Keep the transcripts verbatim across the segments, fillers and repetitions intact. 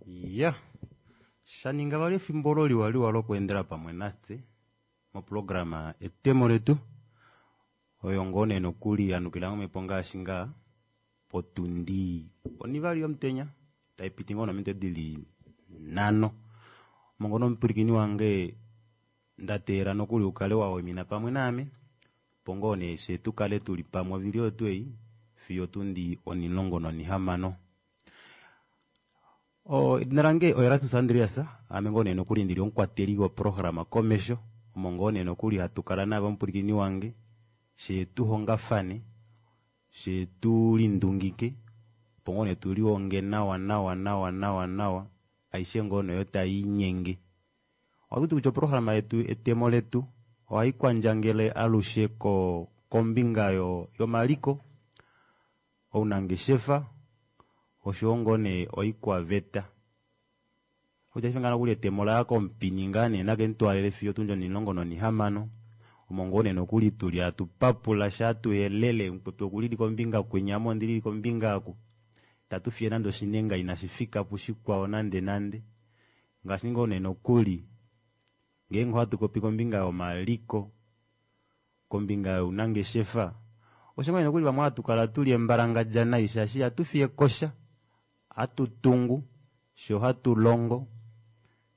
Ya shaninga vali efimbo olo liwaliwa lokweendela pamwe nafye moprograma etemo letu oyo ngoo nee nokuli yanukila momhepo ngaashi ngaa potundi onivali yomutenya taipiti ngoo nominute dili nhano. Omo ngoo nomupwilikini wange ndateelela nokuli ukale wawaimina pamwe naame opo ngoo nee fyee tukale tuli pamwe ovili oyo tuu ei fiyo otundi onimulongo nonihamano. Edina lange oErastus Andreas, aame ngoo nee nokuli ndili omukwateli woprograma komesho omo ngoo nee nokuli hatu kala naave omupwilikini wange fyee tuhongafane fyee tulindungike opo ngoo nee tulihonge nawa nawa nawa nawa nawa aishe ngoo nee oyo taiinyenge. Ohatuti kutya oprograma yetu etemo letu ohaikwandjangele alushe ko kombinga yomaliko, ounangeshefa oshoyo ngoo nee oikwaveta. Paife ngaha nokuli etemo olaya komupini ngaa nee nakemutwaalele fiyo otundi onimulongo nonihamano omo ngoo nee nokuli tuli hatu papula fyee hatuyelele mukwetu okulili kombinga kwinya ame ondili kombinga oku itatu fiye nande oshinenga inashifika pushikwao nande nande ngaashi ngoo nee nokuli ngeenge ohatu popi kombinga yomaliko, kombinga younangeshefa osho ngoo nee nokuli vamwe hatukala tuli embalangadja nai shaashi ihatu fiyekosha ohatu tungu fyee ohatulongo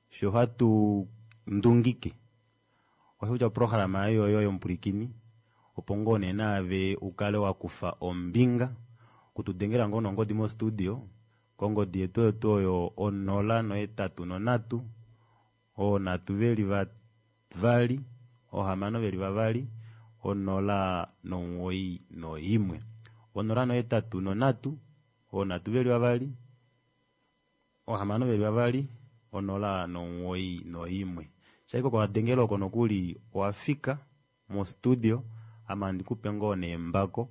fyee ohatu ndungike. Oshokutya oprograma ei oyoye omupwilikini opo ngoo nee naave ukale wakufa ombinga okutudengela ngoo nongodi mo studio kongodi yetu oyo tuu oyo onola nohetatu nonhatu oonhatu veli vavali oohamano veli vavali onola nomugoyi noimwe onola nohetatu nonhatu oonhatu veli vavali oohamano veli vavali onola nomugoyi noimwe. Shaike oko wadengela oko nokuli owafika mo studio ame handikupe ngoo nee embako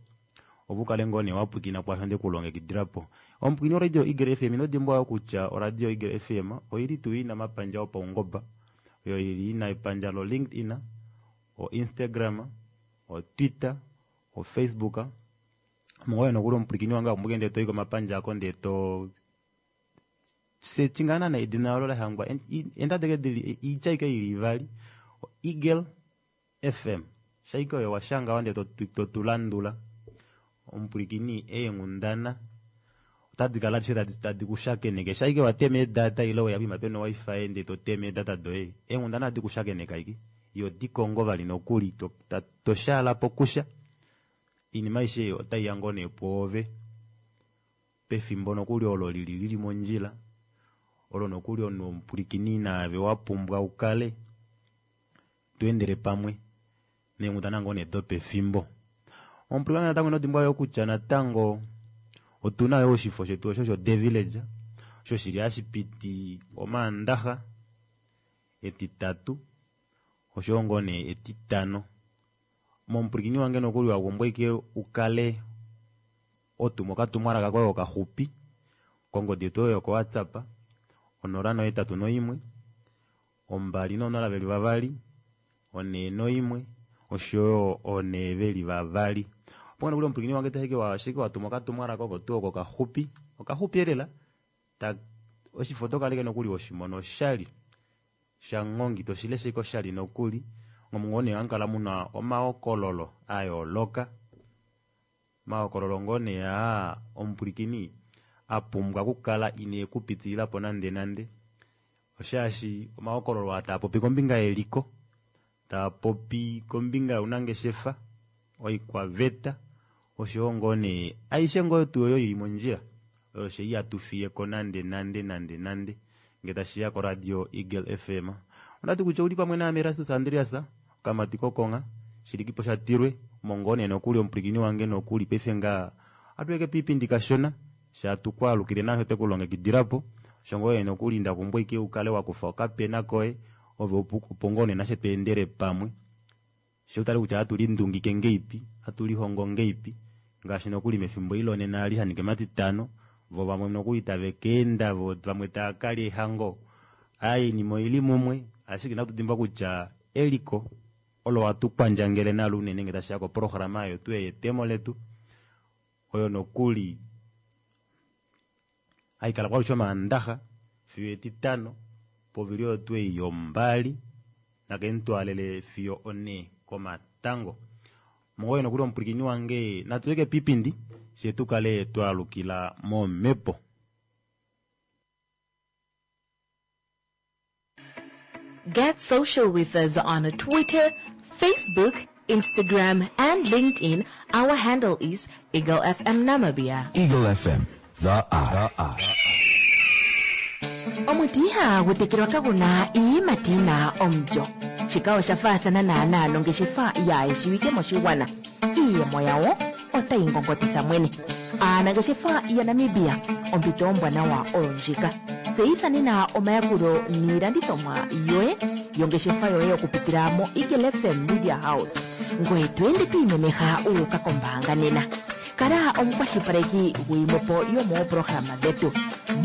ove ukale ngoo nee wapwilikina kwaasho ndekulongekidilapo. Omupwilikini wo radio Eagle F M inodimbwa yoo kutya oradio Eagle F M oili tuu ina omapandja opaungoba oyo ili ina epandja lo LinkedIn, o Instagram, o Twitter, o Facebook omo ngoo nokuli omupwilikini wange wapumbwa ndee toyi komapandja ako ndee too search ngaa naana edina olo lahangwa eendada ashike dili oitya ashike ili ivali Eagle F M shaike oyo washanga ndee totulandula omupwilikini eenghundana otadi kala adishe tadi kushakeneke shaike watema eedata ile weya poima pena o-wifi ndee toteme eedata doye eenghundana ohadi kushakeneke ashike ihodikongo vali nokuli toshaala pokusha oinima aishe otaiya ngoo nee pwoove pefimbo nokuli olo lili lili mondjila olo nokuli omunhu omupwilikini naave wapumbwa ukale tweendele pamwe neenghundana ngoo nee dopefimbo. Omupwilikini natango inodimbwa yoo kutya natango otuna yoo oshifo shetu osho sho The Village osho shili hashipiti omaandaxa, etitatu oshoyo ngoo nee etitano. Momupwilikini wange nokuli wapumbwa ashike ukale hotuma okatumwalaka koye okaxupi kongodi yetu oyo yoko WhatsApp onola nohetatu noimwe ombali nonola veli vavali onhee noimwe oshoyo onhee veli vavali. Opo nokuli omupwilikini wange ashike watuma okatumwalaka oko tuu oko okaxupi okaxupi elela ta oshifo otokala ashike nokuli weshimona oshali shanghongi toshilesha ashike oshali nokuli omo ngoo nee hamukala muna omahokololo ayooloka omahokololo ngoo nee aa omupwilikini apumbwa okukala ine kupitililapo nande nande oshaashi omahokololo aa taapopi kombinga yeliko taapopi kombinga younangeshefa oikwaveta oshoyo ngoo nee aishe ngoo tuu oyo ili mondjila oyo fyee ihatufiyeko nande nande nande nande ngee tashiya ko radio Eagle F M. Ondati kutya ouli pamwe naame Erastus Andreas okamati kokongha shilikipo shatilwe omo ngoo nee nokuli omupwilikini wange nokuli paife ngaha ohatuye piipindi kashona fyee hatukwaalukile naasho twekulongekidilapo osho ngoo nee nokuli ndapumbwa ashike ukale wakufa okapena koye ove opo ngoo nee nafye tweendele pamwe fyee utale kutya ohatu lindungike ngahelipi ohatu ngahelipi ngaashi nokuli mefimbo eli lonena eli shaninga omatitano voo vamwe nokuli tave keenda voo vamwe taakalya eehango aaye oinima oili mumwe ashike inatu dimbwa kutya eliko olo hatu kwandjangele nalo unene ngee tashiya koprograma yetu yetemo letu oyo nokuli haikala alushe omaandaxa Fiyo etitano povili oyo tuu ei yombali nakemutwaalele fiyo onhee komatango. Mongoye nokuli omupwilikini wange natuyeke piipindi fyee tukale twaalukila momhepo. Get social with us on Twitter, Facebook, Instagram, and LinkedIn. Our handle is Eagle FM Namibia. Eagle FM, the eye. The eye. Omuti ihagu tekelwa kagu na iiyimati yi na omulyo. Shika osha faathana naanaa nongeshefa yaayeshiwike moshigwana. Iiyemo yawo otayi ngongotitha mwene. Aanangeshefa yaNamibia, ompito ombwanawa oyo ndjika. Tseyitha nena omayakulo niilandithomwa yoye yongeshefa yoye okupitila moEagle FM Media House, ngoye to ende to imemeha wu uka kombaanga nena. Kala omukwashilipaleki guyimwe po yomooprograma dhetu.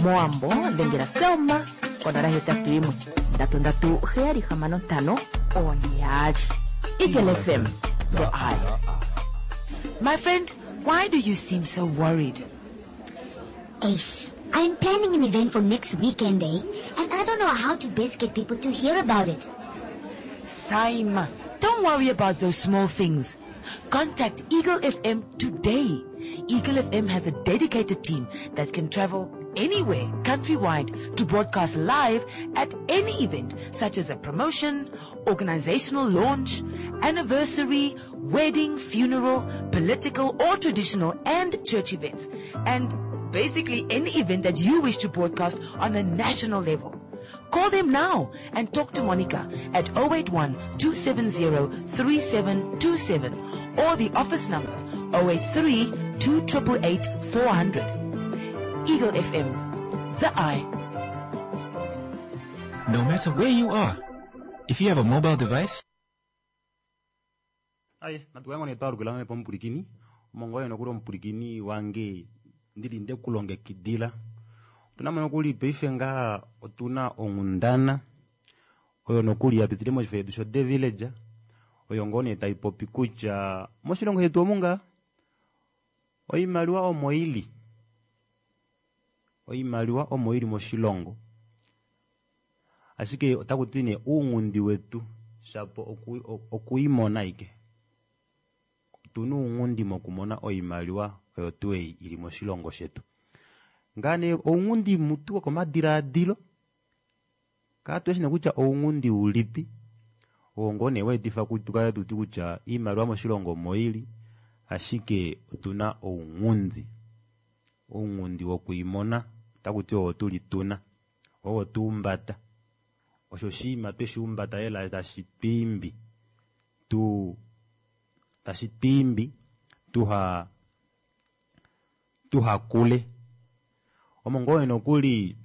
MOwambo dhengela Selma konola hetatu yimwe ndatu ndatu heyali hamano ntano oone yaali. Eagle FM, the eye. My friend, why do you seem so worried? Ace, I'm planning an event for next weekend, eh? And I don't know how to best get people to hear about it. Saima, don't worry about those small things. Contact Eagle F M today. Eagle F M has a dedicated team that can travel anywhere countrywide to broadcast live at any event such as a promotion, organizational launch, anniversary, wedding, funeral, political or traditional and church events, and basically any event that you wish to broadcast on a national level. Call them now and talk to Monica at oh eight one two seven zero three seven two seven or the office number oh eight three two eight eight four hundred. Eagle F M, the eye. No matter where you are, if you have a mobile device, Aye, natukayango nee twalukila momhepo omupwilikini omongoye nokuli omupwilikini wange ndili ndekulongekidila. Otuna mo nokuli paife ngaha otuna onghundana oyo nokuli yapitile moshifo shetu sho The Village oyo ngoo nee taipopi kutya moshilongo shetu omu ngaa oimaliwa omo ili oimaliwa omo ili moshilongo ashike otakuti nee uunghundi wetu shapo okuimona aike otuna ounghundi mokumona oimaliwa oyo tuu ei ili moshilongo shetu. Ngaa nee ounghundi mutu wokomadilaadilo katushi nee kutya ounghundi ulipi oo ngoo nee waetifa tukale tuti kutya oimaliwa moshilongo omo ili ashike otuna ounghundi ounghundi wokuimona otakuti oo tuli tuna oo tuumbata osho oshinima tweshiumbata lela tashi twiimbi tu tashi twiimbi tuha tuhakule omo ngoo nokuli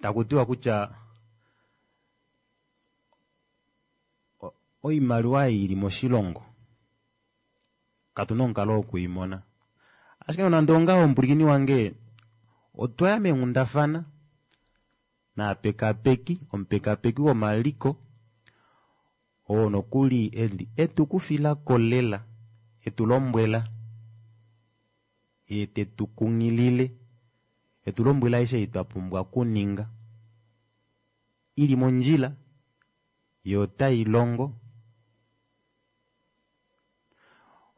takutiwa kutya oimaliwa ei ili moshilongo katuna omukalo wokuimona ashike nonande ongaho omupwilikini wange otwaya meenghundafana naapekapeki omupekapeki womaliko oo nokuli eli etukufilako lela etulombwela yee tetukunghilile etulombwela aishe ei twapumbwa okuninga ili mondjila yee otailongo.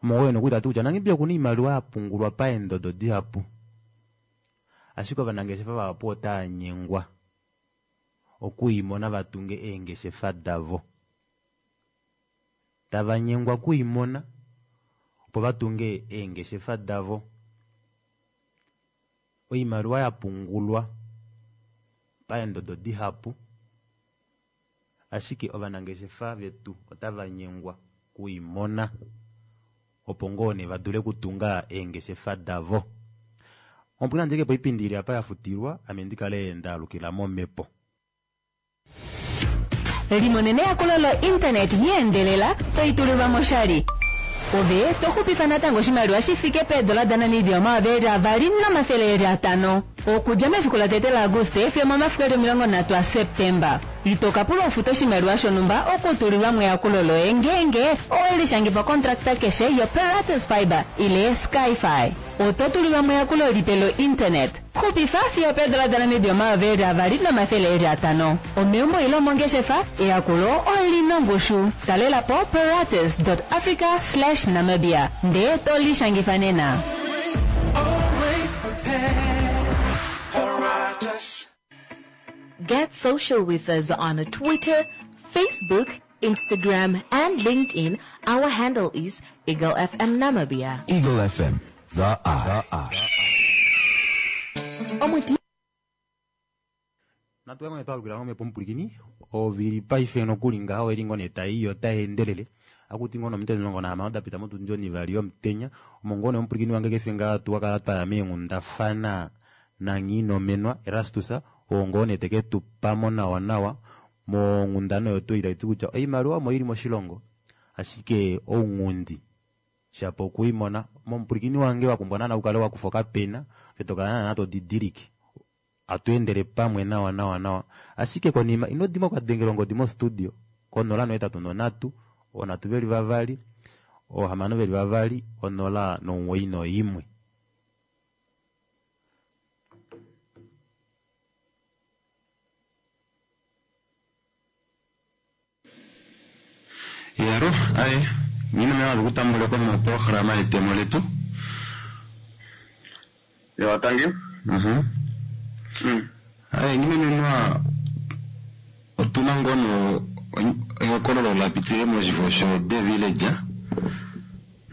Omo nokuli tati kutya Namibia okuna oimaliwa yapungulwa paendodo dihapu ashike ovanangeshefa vahapu otava okuimona vatunge eengeshefa davo tava nyengwa okuimona opo vatunge eengeshefa davo. Oimaliwa yapungulwa paendodo dihapu ashike ovanangeshefa vetu otava nyengwa okuimona opo ngoo nee vadule okutunga eengeshefa davo. Omupwilikini nandjeke po oipindi ili apa yafutilwa ame ndikale ndaalukila momhepo. Limonene eyakulo lo-internet yeendelela toitulilwa moshali ove toxupifa natango oshimaliwa shifike peedola daNamibia omayovi eli avali nomafele eli atano okudja mefiku latete laAguste fiyo momafiku eli omilongo nhatu aSeptemba. Ito ka pulwa ufute oshimaliwa shonhumba okutulilwa eyakulo loye ngeenge owe lishangifa kontrakta keshe yoPeratus Fibre ile Skyfi. Oto tulilwa eyakulo lipe lointernet. Xupifa fiyo peedola daNamibia omayovi eli avali nomafele eli atano. Omeumbo ile omongeshefa, eyakulo olina ongushu. Talela po peratus.africa slash Namibia ndee to lishangifa nena. Always prepared. Paratus. Get social with us on Twitter, Facebook, Instagram, and LinkedIn. Our handle is Eagle FM Namibia. Eagle FM, the eye. The eye. Omuti natukamwe twalukila ngomhepo mupulikini ovili paife nokuli ngaho eli ngoo nee tai yo tai endelele akuti ngoo nomite omulongo nahamano dapita motundi onivali yomutenya omo ngoo nee omupulikini wange kefe ngaa tuwakala twaya meenghundafana nanghiinomenwa Erastus oo ngoo nee teke tupamo nawa nawa monghundana oyo tuu taiti kutya oimaliwa omo ili moshilongo ashike ounghundi shapo okuimona momupulikini wange wapumbwa naana ukale wakufa okapena ove tokala naana todidilike atweendele pamwe nawa nawa nawa ashike konima ino dimbwa okadengela ongodi mostudio konola nohetatu nonhatu onhatu veli vavali oohamano veli vavali onola nomuwoi noimwe. Yaro, aye, ngina mea kutambuleko moprograma yetemo letu. Ya, thank you. Mhm. Mm. Aye, ngina menwa otuna ngono ehokololo la pitile moshifo sho The Village.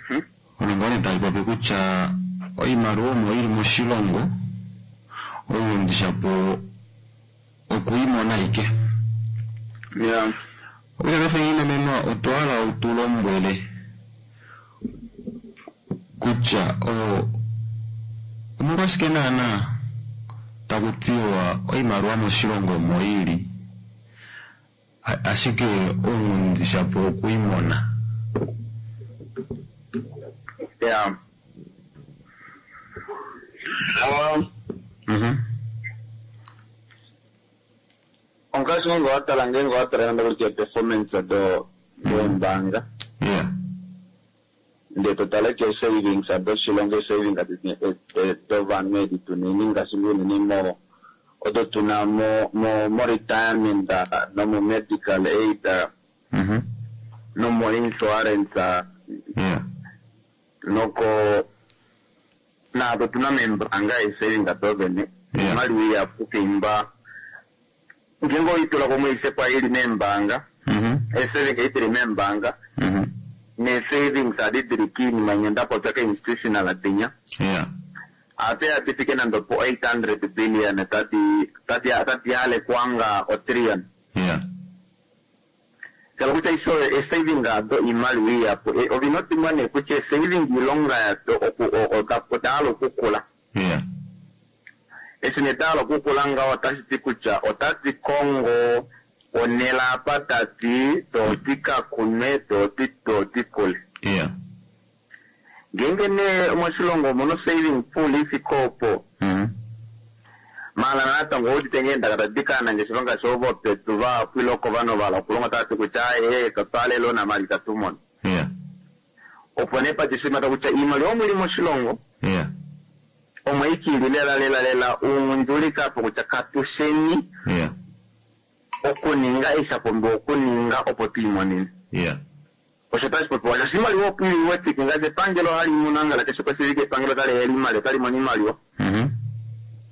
Mhm. Ono ngone tali popi kutya oimaliwa omo ili moshilongo oundishapo okuimona ike. Yeah. Okutya paife ngina menwa otwa hala utulombwele kutya o omolwashike naana taku tiwa oimaliwa moshilongo omo ili a- ashike ounghundi shapo okuimona. Yeah. Um, Mhm. ongaashi ngenge watala ngenge watala nande kutya performance do doombanga Yeah. ndee totala ke savings doshilongo saving dovanhu edi tunini ngaashi unene mo odo tuna mo mo mo retirement nomo medical aid Mhm. nomo insurance Yeah. noko naado tuna meembanga eesaving dovene Yeah. imaliwa iyapu kuimba ngenge oitula kumwe isekwa ili meembanga Mhm. eesaving idili meembanga Mhm. nee-savings adi dili kiinima nyendapopya ka-institutional dinya Yeah. ate adifike nando po eight hundred billion tadi tadi tadi yalekwanga o trillion Yeah. kala kutya iso e-saving ado imaliwa iyapu E, ovinotimwa nee kutya e-saving ilonga yado oku- o- o- odahala okukula Yeah. eshi nee dahala okukula ngaho otashi ti kutya otadi kongo onela apa tadi dodi kakunwe dodi dodi kule Yeah. ngenge nee moshilongo omuno saving pool ifike opo Mhm. mala natango oudite ngeendaka tadi kaanangeshefa ngaashi ovo pedu vaapwile oko vanhu vala okulonga tavati kutya aye katwalele onamali katumona Yeah. opo nee patishimata kutya iimaliwa omuli moshilongo Yeah. omwe ikili lela lela lela uungundulika apo kutya katusheni Yeah. okuninga eishapumbiwa okuninga opo twiimonene Yeah. osho tashi popiwa shaashi iimaliwa opo ili wetike ngaashi epangelo hali mono angala keshe koshivike epangelo tali hela iimaliwa tali mono iimaliwa Mhm.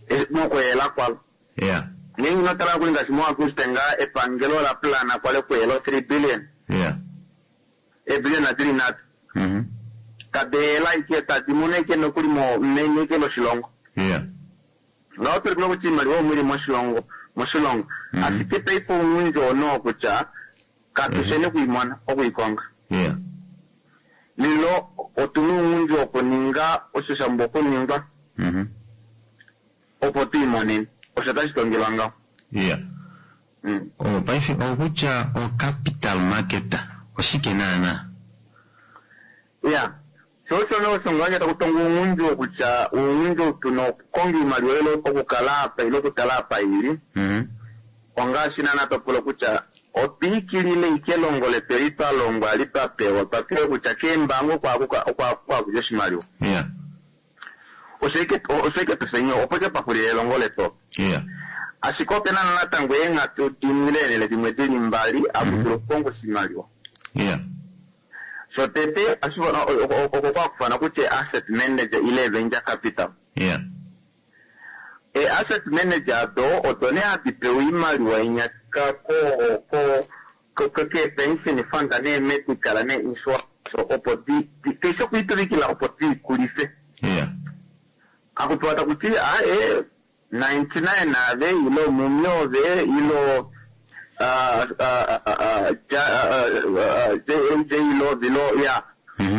Eh, mokuhela kwalo Yeah. ngenge inotala kuli ngaashi moAguste ngaa epangelo la plana kwale kuhela o three billion Yeah. eebillion adili nhatu Mhm. tadihela ike tadi mono ike nokuli mo meni ike loshilongo Yeah. ngaho tolikula kutya iimaliwa omuli moshilongo moshilongo Mhm. ashike paife oungundji ono kutya katusheni okuimona okuikonga Yeah. lilo otuna uungundji wokuninga osho shamba okuningwa Mhm. opo twiimonene osho tashi tongelwa ngaho Yeah. Mm. Oh, paife okutya o capital market oshike naana? ya sho osho nee osho ngaa taku tonga uungundji wokutya uungundji tuna okukonga iimaliwa ile okukala apa ile okutala apa ili Mhm. Ongaashi naana topula kutya otwiikilile ike elongo letu eli twa longwa li twa pewa twa pewa kutya keembaanga okwaakudja oshimaliwa. Yeah. Osho ike tusenye opo ike twaxulila elongo letu. Yeah. Ashike opena natango eenghatu dimwe ile eenhele dimwe dili mbali akudulu okukonga oshimaliwa. Yeah. Shotete oko kwakufana kutya asset manager ile venture capital. Yeah. E asset manager ado odo nee hadi pewa oimaliwa inyaka ko ko ko ke pension fund ne medical ne insurance opo di keshe okuituvikila opo diikulife. Yeah. Akupewa takuti a e ninety-nine ave ilo mumyove ilo ah ah ah J J ilo vilo ya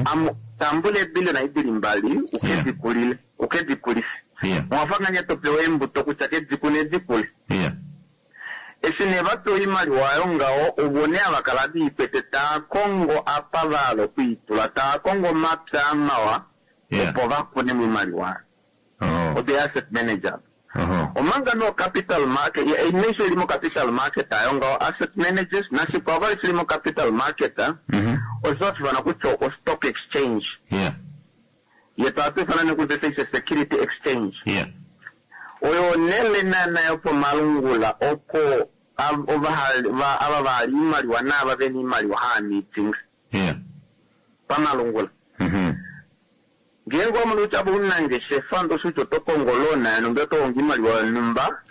am tambule billion idili mbali ukedikulile ukedikulife. Yeah. Mwafanganya topewa embuto kutya kedikune dikule. Yeah. Eshi ne vapewa oimaliwa ayo ngaho ovo nee avakala viikwete taa kongo apa vahala okwiitula taa kongo omapya mawa opo vakune moimaliwa ayo. Odo asset manager. Omanga no capital market imesho ili mo capital market ayo ngaho asset managers nashikwao vali shili mo capital market osho hashifana kutya o stock exchange. Yeah. Yetu hatuifana nekuti security exchange. Yeah. Oyo nele nana yopomalungula oko ava vali imaliwa naava vena imaliwa haa meeting. Yeah. Pamalungula. Ngeenge omunhu kutya ounangeshefa ndosho oto kongo loan yonhumba oto kongo imaliwa yonhumba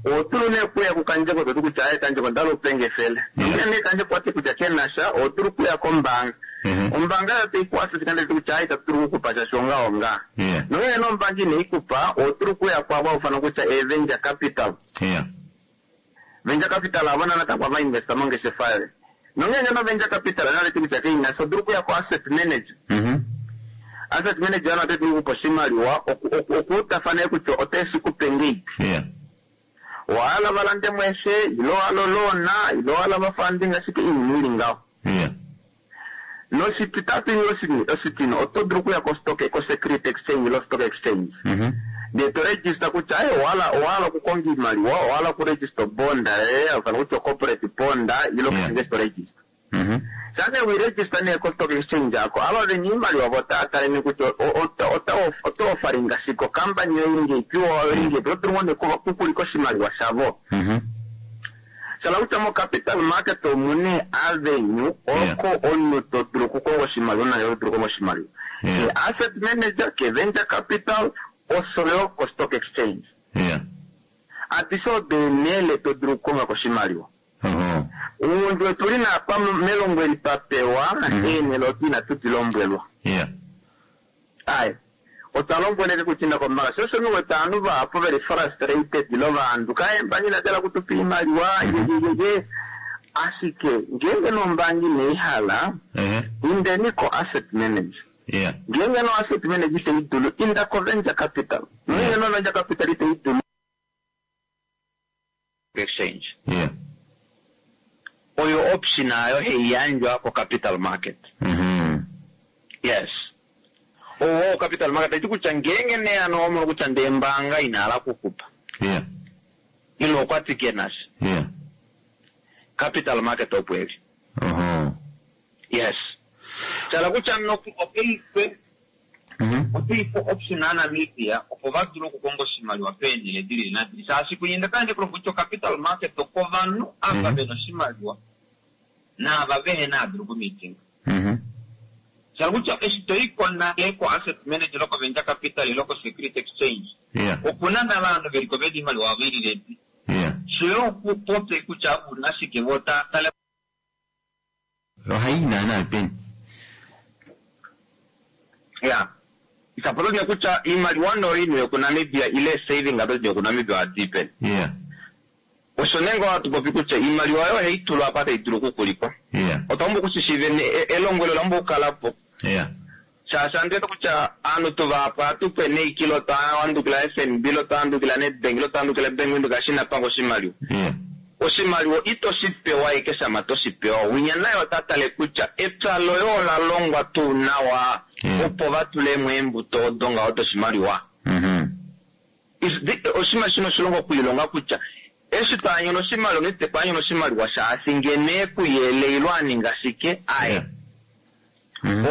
otulu nee okuya kukandjeko toti kutya aye kandjeko ndala upenge efele. Nongele nee kandjeko wati kutya kenasha otulu okuya kombaanga. Ombaanga yo taikwafele kande kutya aye itatu okukupa sha shonga onga. Nongele nee ombaanga ineikupa otulu okuya kwavo ufana kutya e venture capital. Yeah. Venture capital avo natango vainvesta mongeshefa yoye. Nongele no venture capital naleti kutya keinasha otulu okuya ko asset manager. Asset manager ano otetu okupa oshimaliwa okuutafana kutya oteshi kupe ngeipi. Yeah. Owahala valande mweshe ilo wahala oloona ilo wahala vafunding ashike iinima ili ngaho. Yeah. Noshititatu ile oshitino oto dulu okuya ko stock ko security exchange ilo stock exchange. Ndee to register kutya aye owahala owahala okukonga iimaliwa owahala okuregister bond eh ofana kutya corporate bond ilo yeah. To register. Sane we register ne ko stock exchange ako ava vena iimaliwa votaatale kutya ota offeringa shiko company yoingepi oingepi oto dulu kukulika oshimaliwa shavo. Shala kutya mo capital market omune avenue oko omunhu to dulu okukonga oshimaliwa nayo to dulu okukonga oshimaliwa. Ke asset manager ke venture capital osho ko stock exchange. Yeah. Adishe odo eenhele to dulu okukonga koshimaliwa. Uundu wetu li napa melongo eli twapewa eenhele odo inatu dilombwelwa. Yeah. Aye. Otwa lombweleke kutinda kombaanga. Sho osho wete aanhu vahapu veli frustrated ilo vanhu kaembangi inadala kutupa iimaliwa yeyeyeye. Ashike ngeenge nombaanga ineihala indeni ko asset manager. Yeah. Ngeenge no asset manager iteidulu inda ko venture capital. Ngeenge no venture capital iteidulu exchange. Yeah. Oyo option ayo heiyandjwa ko capital market. Mm-hmm. Yes. Owo capital market iti kutya ngeenge nee ano omono kutya ndee embaanga inahala kukupa. Yeah. Ilo okwati kenasha. Yeah. Capital market opo eli. Uh-huh. Yes. Shala kutya noku opeikwe oteipe option yaNamibia opo vadule okukonga oshimaliwa peenhele dili nadili. Shaashi kunyenda kanje kulongo kutya capital market okovanhu ava vena oshimaliwa naava vehena adulu kumeeting. Shala kutya eshi toiko nale ko asset manager loko venture capital loko security exchange. Yeah. Okuna navanhu veliko vena iimaliwa vilile. Yeah. Sho okupopye kutya una ashike votaatale. Ohayi naana peni. Yeah. Isapolonia kutya iimaliwa noino yokuNamibia ile saving ado yokuNamibia ohadi peni. Yeah. Osho nee ngoo hatu popi kutya iimaliwa oyo ohaitulwa apa tayi dulu okukulikwa. Yeah. Otwa pumbwa okushishiiva elongwelo ola pumbwa okukalapo. Yeah. Shaashi andu wete kutya aanhu tuvahapu ohatu neikilo twawandukila F N B lo twawandukila Nedbank lo twawandukila Bank Windhoek ashike inapanga oshimaliwa. Yeah. Oshimaliwa ito shi pewa ike shama to shi pewa. Winya naye ota tale kutya epya loye ola longwa tuu nawa opo vatulemo eembuto odo ngaho doshimaliwa. Oshinima shino oshilongo okwiilonga kutya Eshi twaanyola oshimaliwa nite kwaanyola oshimaliwa shaashi ngeno ekuyele ilo aninga shike aye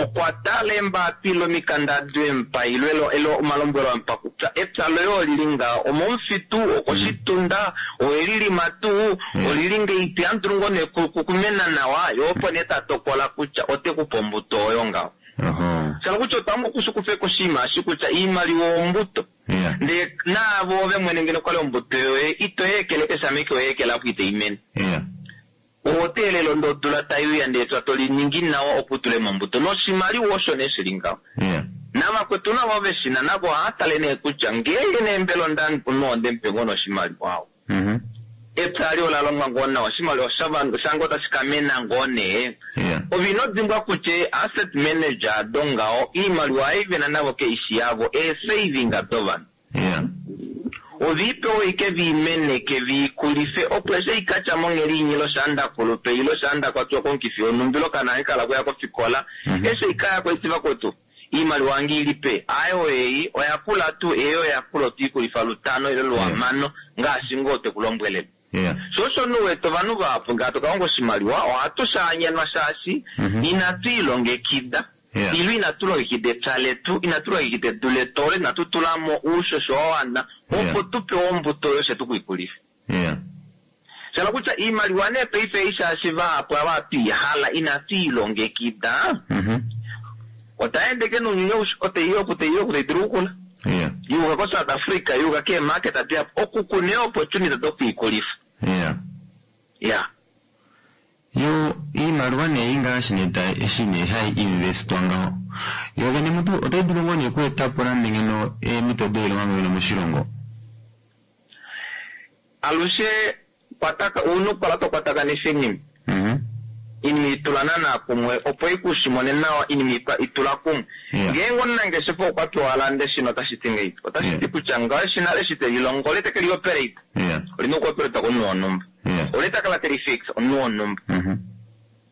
okwa tala embapila omikanda dwempa ilo elo elo omalombwelo ampa kutya epya loye olili nga omomufitu okoshitunda oelilima tuu olili ngeipi andulu ngoo nee ku- ku- kumena nawa yo opo nee tatokola kutya ote kupa ombuto oyo ngaho shala kutya otwaamba okushikufeko oshinima eshi kutya iimaliwa ombuto ndee naavo ove mwene ngeno kwali ombuto yoye itoyeekele keshameke oyeekela apo iteimene oteelele ondodula taiuya ndee twa toliningi nawa opo utule mombuto noshimaliwa osho nee shili ngaho navakwetu navo veshina navo ohaatale nee kutya ngeenge nee mbela onda onde mupe ngoo noshimaliwa awo epya ali ola longwa ngoo nawa oshimaliwa shavanhu shange otashi ka mena ngoo nee ove ino dimbwa kutya asset manager ado ngaho iimaliwa ei vena navo keishi yavo eesaving dovanhu oviipewa ike viimeneke viikulife opo eshi ikatya monghedi inyilo shandakulupe ilo shandakwatwa komukifi wonhumba ilo kana kala kuya kofikola eshi ikaya koiti vakwetu iimaliwa yange ilipe ayo ei oya kula tuu eyo oya kula otwiikulifa lutano ilo luhamano ngaashi ngoo tekulombwelele sho osho nuwete ovanhu vahapu ngee tokalonga oshimaliwa ohatu shaanyenwa shaashi inatu ilongekida ilo inatu longekida epya letu inatu longekida edu letu olo inatu tulamo uushosho wa wana opo tupewe ombuto oyo shetu kuikulifa shala kutya iimaliwa nee paife ei shaashi vahapu ava twiihala inatu ilongekida otaendeke nounyuni aushe oteiya oku teiya oku taidulu okukula yuuka ko South Africa yuuka keemarket dihapu oku kune opportunity dokwiikulifa ya yo iimaliwa nee ingaashi nee ta eshi nee hai investwa ngaho yo vene mutu otai dulu ngoo nee okweetapo nande ngeno eemhito doilonga ngeno moshilongo alushe kwataka ouna okukala tokwatakanisa iinima iinima itula naana kumwe opo ikushimone nawa iinima itwa- itula kumwe ngeenge omunangeshefa okwa pewa alande eshina otashi ti ngeipi otashi ti kutya ngaho eshina eshi telilongo ole teke lioperate olina okuoperata komunhu wonhumba ole takala teli fix omunhu wonhumba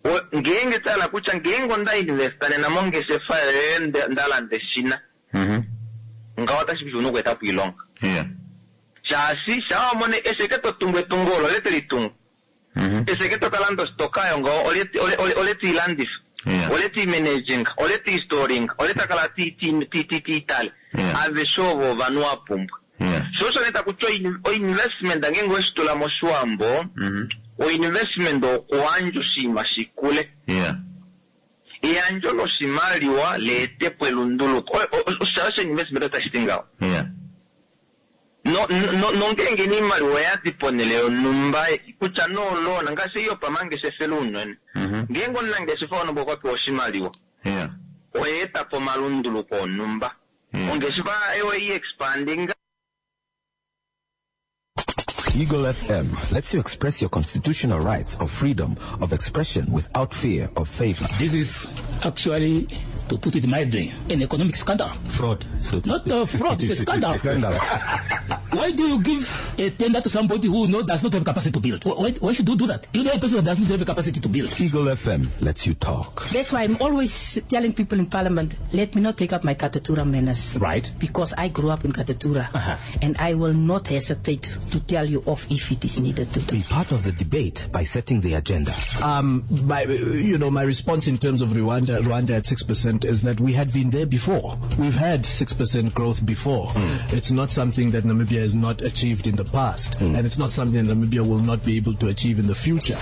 O- ngeenge tala kutya ngeenge onda investa nena mongeshefa yoye nde- ndalanda eshina ngaho otashi kuti una okweetapo iilonga shaashi shaa wamone esheke totungu etungo olo ole telitungu esheke tokalanda ositoka yo ngaho ole ole- ole- ole tiilandifa ole tiimanaging ole tiistoring ole takala ti- ti- ti- ti- tiitale aveshe ovo ovanhu wa pumbwa sho osho nee takutya oin- oinvestment ngeenge weshitula moshiwambo oinvestment okuwandja oshinima shikule eyandjo loshimaliwa leetepo elunduluko osha osho investment otashi ti ngaho no no nongeenge niimaliwa oyadi ponele yonhumba kutya noolona ngaashi ei yopamangeshefelo unene ngeenge omunangeshefa wonhumba okwa pewa oshimaliwa oyeeta po omalunduluko onhumba ongeshefa eyo i-expanding Eagle F M lets you express your constitutional rights of freedom of expression without fear of favor. This is actually, to put it mildly, an economic scandal. Fraud. So Not a fraud, it's a scandal. Scandal. Why do you give a tender to somebody who no, does not have capacity to build? Why, why should you do that? You know a person who does not have capacity to build. Eagle F M lets you talk. That's why I'm always telling people in Parliament, let me not take up my Katutura manners. Right. Because I grew up in Katutura. And I will not hesitate to tell you off if it is needed to. Be part of the debate by setting the agenda. Um, my, you know, my response in terms of Rwanda, Rwanda at six percent is that we had been there before. We've had six percent growth before. It's not something that Namibia has not achieved in the past, and it's not something that Namibia will not be able to achieve in the future.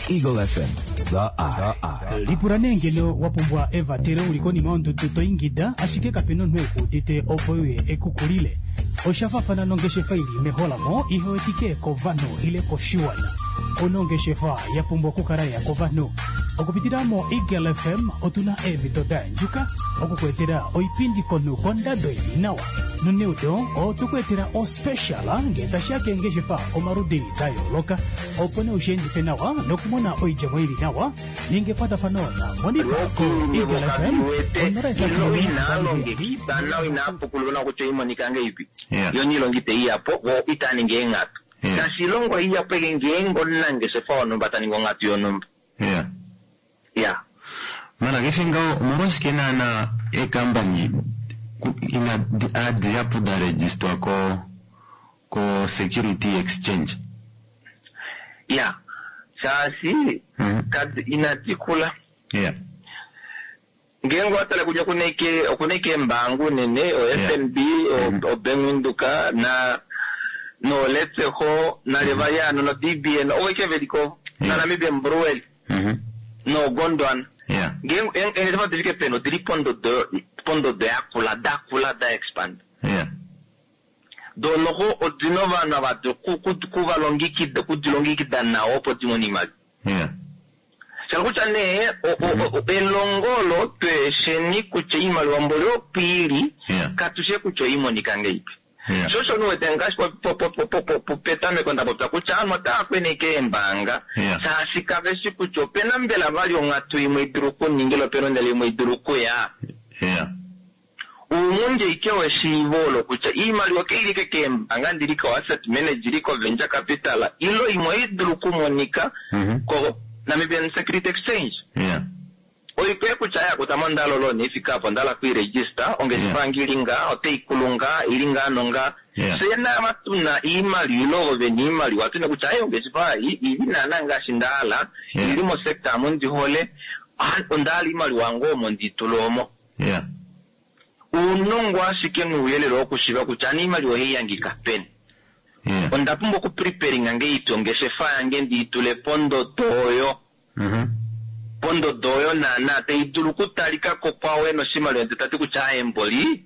Eagle F M, the Eye. Lipula nee ngeno wa pumbwa evatelo uli konima yondudu toingida ashike kapena omunhu ekuudite opo uye ekukulile oshafafana nongeshefa ili meholamo ihewetike kovanhu ile koshiwana onongeshefa ya pumbwa okukala ya kovanhu okupitila mo Eagle F M otuna eemhito da andjuka okukuetela oipindi konhu kondado ili nawa noneudo otukuetela ospecial ngee tashiya keengeshefa omaludi da yooloka opo ne ushiendife nawa nokumona oidjemo ili nawa ninga ekwatafano na Monica ko Eagle F M onola ilo inaalongekida nawa inaapukulula nawa kutya oimonika ngeipi yo niilonga iteiyapo vo itaningi eenghatu ngaashi ilongo iyapo eke ngeenge omunangeshefa wonhumba taningi onghatu yonhumba ya mana kefe ngaho omolwashike naana eekambani ina adihapu da registwa ko ko security exchange? Ya, shaashi kadi inadi kula. Yeah. Ngeenge owatale kutya okuna ike okuna ike eembaanga unene o F N B, o- o Bank Windhoek na nooLetseho nalevayano no D B N ovo ike veliko na Namibian Brewery noGondwana. Yeah. Ngeenge eengeshefa difike peni odili pondodo pondodo yakula dakula da expand. Yeah. Donoho odina ovanhu ava kuvalongekida kudilongekida nawa opo dimone iimaliwa. Yeah. Shala kutya nee o- o- o- elongo olo twesheni kutya iimaliwa mboli opo ili katushe kutya oimonika ngeipi. Yeah. Sho osho nuwete ngaashi po- po- po- po- po- po- po- petameko nda popya kutya aanhu otaya kweneke eembaanga shaashi kaveshi kutya opena mbela vali onghatu imwe idulu okuningila opena ondjala imwe idulu okuya. Yeah. Uungunje ike weshiivo olo kutya iimaliwa keilike keembaanga ndili ko asset manager ili ko venture capital ilo imwe idulu okumonika ko Namibian Security Exchange. Yeah. Oikwe kutya yakuta mondalo lo neifika apo ndala kuiregister ongeshefa yange ili ngaa oteikulu ngaa ili ngaa nongaa. Yeah. Fye naava tuna iimaliwa ilo ovo vena iimaliwa tuna kutya aye ongeshefa ei ili naana ngaashi ndahala ili mosekta amu ndihole ah, ondahala iimaliwa yange omo nditula omo. Yeah. Uunongo ashike nuuyelele wokushiva kutya ani iimaliwa ohaiyangika peni. Yeah. Onda pumbwa okupreparinga ngeiti ongeshefa yange ndiitule pondodo oyo pondodo oyo naana taidulu okutalikako kwawe noshimaliwa ndee tati kutya aye mboli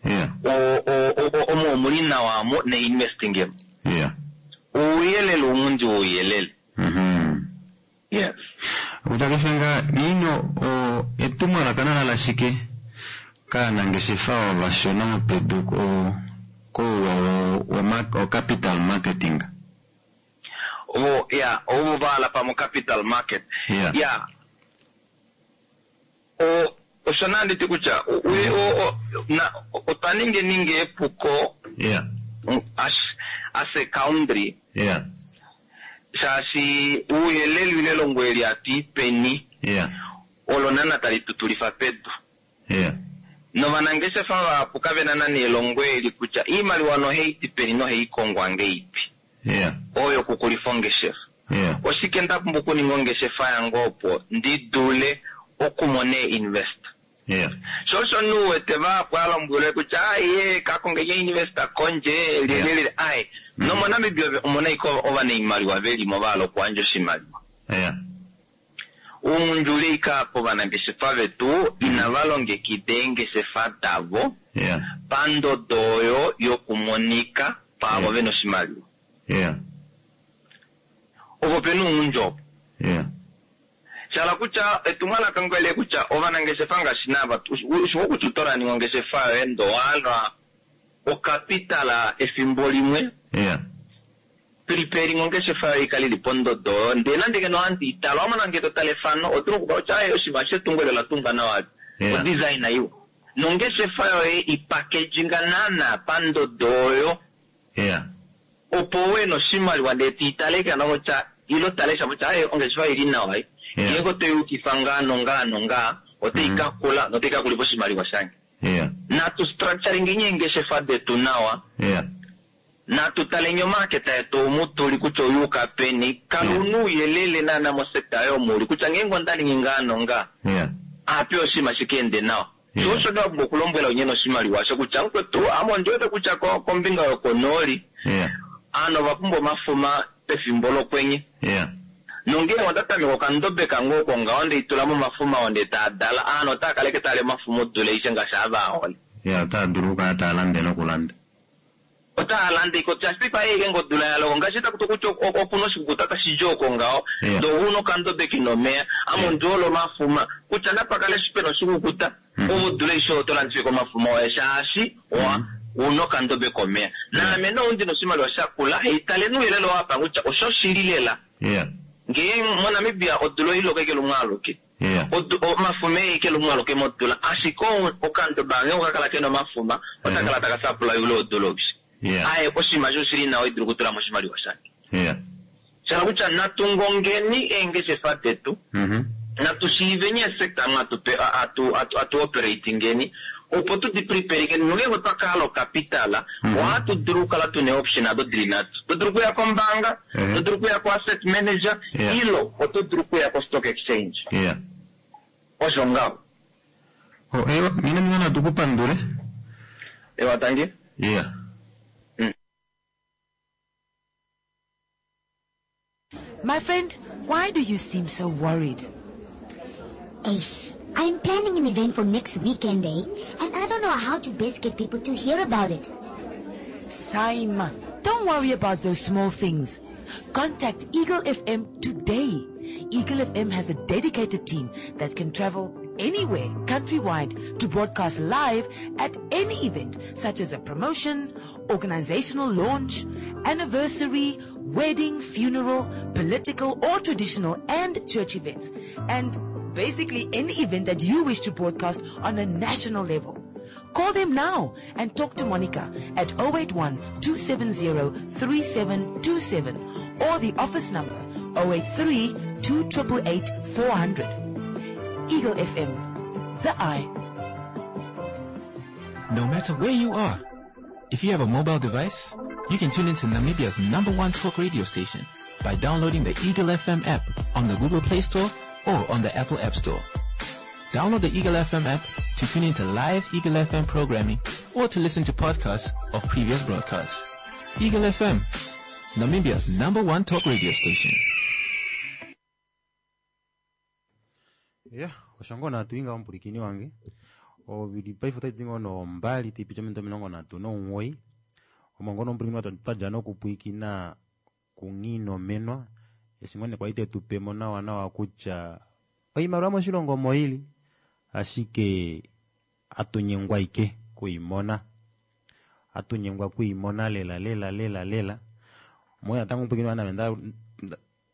Yeah. o- o- o- omo omuli nawa amo neinvestingemo. Yeah. Ouyelele omundi wouyelele. Yes. Utakefenga niino o etumwalaka nala lashike kaanangeshefa ovashona mopedu ko kouwa wo- wo ma- o capital marketing. Ovo ya ovo vala pamo capital market. Yeah. Ya, o osho naa nditi kutya o- o- o- na otwa ninge ninge epuko Yeah. as as a country Yeah. shaashi uuyelele ile elongo eli atuipeni Yeah. olo nana tali tutulifa pedu. Yeah. Novanangeshefa vahapu kavena nana elongo eli kutya iimaliwa noheiti peni noheikongwa ngeipi Yeah. oyo okukulifa ongeshefa. Yeah. Oshike nda pumbwa okuninga ongeshefa yange opo ndi dule okumona invest. Yeah. Sho osho nuwete vahapu alombwelwe kutya aye kakonge investor kondje lelelele aye nomoNamibia omuna ike ovanaimaliwa velimo vahala okuandja oshimaliwa. Yeah. Uundjule ike apa ovanangeshefa vetu inava longekida eengeshefa davo Yeah. pandodo oyo yokumonika paavo vena oshimaliwa. Yeah. Opo pena uungundji opo. Yeah. Shala kutya etumwalaka ngwele kutya ovanangeshefa ngaashi naava ushiwo kutya otoraninga ongeshefa yoye ndowahala okapitala efimbo limwe. Yeah. Preparing ongeshefa yoye ikale ili pondodo oyo ndee nande ngeno ohandi itala wamona ngee totala efano otuna okukala kutya aye oshinima shetungo elo olatungwa nawa. Yeah. Odesign iwa nongeshefa yoye ipackaginga naana pandodo oyo Yeah. opo uwe noshimaliwa ndee tiitaleke ano kutya ilo talesha kutya aye ongeshefa ili nawa ei ngeenge otoyukifa ngaa nongaa nongaa oteikakula noteikakulifa oshimaliwa shange. Yeah. Natu structuring eengeshefa detu nawa. Yeah. Natu taleni omaketa yetu omu tuli kutya oyuuka peni kala una uuyelele naana mosekta yomuli kutya ngeenge ondaningi ngaa nongaa Yeah. ape oshinima shikeende nawa. Sho osho nda pumbwa okulombwela unyene oshimaliwa sho kutya mukwetu ame ondiwete kutya ko- kombinga yokonooli Yeah. aanhu ova pumbwa omafuma pefimbo lokwenye. Yeah. Nongele onda tameka okandobe kange oko ngaho ndeitula momafuma oo ndee taadala aanhu otaa kaleke taali omafuma odula aishe ngaashi ava ahole. Yeah, otaa dulu okukala taa lande nokulanda. Otaa lande iko shaashi paife aye ngeenge odula yaloko ngaashi takuti kutya okuna oshikukuta tashi dji oko ngaho Yeah. ndee ouna okandobe kena omeya ame ondiole omafuma kutya napakale eshi pena oshikukuta ove odula aishe oto landifike omafuma oye shaashi owa una okandobe komeya naame nou ndina oshimaliwa shakula haitale nuuyelele wapa kutya osho shili lela. Yeah. Ngee moNamibia odula oiloka ike lumwe aluke. Yeah. Odu- omafuma eike lumwe aluke modula ashike o- okandobe ange okakala kena omafuma otakala taka sapula yule odula oishe. Yeah. Aye oshinima sho shili nawa idulu okutula mo oshimaliwa shange. Yeah. Shala kutya natungongeni eengeshefa detu Mhm. natu shiiveni esekta mu atu pe- atu atu atu operatingeni Opo tu di preparike nongeenge otwa kahala ocapital, ohatu dulu okukala tuna ee-option ado dili nhatu. To dulu okuya kombaanga, to dulu okuya ko-asset manager, ilo oto dulu okuya ko-stock exchange. Yeah. Osho ngaho. Oh, ewa, mina mina natukupandule. Ewa, tangi. Yeah. My friend, why do you seem so worried? Ace, I'm planning an event for next weekend, eh? And I don't know how to best get people to hear about it. Saima, don't worry about those small things. Contact Eagle F M today. Eagle F M has a dedicated team that can travel anywhere countrywide to broadcast live at any event such as a promotion, organizational launch, anniversary, wedding, funeral, political or traditional and church events, and basically any event that you wish to broadcast on a national level. Call them now and talk to Monica at oh eight one two seven zero three seven two seven or the office number oh eight three two eight eight four hundred. Eagle F M, the eye. No matter where you are, if you have a mobile device, you can tune into Namibia's number one talk radio station by downloading the Eagle F M app on the Google Play Store or on the Apple App Store. Download the Eagle F M app to tune into live Eagle F M programming or to listen to podcasts of previous broadcasts. Eagle F M, Namibia's number one talk radio station. Ya, osho ngoo nhatu inga omupwilikini wange ovili paife otaidi ngoo nombali taipiti ominute omilongo nhatu nomuwoi omo ngoo nomupwilikini twadja nokupwilikina kunghiinomenwa eshi ngoo nee kwali tetupemo nawa nawa kutya oimaliwa moshilongo omo ili ashike atunyengwa ike kuimona atunyengwa kuimona lela lela lela lela moya natango omupwilikini wange nda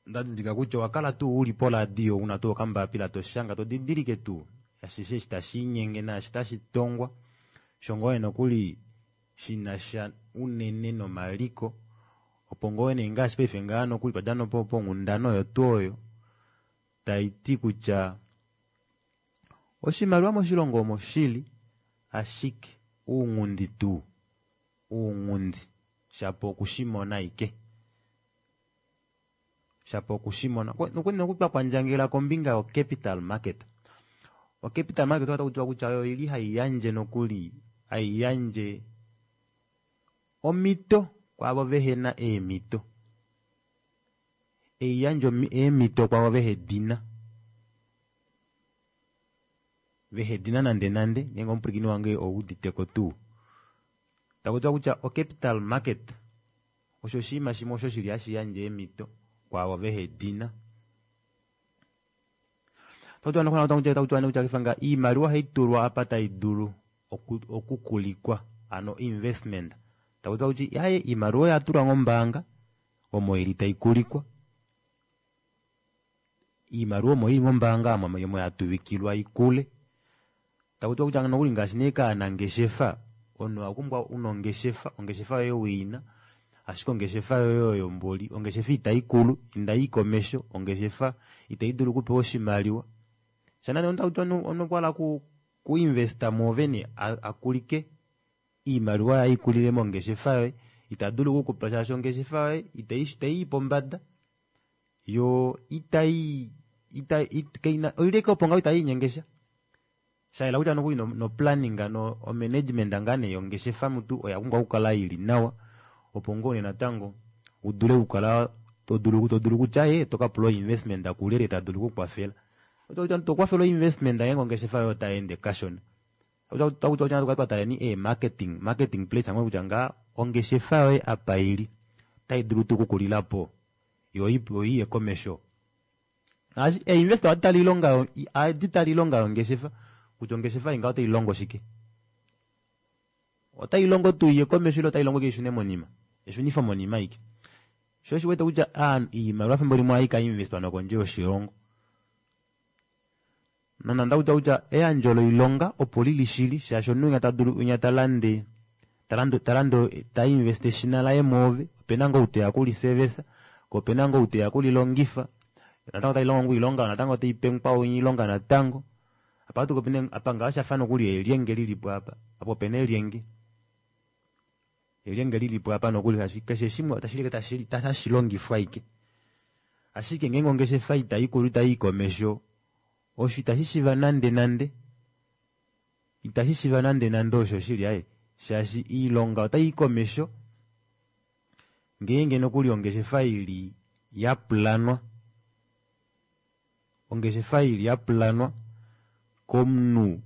ndadidilika kutya owakala tuu uli poradio una tuu okambapila toshanga todidilike tuu ashishe eshi tashiinyenge naashi tashitongwa shongoo nokuli shinasha unene nomaliko opo ngoo nee ngaashi paife ngaa nokuli twadja ponghundana oyo tuu oyo taiti kutya oshimaliwa moshilongo omo shili ashike ounghundi tuu ounghundi shapo okushimona aike shapo okushimona nokuli twakwandjangela kombinga yo capital market. O capital market otakutiwa kutya oyo ili haiyandje nokuli haiyandje omito kwaavo vehena eemito eiyandje eemito kwaavo vehedina vehedina nande nande ngeenge omupwilikini wange ouditeko tuu takutiwa kutya o capital market osho oshinima shimwe osho shili hashi yandje eemito kwaavo vehedina. Takutiwa iimaliwa ohaitulwa apa taidulu okukulikwa hano investment takutiwa kutya aaye iimaliwa oyatulwa mombaanga omo ili taikulikwa iimaliwa omo ili mombaanga omo yatuvikilwa ikule takutiwa kutya nokuli ngaashi nee kaanangeshefa omunhu owapumbwa una ongeshefa ongeshefa yoye wiina ashike ongeshefa yoye oyo mboli ongeshefa itaikulu indayi komesho ongeshefa itaidulu okupewa oshimaliwa shanane otakutiwa omunhu okwahala kuinvesta mwoove akulike iimaliwa yaye ikulile mongeshefa yoye itadulu okukupa shaashi ongeshefa yoye itaii pombada yo itai oili ashike opo ngaho itailinyengesha shayela kutya nokuli no planning no management ngaa nee yongeshefa mutu oya pumbwa okukala ili nawa opo ngoo nee natango udule okukala todulu todulu kutya ee tokapula investment kulyelye tadulu okukwafela tokwafela investment ngeenge ongeshefa yoye otayeende kashona takutiwa twataleni ee marketing marketing place kutya ngaa ongeshefa yoye apa ili otaidulu tuu okukulilapo yo iye komesho einvestor ohadi tale ohadi tale oilonga yongeshefa kutya ongeshefa ei ngaho otailongo shike otailongo tuu iye komesho ile otailongo ike ishune monima eshunifo monima aike sho oshiwete kutya iimaliwa efimbo limwe ohai kainvestwa nokondje yoshilongo nonande takutiwa kutya eyandjo loilonga opo lili shili shaashi omunhu winya tadulu winya talande talande tainveste eshina laye mwoove opena ngoo ou teya okuliservice ko opena ngoo ou teya okulilongifa natango otalilongo ngoo oilonga natango taipe mukwao oilonga natango Apa atu opena apa ngaho shafa nokuli elyenge lilipo apa apa opena elyenge elyenge lilipo apa nokuli shaashi keshe shimwe otashi tashi tashi longifwa ashike ashike ngeenge ongeshefa itaikulu itayi komesho osho itashi shiva nande nande itashi shiva nande nande osho shili aaye shaashi iilonga otayi komesho ngeenge nokuli ongeshefa ili yaplanwa ongeshefa ili yaplanwa komunhu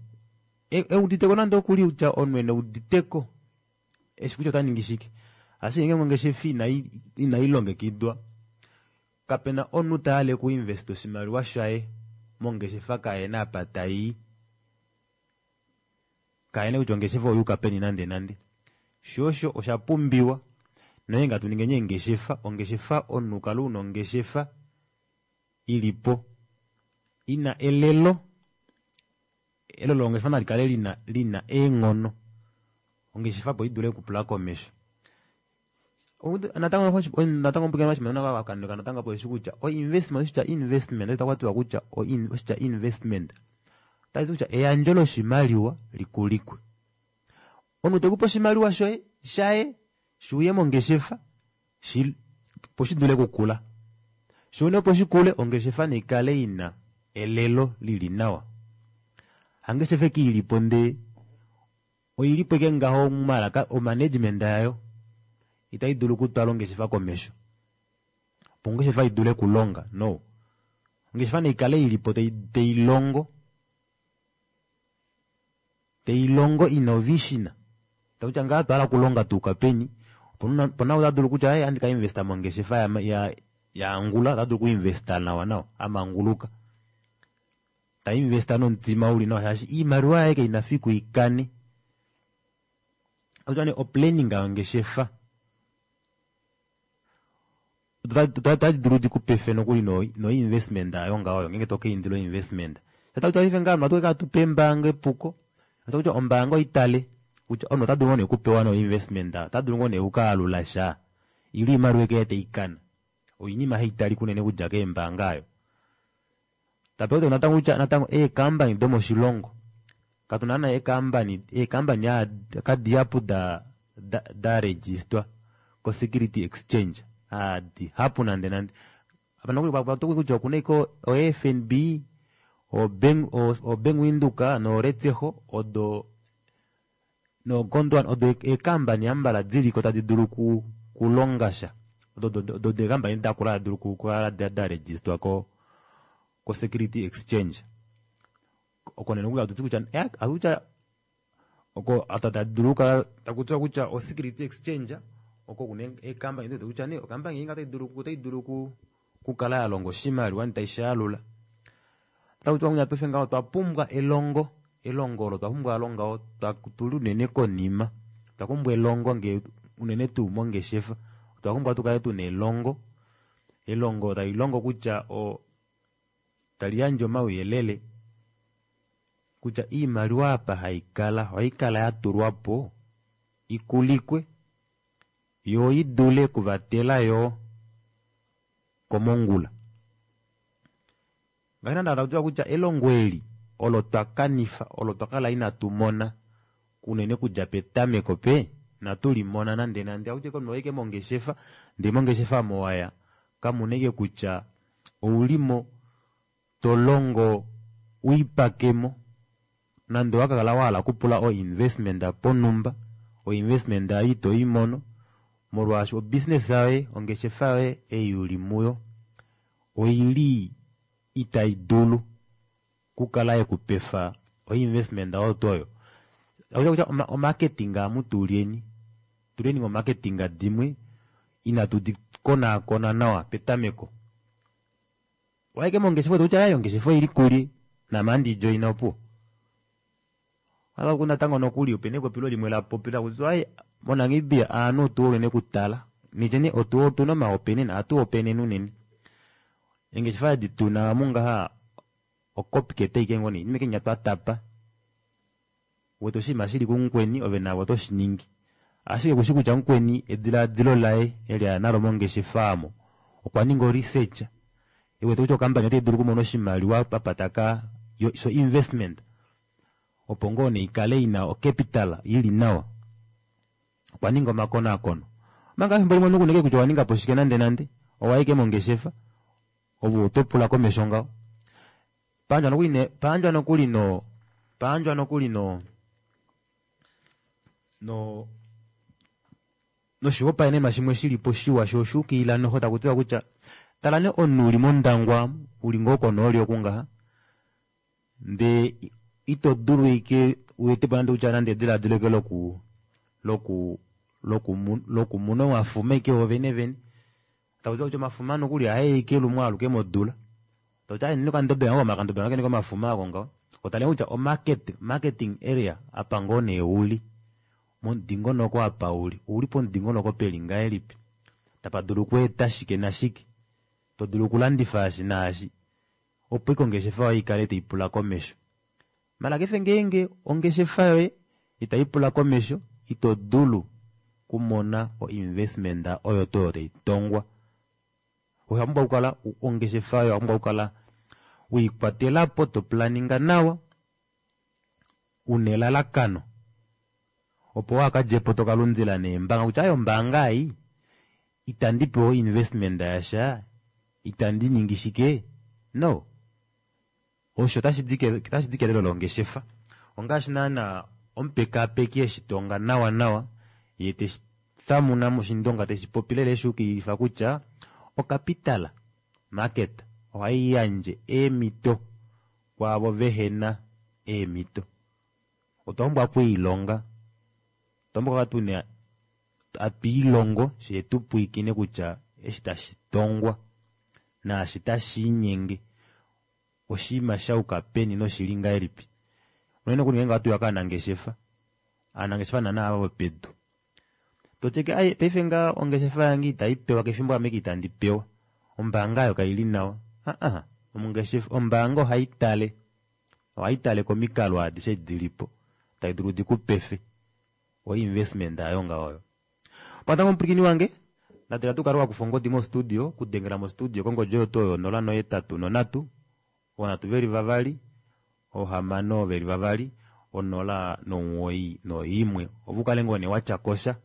euditeko nande okuli kutya omunhu ene uditeko eshi kutya otaningi shike ashike ngeenge ongeshefa inailongekidwa kapena omunhu tahale okuinvesta oshimaliwa shaye mongeshefa kahena apa tayi kahena kutya ongeshefa oyuuka peni nande nande shoo osho osha pumbiwa nongeenge hatu ningi eengeshefa ongeshefa omunhu ukale una ongeshefa ilipo ina elelo elelo longeshefa nalikale lina lina eenghono ongeshefa opo idule okupula komesho natango natango natango apo eshi kutya o-investment oshitya investment otakwatiwa kutya oshitya investment otashiti kutya eyandjo loshimaliwa likulikwe omunhu tekupe oshimaliwa shoye shaye shuuye mongeshefa shi opo shidule okukula shoo opo shikule ongeshefa naikale ina elelo lili nawa hangeshefa eke ilipo ndee oilipo ike ngaho malaka omanagement yayo itayi dulu okutwala ongeshefa komesho opo ongeshefa idule okulonga no ongeshefa naikale ilipo tailongo tailongo ina ovision takutya ngaa otwahala okulonga tuuka peni opona ota dulu kutya ohandi ka investa mongeshefa ya, ya, ya angula ota dulu okuinvesta nawa nawa amanguluka ta investa nomutima uli nawa shaashi iimaliwa yaye kaina fiku ikane akutya nee oplanning yongeshefa otadi dulu dikupefe nokuli no investment ayo ngaho ngeenge tokaindila investment takuti ngaa atu atupe embaanga epuko kutya ombaanga oitale kutya omunhu ota dulu ngoo nee okupewa no investment ota dulu ngoo nee okukaalula sha ile oimaliwa eke taikana oinima haitali kunene okudja keembaanga ayo tape natango kutya natango eekampani domoshilongo katuna naana eekampani eekampani kadihapu da da, da registwa ko security exchange adihapu nande nande apa nokuli kwatokwi kutya okuna iko o FNB o bank o Bank Windhoek no Letshego odo no Gondwana odo eekampani ambala diliko tadi dulu ku kulonga sha odo odo eekampani dakula tadi dulu kukala da registwa ko ko security exchange oko nee nokuli atuti kutya akutya oko tadi dulu okukala takutiwa kutya o security exchange oko kuna eekampani kutya nee okampani ei otai dulu otai dulu okukala ya longa oshimaliwa taishaalula takutiwa kutya paife ngaho otwa pumbwa elongo elongo olo twa pumbwa longa tuli unene konima otwa pumbwa elongo nge unene tuu mongeshefa otwa pumbwa tukale tuna elongo elongo tali longo kutya o tali yandje omauyelele kutya iimaliwa apa haikala ohaikala yatulwapo ikulikwe yo idule okuvatela yo komongula ngaashi nande takutiwa kutya elongo eli olo twakanifa olo twakala inatu mona unene kudja petameko pe natu limona nande nande akutya omunhu waike mongeshefa ndee mongeshefa mowaya kamuna ike kutya oulimo tolongo uipakemo nande owakakala wahala okupula o investment ponumba o investment ayo ito imono molwaashi obusiness yoye ongeshefa yoye ei uli muyo oili itai dulu kukala yekupefa o investment oyo tuu oyo akutya kutya omarketing amu tulyeni tuleni momarketing dimwe inatu di konaakona nawa petameko waike mongeshefa kutya ayi ongeshefa oili kuli naame andi joina opuwo ala natango nokuli opena epopilo limwe la popila kutya ayi moNamibia aanhu otu unene kutala nitye otu otuna omaopenena ohatu openene unene engeshefa edi tuna mungaha ocopycat ike ngoo nee inima ike nya twatapa wete oshinima shili kumukweni ove navo oto shiningi ashike kushi kutya mukweni ediladilo laye eli aya nalo mongeshefa amo okwa ninga o research ewete kutya okampani otai dulu okumona oshimaliwa apa taka so investment Opo ngoo nee ikale ina ocapital ili nawa. Okwa ninga omakonaakono. Omanga efimbo limwe omunhu kuneke kutya owa ninga po shike nande nande, owa ike mongeshefa, ove oto pula komesho ngaho. Paandjwa nokuli ne, paandjwa nokuli no, paandjwa nokuli no, no, noshihopaenenwa shimwe shilipo shiwa sho oshuukilila noho taku tiwa kutya tala nee omunhu uli mondangwa uli ngoo konooli oku ngaha ndee ito dulu ike uetepo nande kutya nande ediladilo ike loku loku lokumuna omafuma ike wovene vene taku tiwa kutya omafuma nokuli ohae ike lumwe aluke modula takuti ayi nini okandobe ngaho omakandobe ngoo kene komafuma ako ngaho otale kutya omarket marketing area apa ngoo nee uli momudingonoko apa uli ouli pomudingonoko peli ngahelipi tapa dulu okweeta shike nashike to dulu okulandifa eshi naashi opo ike ongeshefa yoye ikale taipula komesho. Maala kefe ngeenge ongeshefa yoye itaipula komesho ito dulu kumona o investment oyo tuu oyo taitongwa. Owa pumbwa okukala ongeshefa yoye owa pumbwa okukala weikwatelapo to planinga nawa una elalakano opo waakadjepo tokalundila neembanga kutya aye ombaanga ei itandi pewa investment yasha itandi ningi shike no osho otashi di kelelo longeshefa ongaashi naana omupekapeki eshi tonga nawa nawa yee teshi thamuna moshindonga teshi popi lela eshuukililifa kutya ocapital market ohaiyandje eemito kwaavo vehena eemito. Otwa pumbwa okwiilonga, otwa pumbwa okukala tuna atwiilongo shee tupwiikine kutya eshi tashi tongwa naashi tashiinyenge oshinima shayuka peni noshili ngahelipi. Unene nokuli ngeenge ohatuya kaanangeshefa, aanangeshefa naana ava vopedu toteke ai paife nga ongeshefa yange itaipewa kefimbo ame itandi pewa ombaanga ayo kaili nawa aa omungeshefa ombaanga ohaitale ohaitale komikalo adishe dilipo tai dulu dikupefe o investment ayo ngaho oyo. Patango omupwilikini wange natela tukale wakufa ongodi mo studio kudengela mo studio kongodi oyo tuu oyo nola nohetatu nonhatu ovanhatu veli vavali ohamano veli vavali onola nomuwoi noimwe ove ukale ngoo nee watyakosha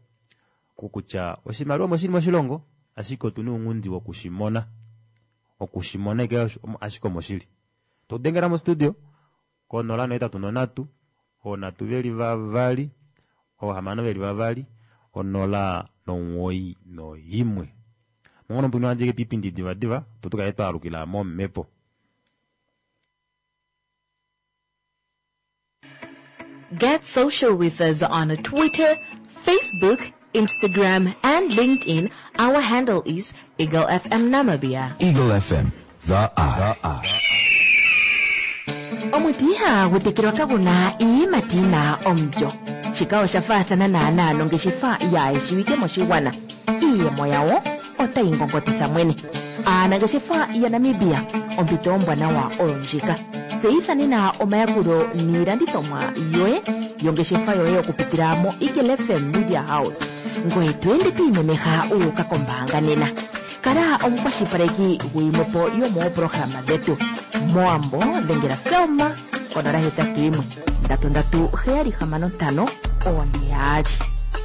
kokutya oshimaliwa omo shili moshilongo ashike otuna ounghundi wokushimona okushimona ike ashike omo shili. Todengela mo studio konola nohetatu nonhatu oonhatu veli vavali oohamano veli vavali onola nomuwoi noimwe. Mongono omupwilikini wandje piipindi divadiva opo tukale twaalukila momhepo. Get social with us on Twitter, Facebook, Instagram, and LinkedIn. Our handle is Eagle F M Namibia. Eagle F M, the eye. Omuti ihagu tekelwa kagu na iiyimati yi na omulyo. Shika osha faathana naanaa nongeshefa yaayeshiwike moshigwana. Iiyemo yawo otayi ngongotitha mwene. Aanangeshefa yaNamibia, ompito ombwanawa oyo ndjika. Tseyitha nena omayakulo niilandithomwa yoye yongeshefa yoye okupitila moEagle F M Media House. Ngoye to ende to imemeha wu uka kombaanga nena. Kala omukwashilipaleki guyimwe po yomoopolohalama dhetu. Mowambo dhengela Selma konola hetatu yimwe ndatu ndatu heyali hamano ntano oone yaali.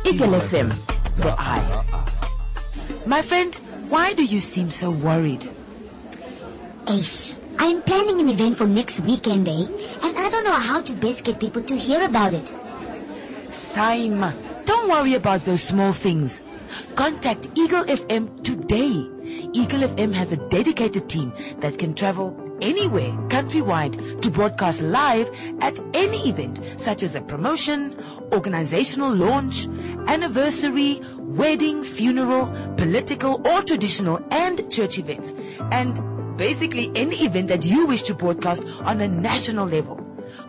Eagle F M, the eye. My friend, why do you seem so worried? Ace, I'm planning an event for next weekend, eh? And I don't know how to best get people to hear about it. Saima, don't worry about those small things. Contact Eagle F M today. Eagle F M has a dedicated team that can travel anywhere countrywide to broadcast live at any event such as a promotion, organizational launch, anniversary, wedding, funeral, political or traditional and church events. And basically any event that you wish to broadcast on a national level.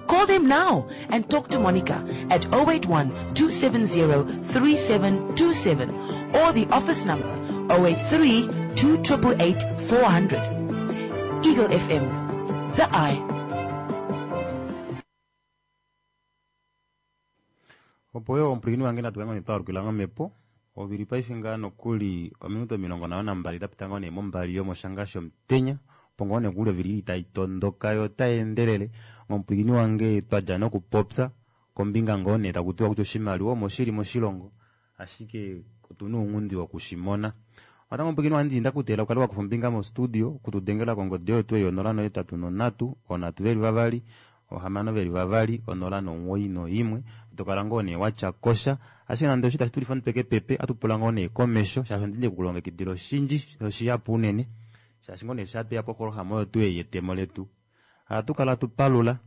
Call them now and talk to Monica at oh eight one two seven zero three seven two seven or the office number oh eight three two eight eight four hundred. Eagle F M, the eye. Opo yo omupwilikini wange natu kange twaalukila momhepo ovili paife ngaa nokuli ominute omilongo nhano nambali dapita ngoo nee mombali yomoshanga shomutenya Opo ngoo nee kuli ovili tai tondoka yo otai endelele. Omupwilikini wange twadja nokupopya kombinga ngoo nee taku tiwa kutya oshimaliwa omo shili moshilongo, ashike otuna ounghundi wokushimona. Natango omupwilikini wange ndakuteelela ukale wakufa ombinga mo studio okutudengela kongodi oyo tuu ei onola nohetatu nonhatu onhatu veli vavali ohamano veli vavali onola nomuwoi noimwe. Tokala ngoo nee watya kosha, ashike nande osho itashi tulifa omutwe kepepe, ohatu pula ngoo nee komesho shaashi ondili ndekulongekidila oshindji noshihapu unene, shaashi ngoo nee shaa tweya poprograma oyo tuu ei yetemo letu ohatu kala tupalula,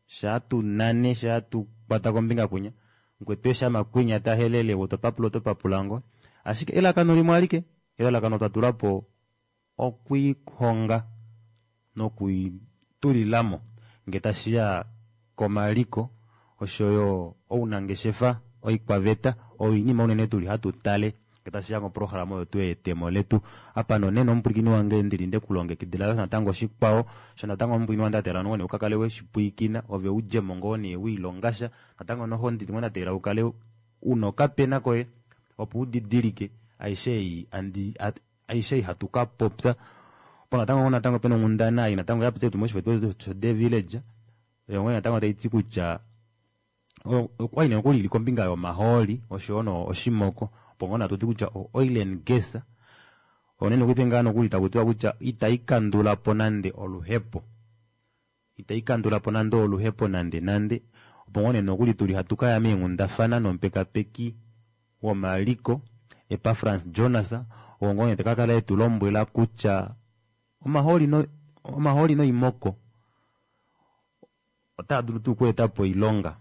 shaa tunane, shaa tukwata kombinga kwinya mukwetu eshi amakwinya tahelele ove topapula oto papula ngoo, ashike elalakano limwe alike, elalakano twatulapo okwiihonga nokwiitulilamo ngee tashiya komaliko oshoyo ounangeshefa, oikwaveta oyo oinima unene tuli hatu tale ngee tashiya koprograma oyo tuu yetemo letu. Apa nonena omupwilikini wange ndili ndekulongekidila natango shikwao sho natango omupwilikini wange ndateelela ngoo nee ukakale weshipwilikina ove udjemo ngoo nee wiilongasha. Natango noho ndili ngoo ndateelela ukale una okapena koye opo udidilike aishe ei andi aishe ei hatu kapopya. Opo natango natango pena onghundana ei natango yapitile tuu moshifo sho The Village, oyo ngoo natango taiti kutya okwali nee nokuli ili kombinga yomahooli oshoyo no oshimoko, opo ngoo natuti kutya o oil and gas onene nokuli ngaa nokuli takutiwa kutya itaikandulapo nande oluhepo, itaikandulapo nande oluhepo nande nande. Opo ngoo nee nokuli tuli hatu kaya meenghundafana nomupekapeki womaliko Epafrans Jonas, oo ngoo nee takakala etulombwela kutya omahooli no omahooli noimoko otaa dulu tuu okweetapo oilonga,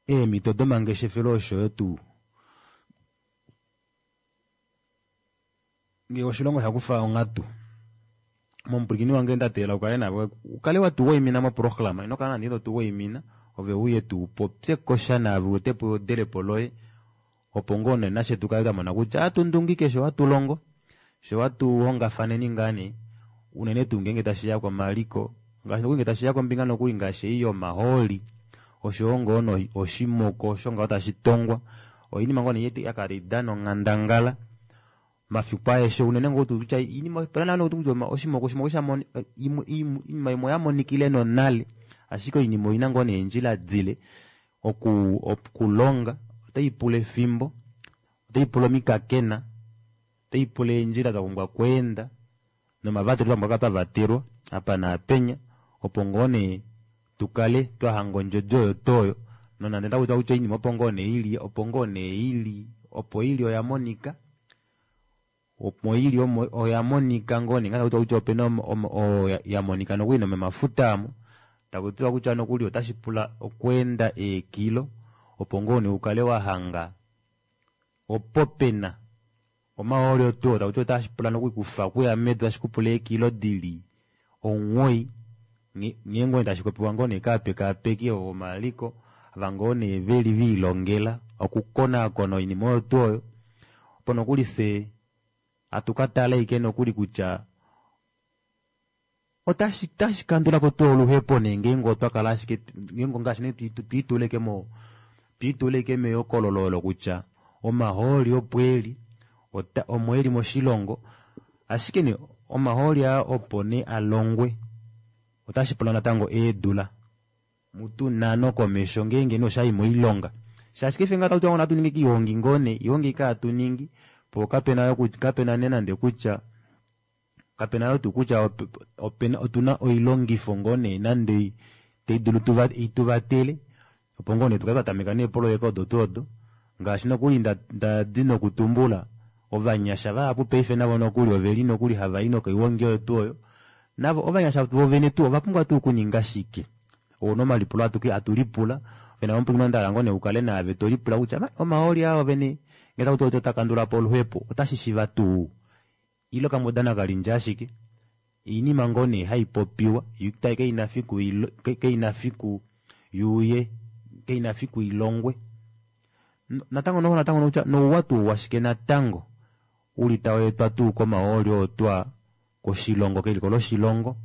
eemhito domangeshefelo oshoyo tuu ngee oshilongo shakufa onghatu. Momupwilikini wange ndateelela ukale navo ukale watuwaimina moprograma, ino kala nande ino tuwaimina, ove uye tuu upopye kosha naave uetepo eodelepo loye, opo ngoo nee nashe tukale twamona kutya ohatundungike sho hatulongo, sho hatuhongafaneni ngaa nee unene tuu ngeenge tashiya komaliko, ngaashi nokuli ngee tashiya kombinga nokuli ngaashi ei yomahooli oshoyo ngoo oshimoko osho ngaho tashi tongwa, oinima ngoo nee yakala taidana onghandangala mafiku aeshe unene ngoo tuu kutya inima opena naana kutya oshimoko oshimoko shamoni oinima imwe oyamonikile nonale, ashike oinima oina ngoo nee eendjila dile oku okulonga otaipula efimbo, otaipula omikakena, otaipula eendjila dapumbwa okweenda nomavatelo twapumbwa okukala twavatelwa apa naapenya, opo ngoo nee tukale twahanga ondjodi oyo tuu oyo, nonande otakutiwa kutya oinima opo ngoo nee ili, opo ngoo nee ili, opo ili oyamonika, opo ili omo oyamonika ngoo nee takuti kutya opena yamonika nokuli nomomafuta aamo, takutiwa kutya nokuli otashi pula okweenda eekilo opo ngoo nee ukale wahanga opo pena omahooli otuu takuti otashi pula nokuli kufa okuya medu tashi kupula eekilo dili omuwoi, nghee ngoo nee tashi popiwa ngoo nee kaapekaapeki vomaliko ava ngoo nee veli viilongela okukonaakona oinima oyo tuu oyo, opo nokuli fyee hatu katala ashike nokuli kutya otashi otashi kandulapo tuu oluhepo nee ngeenge otwa kala ashike ngeenge ngaashi nee twiitula ashike mo twiitula ashike mehokololo olo kutya omahooli opo eli ota omo eli moshilongo, ashike nee omahooli aa opo nee alongwe otashi pula natango eedula mutu nhano komesho ngeenge nee oshayi moilonga, shaashi paife ngaha otakutiwa natu ninge oihongi ngoo nee, oihongi ike hatu ningi poo kapena yo kapena nee nande kutya kapena yoo tuu kutya opena otuna oilongifo ngoo nee nande taidulu ituvatele opo ngoo nee tukale twatameka neepoloyeka odo tuu odo, ngaashi nokuli ndadi nokutumbula ovanyasha vahapu paife navo nokuli oveli nokuli havai nokoihongi oyo tuu oyo, navo ovanyasha vovene tuu ovapumbwa tuu okuninga shike, ouna omalipulo hatulipula vena omupwilikini ndahala ngoo nee ukale naave tolipula kutya omahooli aa ovene ngee takutiwa otakandulapo oluhepo otashi shiiva tuu ile okamudana kalindja ashike, oinima ngoo nee haipopiwa kaina fiku kaina fiku yuuye kaina fiku ilongwe. Natango noho natango nokutya nouwa tuu washike natango uli taweetwa tuu komahooli oo twaa koshilongo keliko loshilongo,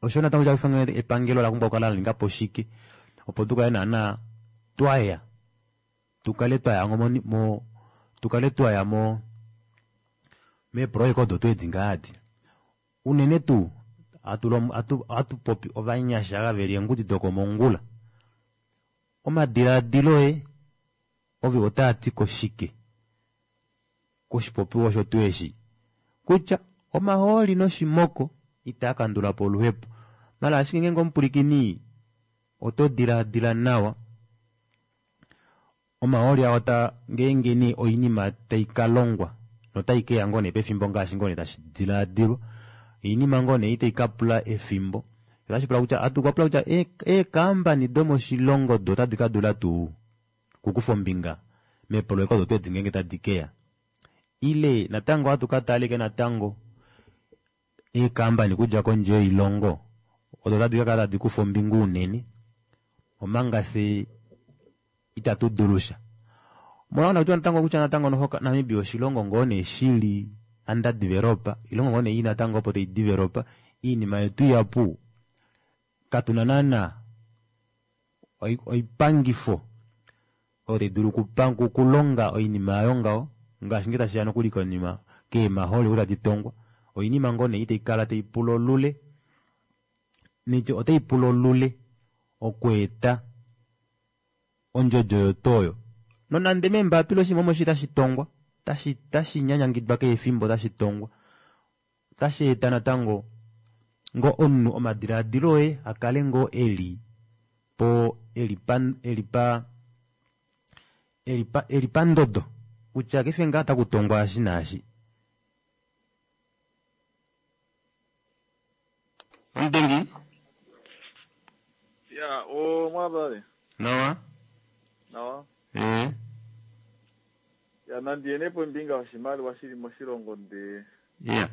osho natango epangelo olapumbwa okukala laningapo shike opo tukale naana twaya tukale twaya mo tukale twaya mo Meeprojeka odo tuu edi ngaa adi unene tuu hatu popi ovanyasha ava veli eengudi dokomongula omadilaadilo oye ove otaati koshike koshipopiwa osho tuu eshi kutya omahooli noshimoko itaa kandulapo oluhepo mala ashike ngeenge omupwilikini oto dilaadila nawa omahooli aa ota ngeenge nee oinima taikalongwa notaikeya ngoo nee pefimbo ngaashi ngoo nee tashi dilaadilwa oinima ngoo nee itaikapula efimbo otashipula kutya atukwapula kutya eekampani domoshilongo do otadi kadula tuu okukufa ombinga meepoloyeka odo tuu edi ngeenge tadi keya ile natango ohatu kataleke natango eekampani okudja kondje yoilongo odo tadi kakala tadi kufa ombinga unene omanga fye itatu dulusha molwa nakutiwa natango kutya natango noho Namibia oshilongo ngoo nee shili underdeveloper ilongo ngoo nee natango opo tai developer iinima yetu ihapu katuna naana oipangifo oyo taidulu okulonga oinima ayo ngaho ngaashi ngee tashiya nokuli konima keemahooli oku tadi tongwa oinima ngoo nee itaikala taipula olule nitye otaipula olule okweeta ondjodjo yoto oyo nonande meembapila oshinima omo shi tashi tongwa tashi tashi nyanyangidwa keshe efimbo tashi tongwa otashi eta natango ngoo omunhu omadilaadilo oye akale ngoo eli po eli pa eli pa eli pandodo kutya kefe ngaa takutongwa eshi naashi. Omudengi? Ya, o mwabale. Nawa? Nawa. Eh. Ya nandiyene pombinga oshimaliwa shili moshilongo ndee. Yeah.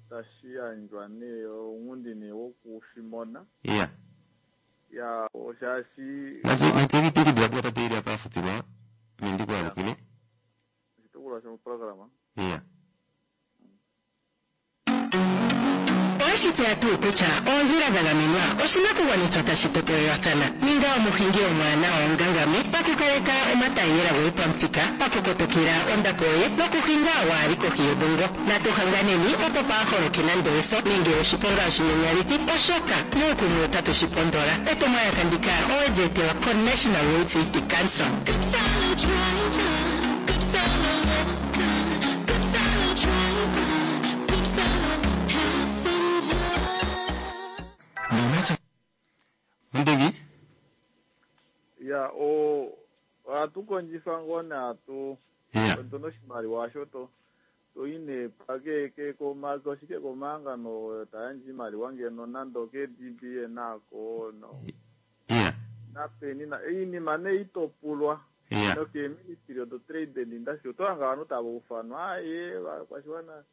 Tashi yandjwa nee ounghundi nee wokushimona. Yeah. Ya, oshaashi natse tate ili apa afutilwa nendikwalukile. Oshitukulwa shomuprograma. Yeah. Oweshi tseya tuu kutya oondjila dha gamenwa oshinakugwanithwa tashi topolelwathana? Ninga omuhingi omwaanawa omugangame pakukaleka omataiyela goye pamuthika, pakukotokela ondapo yoye nokuhinga waali kohi yodhungo. Natu hanganeni opo paa holoke nando eso nenge oshiponga oshinyanyalithi, oshoka muukumwe otatu shi pondola. Etumwalaka ndika owe li etelwa koNational Road Safety Council. Omudengi? Ya, o ohatu kondjifa ngoo nee hatu Yeah. otuna oshimaliwa osho to toyi nee pake ke koma oshike komahangano tayandje iimaliwa ngeno nande oke D B A nako no Yeah. napeni na iinima nee itopulwa Yeah. nokeeministry of trade and industry oto hanga ovanhu tava ufanwa aye vakwashiwana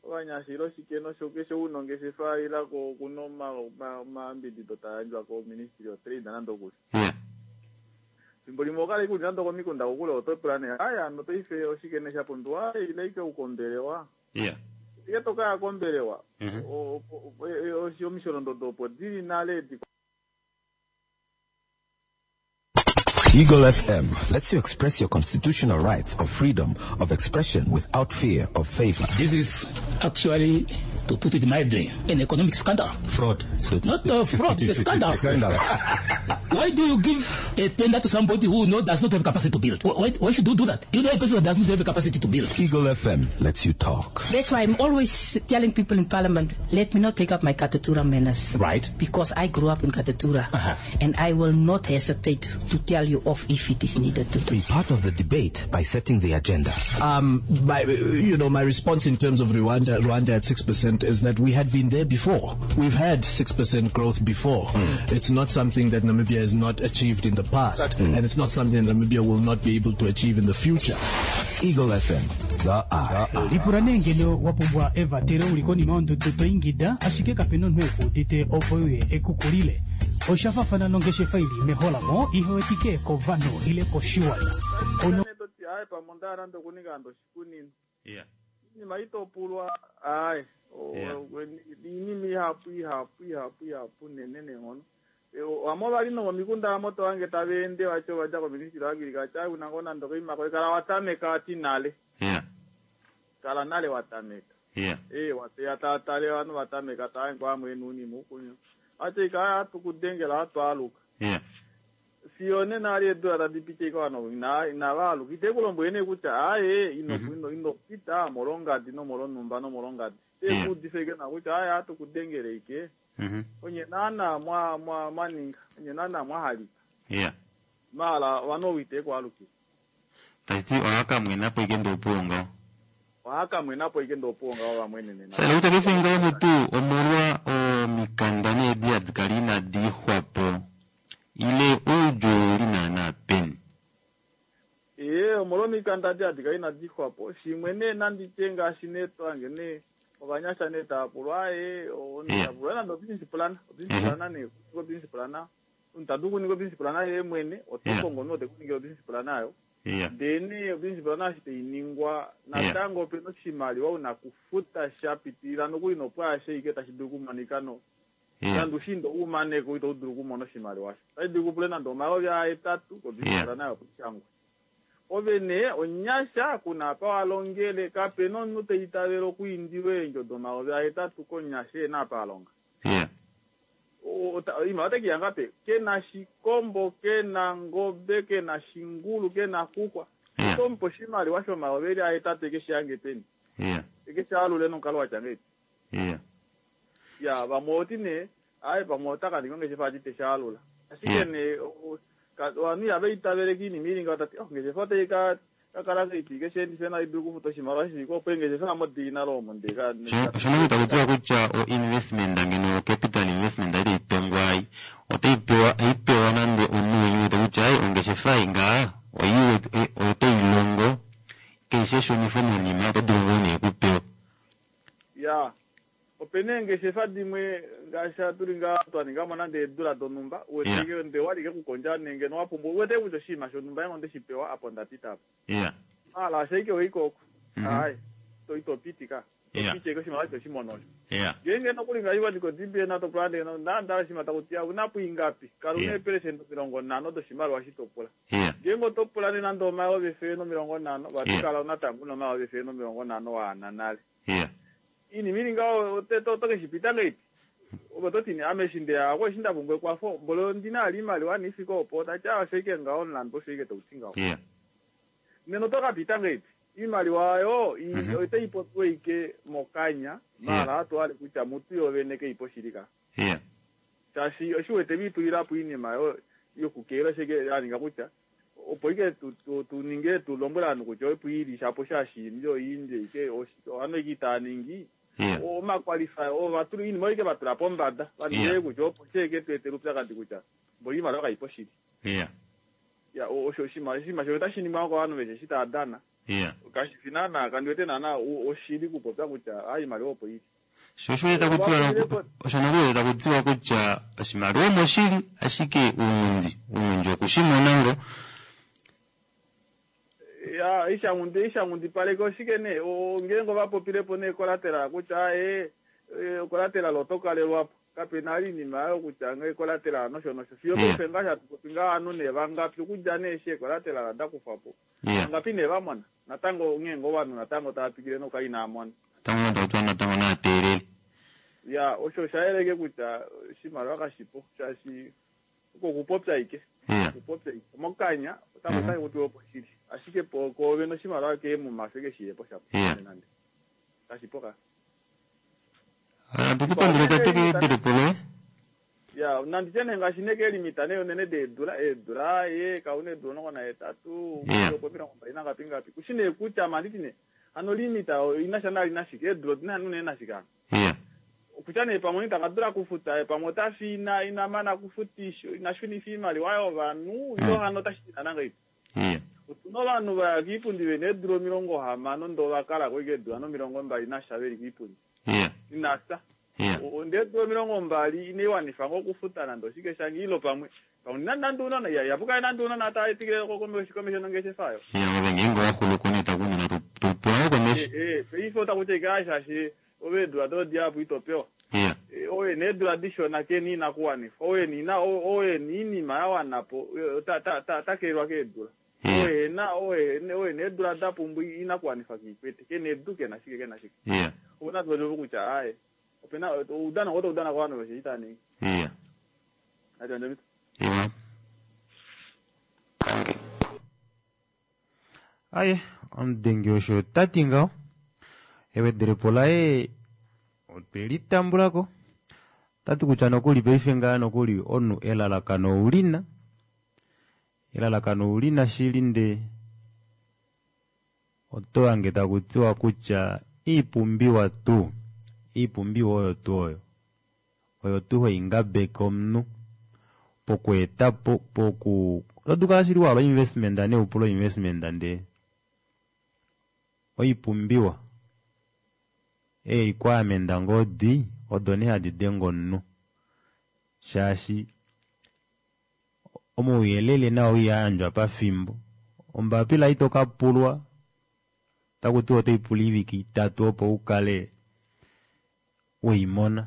ovanyasha ile oshike nosho keshe una ongeshefa ilako okuna omayambidido tayandjwa koministry of trade nande okuli. Yeah. Fimbo limwe okala ike uli nande okomikunda kokule oto pula nee aya hano paife oshike nee shapumbiwa ile ike ukombelewa. Yeah. Ike tokaya kombelewa Mhm. omisholondodo opo dili nale di Eagle F M lets you express your constitutional rights of freedom of expression without fear of favor. This is actually, to put it mildly, an economic scandal. Fraud. So Not a fraud, it's a scandal. Scandal. Why do you give a tender to somebody who no, does not have capacity to build? Why, why should you do that? You know a person that does not have the capacity to build. Eagle F M lets you talk. That's why I'm always telling people in Parliament, let me not take up my Katutura manners. Right. Because I grew up in Katutura. Uh-huh. And I will not hesitate to tell you off if it is needed to do. Be part of the debate by setting the agenda. Um, my, you know, my response in terms of Rwanda, Rwanda at six percent is that we had been there before. We've had six percent growth before. Mm. It's not something that Namibia has not achieved in the past, Mm. and it's not something that Namibia will not be able to achieve in the future. Eagle F M, the eye. Lipula nee ngeno wa pumbwa evatelo uli konima yondudu to ingida ashike kapena omunhu ekuudite opo uye ekukulile. Osha faafana nongeshefa ili meholamo ihewetike kovanhu ile koshiwana. Ono Toti aye pamwe onda hala nande okuninga nande oshikunino. Yeah. Iinima itopulwa aye Yeah. iinima ihapu ihapu ihapu ihapu unene neenghono. Vamwe ovali nomomikunda amo tohange tava ende vacho vadja koministry wa agriculture una ngoo nande okoima koye kala watameka wati nale. Yeah. Kala nale watameka. Yeah. Eh, wateya taatale ovanhu vatameka taangwa amwe nuunima ukunya ati ika atukudengela atwaluka Yeah. fiyo nena ali eedula tadi piti ika vanhu ina- inavaaluka ite kulombwele nee kutya aye ino ino inopita molongadi nomolonumba nomolongadi Yeah. tekuudifa ike na kutya aye atukudengele ike Mhm. onye naana mwa mwa mwaninga onye naana mwahalika Yeah. mala vanhu ite kualukila Tashiti ohakamwenapo ike ndopuwo ngaho. ohakamwenapo ike ndopuwo ngaho vamwene nena Sala kutya paife ngaho mutu omolwa omikanda needi hadi kala inadi ixwapo ile oudju ouli naana peni. ee omolwomikanda di adika inadi xwapo shimwe nee nanditye ngaashi nee twange nee ovanyasha nee taapulwa aye onitapulwa nande obusiness plan obusiness plan nee kuninga obusiness plan omuntu tadu kuninga obusiness plan yeye mwene otokongo omunhu tekuningila obusiness plan ayo Yeah. ndee nee obusiness plan eshi tainingwa natango opena oshimaliwa una kufuta sha pitilila nokuli nopwaashe ike tashi dulu okumonika no nande ushindo umaneko ito dulu okumona oshimaliwa sho tashi dulu kupule nande omayovi ahetatu kobusiness plan ayo kushangwa ove nee onyasha kuna apa walongele kapena omunhu teitavela okuindilwa eendjo domayovi ahetatu konyasha ena apa alonga Yeah. O- ota- iimaliwa otekiya ngape kena shikombo kena ngobe kena shingulu kena xukwa otomupa oshimaliwa shomayovi eli ahetatu eke shiyange peni Yeah. eke shaalule nomukalo watya ngeipi Yeah. ya vamwe oti nee ayi pamwe otakaninga ongeshefa ati teshaalula ashike Yeah. nee o- ka- ovanhu ihava itavele kiinima ili ngaho tati oh ongeshefa otai ka kakala kaiti keshendife nayi dulu okufuta oshimaliwa shifike opo engeshefa amo diina loomo ndeka Shono taku tiwa kutya o investment ngeno o capital investment ayi taitongwa ai otaipewa aipewa nande omunhu wete kutya ai ongeshefa ei ngaa oyi otailongo keishe shunifo monima oto dulu ngoo nee kupewa. ya opena eengeshefa dimwe ngaashi atuli ngaa twaningamo nande eedula donhumba uweteke nde walike kukondja nenge nowapumbwa uwete kutya oshinima shonhumba engo ndeshipewa apo ndapita apa Yeah. mala ashaike oikoko Mhm. ayi to itopitika Yeah. topitike oshimaliwa choshimono osho Yeah. ngenge nokuli ngaiwa ndiko D B A natopula ndeno ndandala shima takutiya unapo ingapi kala una Yeah. eperesenti omilongo nhano doshimaliwa shitopula Yeah. ngenge otopula ne nande omayovi efele nomilongo nhano vati Yeah. kala unatango una omayovi efele nomilongo nhano waana nale Yeah. iinima ili ngaho otokeshipita ngeipi opo toti ame eshi ndeyako eshi ndapumbwa ekwafo mbolo ondina ali iimaliwa niifike opo tati ah osho ngaho omulandu osho ike tauti ngaho Yeah. nena otokapita ngeipi iimaliwa ayo i- Mhm. otayi popiwa ike mokanya mala atwale kutya mutu yovene keipo shili ka Yeah. shaashi oshiwete viitulilapo iinima yo yokukeela sheke yaninga kutya opo ike tu- tu- tuninge tulombwele ovanhu kutya opo ili shapo shashiimbi oyiindje ike ovanhu ike itaaningi Yeah. omakwalify ovatula iinima oyo ike vatula pombada vaningile Yeah. kutya opo sheke tuetele upyakadi kutya mboli iimaliwa kaipo shili Yeah. ya o- osho oshinima oshinima shono otashi ningwa kovanhu veshe eshi tava dana Yeah. kashifi naana kandiwete naana o- oshili kupopya kutya a iimaliwa opo ili Sho osho taku tiwa osho nokuli taku tiwa kutya oshimaliwa omoshili ashike uunghundi uunghundi okushimona ngo ya ishangundi ishangundipaleke oshike nee O- ngeenge ovapopilepo nee collateral kutya e collateral oto kalelwapo kapena ali iinima ayo kutya nge collateral nosho nosho fiyo Yeah. paife ngaashi atupopi ngaa ovanhu nee vangapi okudja nee eshi ecollateral dakufwapo Yeah. vangapi nee vamona natango ngeenge ovanhu natango tava pikile noka inaamona natango taku tiwa natango naateelele. ya osho oshayeleke kutya oshimaliwa kashipo shaashi oko okupopya ike Yeah. okupopya ike mokanya otango otashi kutiwa opo shili ashike po koovene oshimaliwa keemuma keshiyepo shapo Yeah. nande kashipo ka Atukupandula tate keedelepo loye. ya nanditye nee ngaashi nee keelimita nee unene deedula eedula ye kauna eedula omulongo nahetatu Yeah. opo omilongo mbali nangapi ngapi kushi nee kutya manditi nee hano limita inasha nali nashike eedula odina unene nashike hano Yeah. kutya nee pamwe itanga dula kufuta pamwe otafi ina ina mana kufutisha ina shunifa iimaliwa yovanhu ilo hano otashi tina ngaipi Yeah. otuna ovanhu vaya kiipundi vena eedula omilongo hamano ndoo vakalako ike eedula nomilongo mbali nasha veli kiipundi Yeah. inasa Yeah. O- ndee eedula omilongo mbali inaiwanifa ngo okufuta nande oshike shange ilo pamwe pamwe nina nande unona ya yapukaye nande unona taetikile komesho nongeshefa ayo Yeah, ove ngeenge owaxuluko nee takunena tupewa komesho. Eh, eh, paife otakutya ike shaashi ove eedula dodiapo itopewa Yeah. Eh, oye needula dishona keni inakuwanifwa oye nina oye niinima yawanapo eh, ta- ta- ta- takelwa keedula oye na oye oye needula dapumbwa inakuwanifa kiikwete kene edu kena shike kena shike Yeah. Ouna tu kutya aye. Opena oudana oto udana kwa vanhu vechiita ningi. Iya. Ati andamita. Iwa. Aye, omudengi osho tati ngaho. Ewedelepo laye otwe litambulako. Tati kutya nokuli paife ngaa nokuli omunhu elalakano ulina. Elalakano ulina shili nde oto hange taku tiwa kutya iipumbiwa tuu. Iipumbiwa oyo tuu oyo. Oyo tuu haingabeke omunhu pokweeta po poku oto kala shili wahala investment ne upula investment ndee oipumbiwa e requirement ngoo di odo nee hadi denge omunhu shaashi omauyelele nao ihaayandjwa pafimbo ombapila ito kapulwa takuti otaipula oivike itatu opo ukale weimona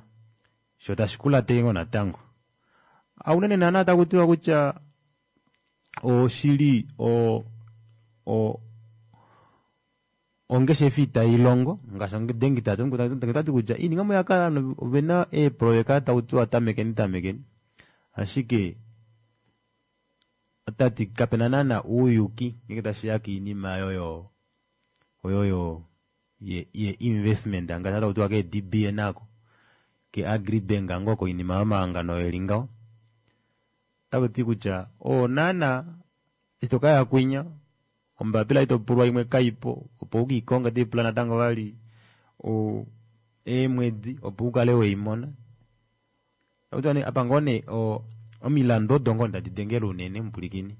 sho tashi kulatele ngoo natango aunene naana takutiwa kutya oshili o o ongeshefa itailongo ngaashi omudengi tati kutya iinima yakala ovena eeprojeka takutiwa tamekeni tamekeni ashike otati kapena naana uuyuki ngenge tashiya kiinima yoyo oyoyo ye, ye investment ngaashi takutiwa ke D B N ako ke Agribank ngoo koinima yomahangano eli ngaho takuti kutya oo naana ito kaya kwinya ombapila itopulwa imwe kaipo opo ukiikonga otaipula natango vali o eemwedi opo ukale weimona takuti apa ngoo nee omilandu odo ngoo tadi dengele unene mupulikini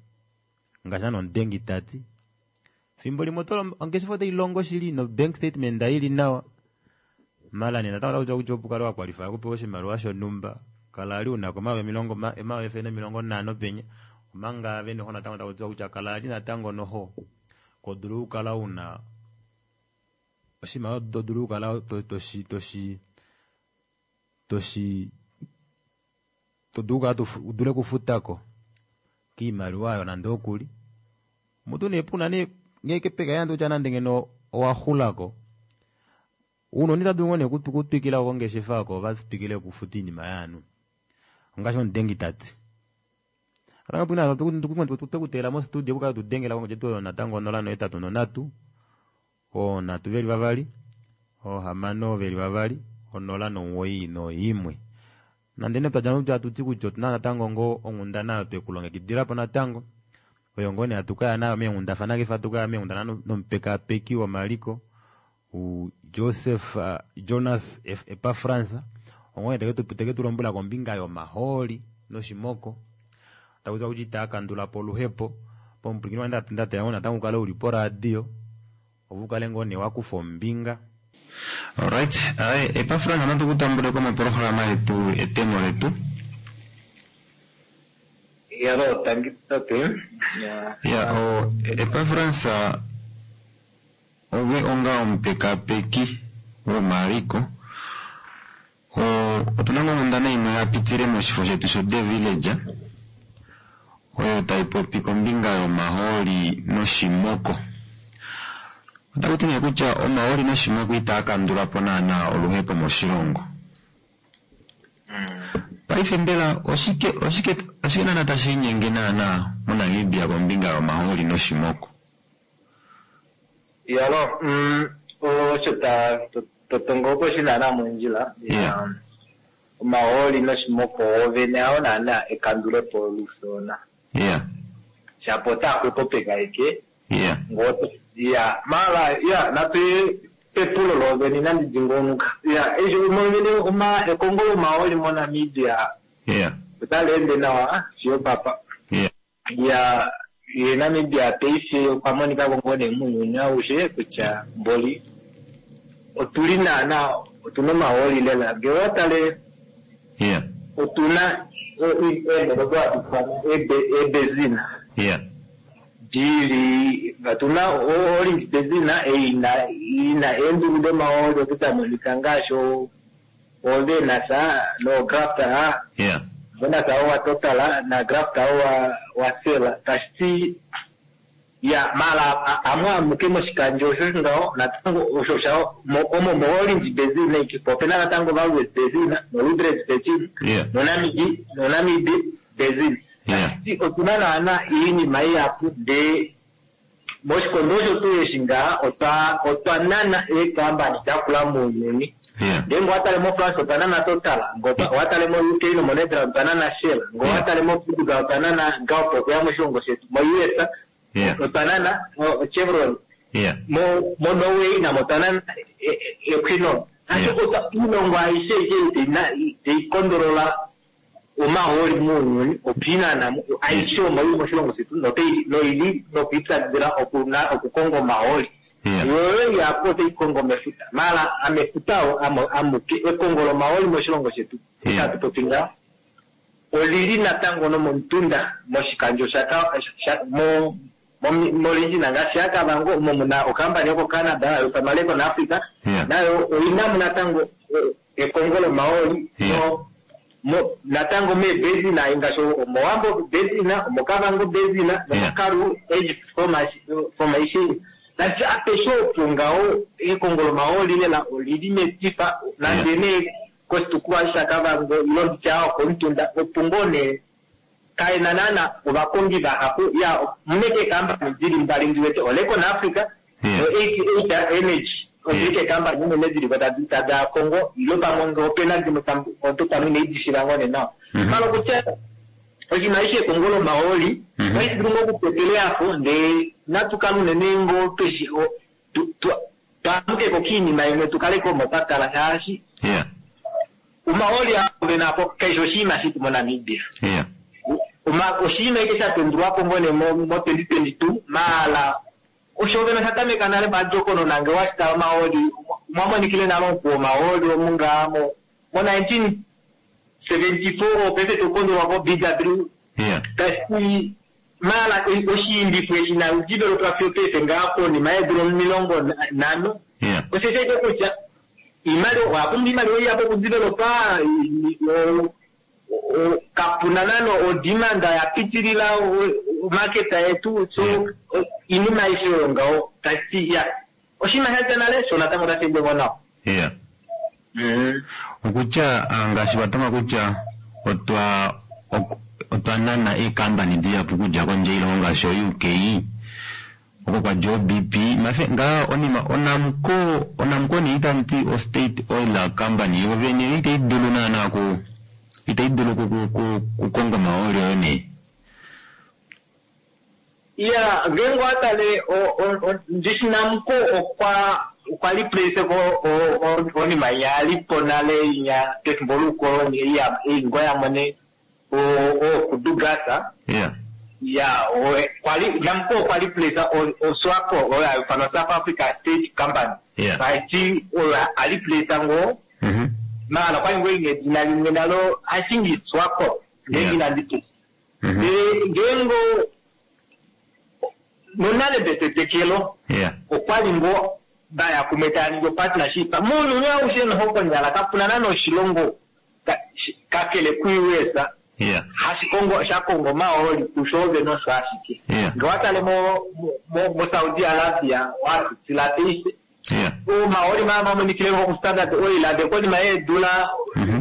ngaashi naana omudengi tati fimbo limwe ongeshefa otailongo shili no bank statement ili nawa mala nee natango takuti kutya opo ukale wakwalify okupewa oshimaliwa shonhumba kala ali unako omayovi emilongo omayovi efele nemilongo nhano penya omanga ave noho natango takutiwa kutya kala ali natango noho kodulu okukala una oshimaliwa todulu okukala toshi toshi toshi todulu okukala udule okufutako kiimaliwa ayo nande okuli mutu nee puna nee ngenge peka yande kutya nande ngeno owaxulako uunoni tadulu ngoo nee kutwikila kongeshefa oko vatwikile okufuta iinima yaanhu ongaashi omudengi tati twekuteela mostudio kukala tudengela kongodji oyo natango onola nohetatu nonhatu onhatu veli vavali ohamano veli vavali onola nomuwoi noimwe nande nee twadja kutya atuti kutya otuna natango ngoo onghundana oyo twekulongekidilapo natango oyo ngoo nee hatukaya nayo meenghundafana kefe hatukaya meenghundafana nomupekapeki womaliko Joseph uh, Jonas Epafrans ongoo nee teke tulombwela kombinga yomahooli noshimoko takuti kutya itaakandulapo oluhepo pomupwilikini wange ndateya ngoo natango ukale uli poradio opo ukale ngoo nee wakufa ombinga. Alright, aye Epafrans natu kutambuleko moprograma yetu etemo letu. Yalo tangi tate. Ya o Epafrans ove onga omupekapeki womaliko o otuna onghundana imwe ya pitile moshifo shetu sho The Village oyo taipopi kombinga yomahooli noshimoko. Otakuti nee kutya omahooli noshimoko itaakandulapo naana oluhepo moshilongo. Paife mbela oshike oshike oshike naana tashi inyenge naana moNamibia kombinga yomahooli noshimoko? Yalo, mm, osho ta totongo shina mondjila. Yeah. Omahooli noshimoko ovene ao naana ekandulepo olusona. Yeah. Shapo otaxwepopeka eke. Yeah. Ngoto. Ya, mala ya natu pepulo lovene inandi dingonuka. Ya, esho movene uma ekongo lomahooli moNamibia. Yeah. Otali nawa siyo papa. Yeah. Ya, ye Namibia paife okwa monika ngoo nee muuyuni aushe kutya mboli otuli naana otuna omahooli lela ngee owatale Yeah. otuna eenhele odo hatu ifana eebenzina Yeah. dili otuna orange benzina ina ina eendulu domahooli odo damonika ngaashi ovenasa nografta. Yeah. Venasa owa Total na Grafta owa wa Sela tashiti Ya mala amwe amuke moshikandjo osho ngaho natango osho sha omo mo-Orange Basin ikipo opena natango Walvis Basin noLüderitz Basin noNamib noNamib Basin. Otuna naana iinima ihapu ndee moshikondo osho tuu eshi ngaa otwa otwa nana eekambani dakula muuyuni. Ndee ngo owatale moFrance otwa nana Total, ngo owatale mo U K nomoNetherlands otwa nana Shell, ngo owatale moPortugal otwa nana Galp okuya moshilongo shetu, mo U S otwa nana Chevron, mo mo Norway namo otwa nana Equinor. Ashike iilongo aishe tayi kondolola omahooli muuyuni opiinana aishe omo ili moshilongo shetu noili nokwiipyakidhila okukonga omahooli. Yoyo yapo otayi kongo mefuta, mala amefuta amuke ekongo lomahooli moshilongo shetu itatu popi ngaa olili natango nomomutunda moshikandjo mo molindjina ngaashi yaKavango omo muna okampani yokoCanada yoSamaleko naAfrica nayo oyina mo natango ekongo lomahooli natango meebezina ngaashi omoWambo bezina, omoKavango bezina nomoKaru Age Formation. Nasi apeshe opo ngaho ekongo lomahooli lela olili metifa nande nee koshitukulwa shaKavango ilo nditya okomutunda opo ngoo nee kaena naana ovakongi vahapu ya muneke eekampani dili mbali ndiwete oLekon Africa no eighty-eight Energy odili keekampani unene diliko tada kongo ilo pamwe ngee opena dimwe omuntu pamwe inaidishila ngoo nee nawa. Mala okutya oshinima eshi ekongo lomahooli otashi dulu ngoo okupepela apo ndee natukale unene ngoo tweshi twamukeko kiinima imwe tukaleko omo twa kala shaashi omahooli aa apo kaishi oshinima shitu moNamibia. Oshinima eke shatendulwapo ngoo nee mo twenty twenty-two maala osho vena shatameka nale madjokonona nge washitala omahooli mwamonikile nale omukuwo omahooli omu ngaa mo nineteen seventy-four paife tokondolwa ko B W tashi maala oshiimbifo eshi naudevelopwa fiyo paife ngaa konima yeedula omilongo nhano osho shaite kutya iimaliwa owapumbwa iimaliwa ihapu okudevelopa kapuna nano odemand yapitilila market yetu so iinima aishe oyo ngaho tashi ya oshinima sha dja nale sho natango tashi ende ngoo nawa. Okutya ngaashi watonga kutya otwa otwa nana eekampani dihapu okudja kondje yoilongo ngaashi o U K oko kwadja o B P mafe ngaa onima oNamcor oNamcor nee itanti o State Oil Company yo vene itai dulu naana ku itai dulu kukonga omahooli oyo nee. Ya ngeenge owatale ndishi Namcor okwa okwa replace ko onima yalipo nale inya pefimbo loukoloni ingoo yamone o Kudu Gas. Ya kwali Namcor okwa replace oSWAPO oyo hayifanwa South Africa State Company. Taiti oyo a replace ngoo maala kwali ngoo ina edina limwe nalo I think it's SWAPO ngeenge inandi ngeenge nonale betetekelo okwali ngoo vaya kumwe taya ningi partnership muuyuni aushe noho konyala kapuna nana oshilongo kakele ku-U S hashikongo shakongo omahooli kusho vene osho ashike. Nge watale mo Saudi Arabia watutila paife omahooli maa mamonikile ngo ku Standard Oil ade konima yeedula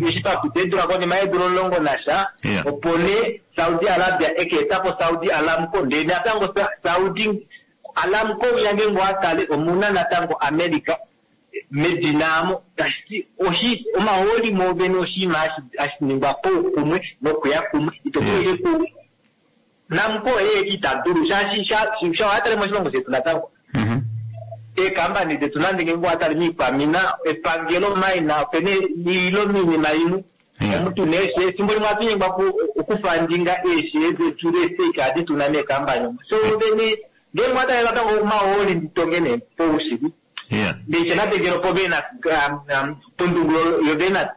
eshi papita eedula konima yeedula omulongo nasha opo nee Saudi Arabia ekeetapo Saudi Aramco ndee natango Saudi Aramco uya ngeenge owatale omuna natango America medina amo tashi oshi omahooli moovene oshinima hashi ningwa poukumwe nokuya kumwe ito ku Namcor eye ita dulu shaashi sha owatale moshilongo shetu natango eekampani detu nande ngeenge owatale miikwamina epangelo maina opena ilo miinima imwe omuntu neeshe efimbo limwe ohatu okufandinga eeshe detu leestake adi tuna meekampani omo so vene ngeenge owatale natango omahooli nditonge nee poushili ndeiche natengelo povena pondungulo yovena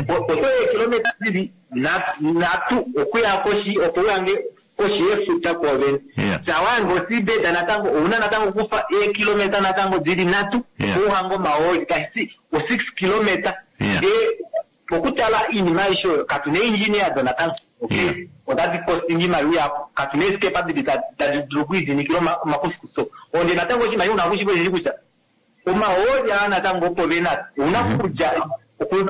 oto eekilometa dili nhatu okuya koshi opo uyange koshi yefuta koovene sawange osibeda natango ouna natango okufa eekilometa natango dili nhatu ouhange omahooli tashi o six kilometa ndee Pokutala iinima aishe oyo katu na engineer donatango okay otadi costing iimaliwa yapo katu na esikepa dili tadi dulu okwiidinikila omakuthikuthi onde natango oshinima una kushipo kutya omahooli aa natango opo vena ouna okudja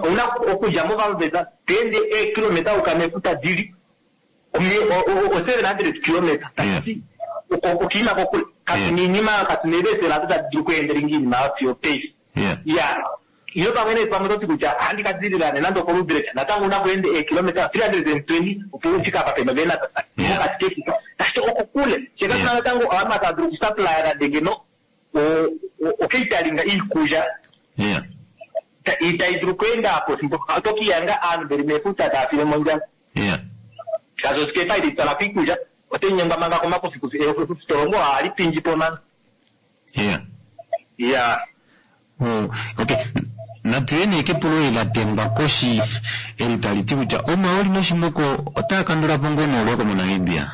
ouna okudja movaveza toende eekilometa uka mefuta dili o seven hundred kilometer tashiti okiima kokule katu na iinima katu na eevesela ado tadi dulu okuendelinga iinima fiyo paife ya ilo pamwe nee pamwe toti kutya ohandi ka dilila nande okoludrek natango una kuende eekilometa three hundred and twenty opo ufika apa pena vena mokati kefuta tashiti okokule she katuna natango ovanhu tava dulu okusupplya nande ngeno okeitalinga iikulya itayi dulu okuenda apo fimbo otokiyanga aanhu veli mefuta tava file mondjala shaashi osikepa itayi twala ko iikulya otayi nyengwa manga komakuthikuthi efutolongo ohali pindji po manga ya okay natuye nee kepulo eli la tembwa koshi eli tali ti kutya omahooli noshimoko otaa kandula po ngoo nolweko moNamibia?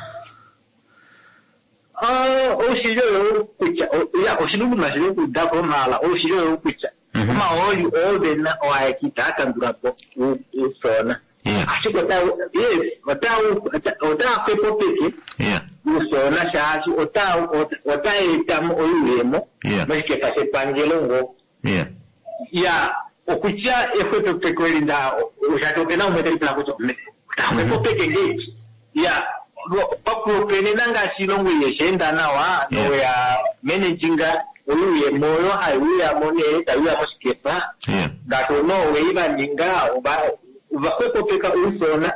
Oushili oyo kutya ya oshiluluma shili okuuda ko maala oushili oyo kutya omahooli oo vena oaeki itaa kandula po uufyoona ashike ota yes ota otaa xwepopeke uufyoona shaashi ota ota etamo oyuuyemo moshikefa shepangelo ngoo ya okutya exwepopeko eli nda shaashi opena umwe telipula kutya otaxwepopeke ngeipi ya pakuopenena ngaashi ilongo yesheenda nawa noya managinga oyuuyemo oyo hayi uyamo nee tayi uya moshikefa ngaashi oNorway vaninga ovaxwepopeka uufyoona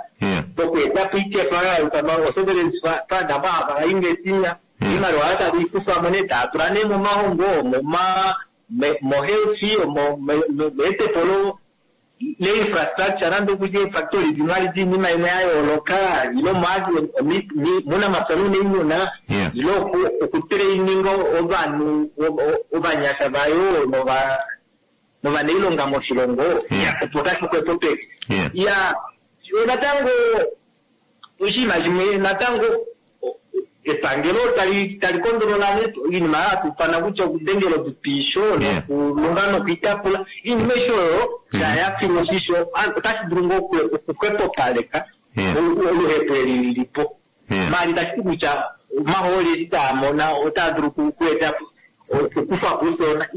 pokuetapo ikefa yayukama o-sovereign fund abo hava investinga iimaliwa oyo tava ikufamo nee tava tula nee momahongo moma mo-health meetepo le-infrastructure nande okutya eefactory dimwe ali diinima imwe ya yooloka ile muunamapya nuuniimuna ile okutraininga ovanhu ovanyasha vayo novanailonga moshilongo opo tashi xwepopeke ya natango oshinima shimwe natango epangelo tali tali kondolola iinima yatufana kutya okudengela otupisho nokulunga nokuitapula iinima aishe oyo taya filwa oshisho otashi dulu ngoo okuxwepopaleka oluhepo eli lilipo maali tashi ti kutya omahooli eshi taa mona otaa dulu okueta okukufa po uufyoona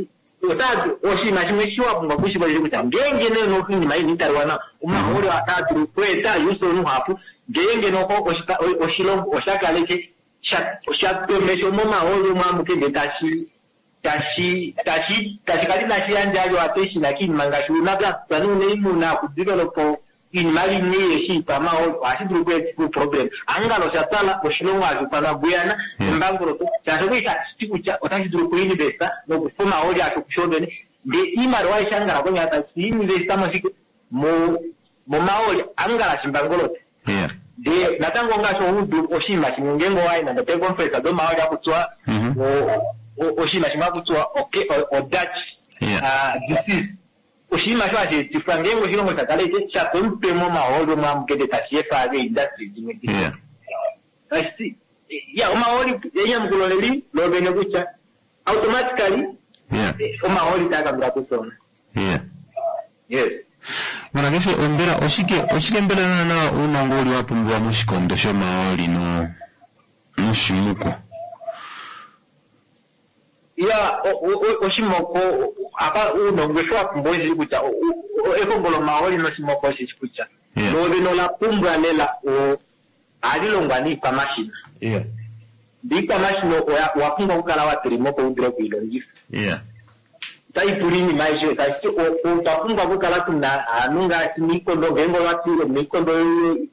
oshinima shimwe shi wa pumbwa okushiva osho kutya ngeenge nee oinima ini italiwa nawa omahooli otaa dulu okueta uufyoona uhapu ngeenge noho oshilongo osha kaleke sha tomesho momahooli omo amuke ndee tashi tashi tashi tashi kala inashi yandja yo attention kiinima ngaashi uunamapya nuuniimuna okudevelopa iinima imwe yeshi pamahooli ohashi dulu okueta uproblem angala osha twala oshilongo hashi ithanwa Guyana embangoloto shaashi okuli tashi ti kutya otashi dulu okuinvesta nokufa omahooli asho kusho vene ndee iimaliwa aishe angala konyala tashi investa moshike momahooli angala shimbangoloto ndee natango ngaashi oudu oshinima shimwe ngeenge owayi nande peeconference domahooli akutiwa oshinima shimwe akutiwa o-Dutch disease oshinima sho hashi etifwa ngeenge oshilongo sha kala ike sha pomutwe momahooli omo amuke ndee tashi efa eeindustry dimwe tashiti ya omahooli enyamukulo leli lovene kutya automatically omahooli taa kandula po uufyoona yes Mona kefe ombela oshike oshike mbela naana uunongo uli wa pumbiwa moshikondo shomahooli no noshimuko ya oshimoko apa uunongo eshi wa pumbwa oshili kutya ehongo lomahooli noshimoko oshishi kutya lovene ola pumbwa lela ohali longwa niikwamashina iikwamashina owa pumbwa okukala wa tulimo opo u dule okuilongifa otayi pula iinima aishe tashiti otwa pumbwa okukala tuna aanhu ngaashi miikondo ngeenge owati miikondo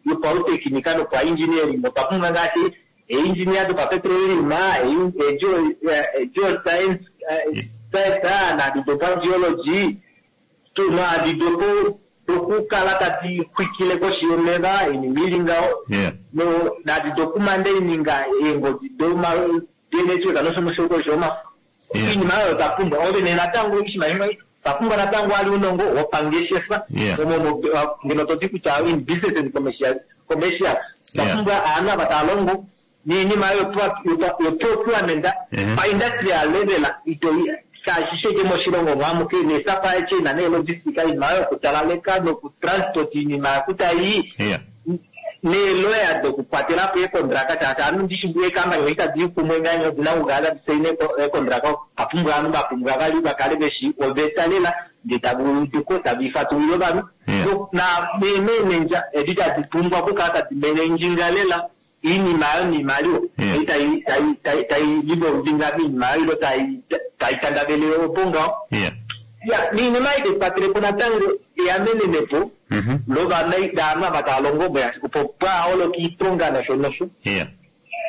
yopautekinika nopaengineering otwa pumbwa ngaashi eengineer dopapetroleum geoscience naadi dopageology naadi dopo dokukala tadi xwikile koshi yomeva iinima ili ngaho naadi dokumanda ininga eengodi domanetwork nosho koshi yomafo iinima oyo twa pumbwa ovene natango oshinima shimwe twa pumbwa natango ali uunongo wopangeshefa omo ngeno toti kutya in business and commercial commercial twa pumbwa aanhu ava tava longo niinima yoprocurement pa-industrial level ito Shaashi sheke moshilongo mwamuke ne-supply chain ne-logistic iinima yokutalaleka nokutransport iinima yakutayi neeloya dokukwatela po eekondraka shaashi ovanhu ndishi eekampani oi tadi kumwe nganye odina okukala tadi saina eekondraka apumbwa ovanhu vapumbwa vali vakale veshi oveta lela ndee tava uduko tava ifatulile ovanhu neemenendja edi tadi pumbwa okukala tadi menendjinga lela iinima ayo niimaliwa ei tayi tayi livolvinga miinima ayo ilo tayi tandavele opo ngaho ya niinima ei tayi natango eyamenenepo lovana daanhu ava tava longo opo pwaaholoka iiponga nosho nosho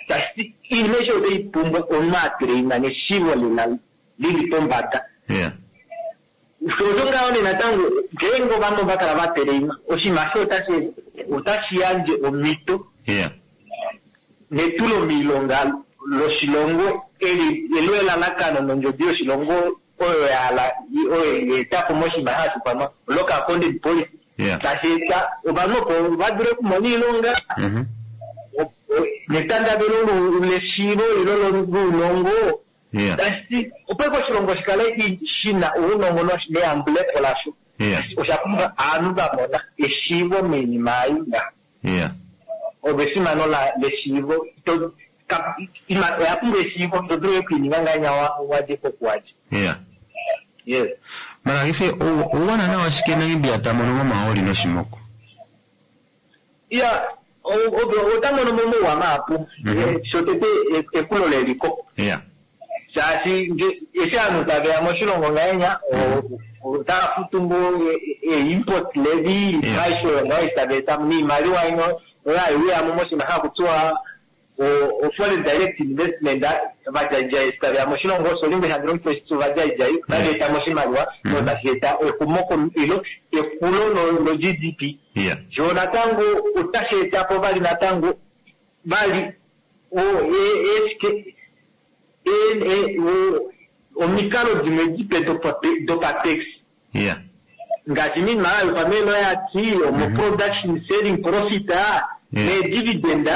tashi iinima aishe otayi pumbwa omunhu atraina neshivo lela lili pombada osho ngaho nee natango ngeenge ovanhu ovakala vatraina oshinima asho otashi yandje omhito netulo miilonga loshilongo eli elo elalakano nondjodi yoshilongo oyo yahala oyo yeetapo moshinima hashi ifanwa local content policy tashi eta ovanhu opo vadule okumona iilonga netandavelo leshiivo ilo lounongo tashi opo eke oshilongo shikale shina ounongo neyambulepo lasho osha pumbwa ovanhu vamona eshiivo moinima ei nga olwesimano leshiivo oya pumbwa eshiivo to dulu okuininga ngahenya wadje kokuwadje yes mara ife ouwana nawa shike Namibia ta mono momahooli noshimoko ya ota mono momauwa mahapu shotete ekulo leliko shaashi eshi ovanhu taveya moshilongo ngahenya otava futu ngoo e-import levy aishe oyo ngaho eshi tava eta niimaliwa ino oyo haiuyamo moshinima hakutiwa o-foreign direct investment vadjaidjai eshi taveya moshilongo solimwe handi longifa oshitya ovadjaidjai otava eta mo oshimaliwa tashi eta exumoko ilo ekulo lo-G D P sho natango otashi etapo vali natango vali eshike omikalo dimwe dipe dopatex ngaashi minima yopameeloyati omo-production selling profit ne-dividend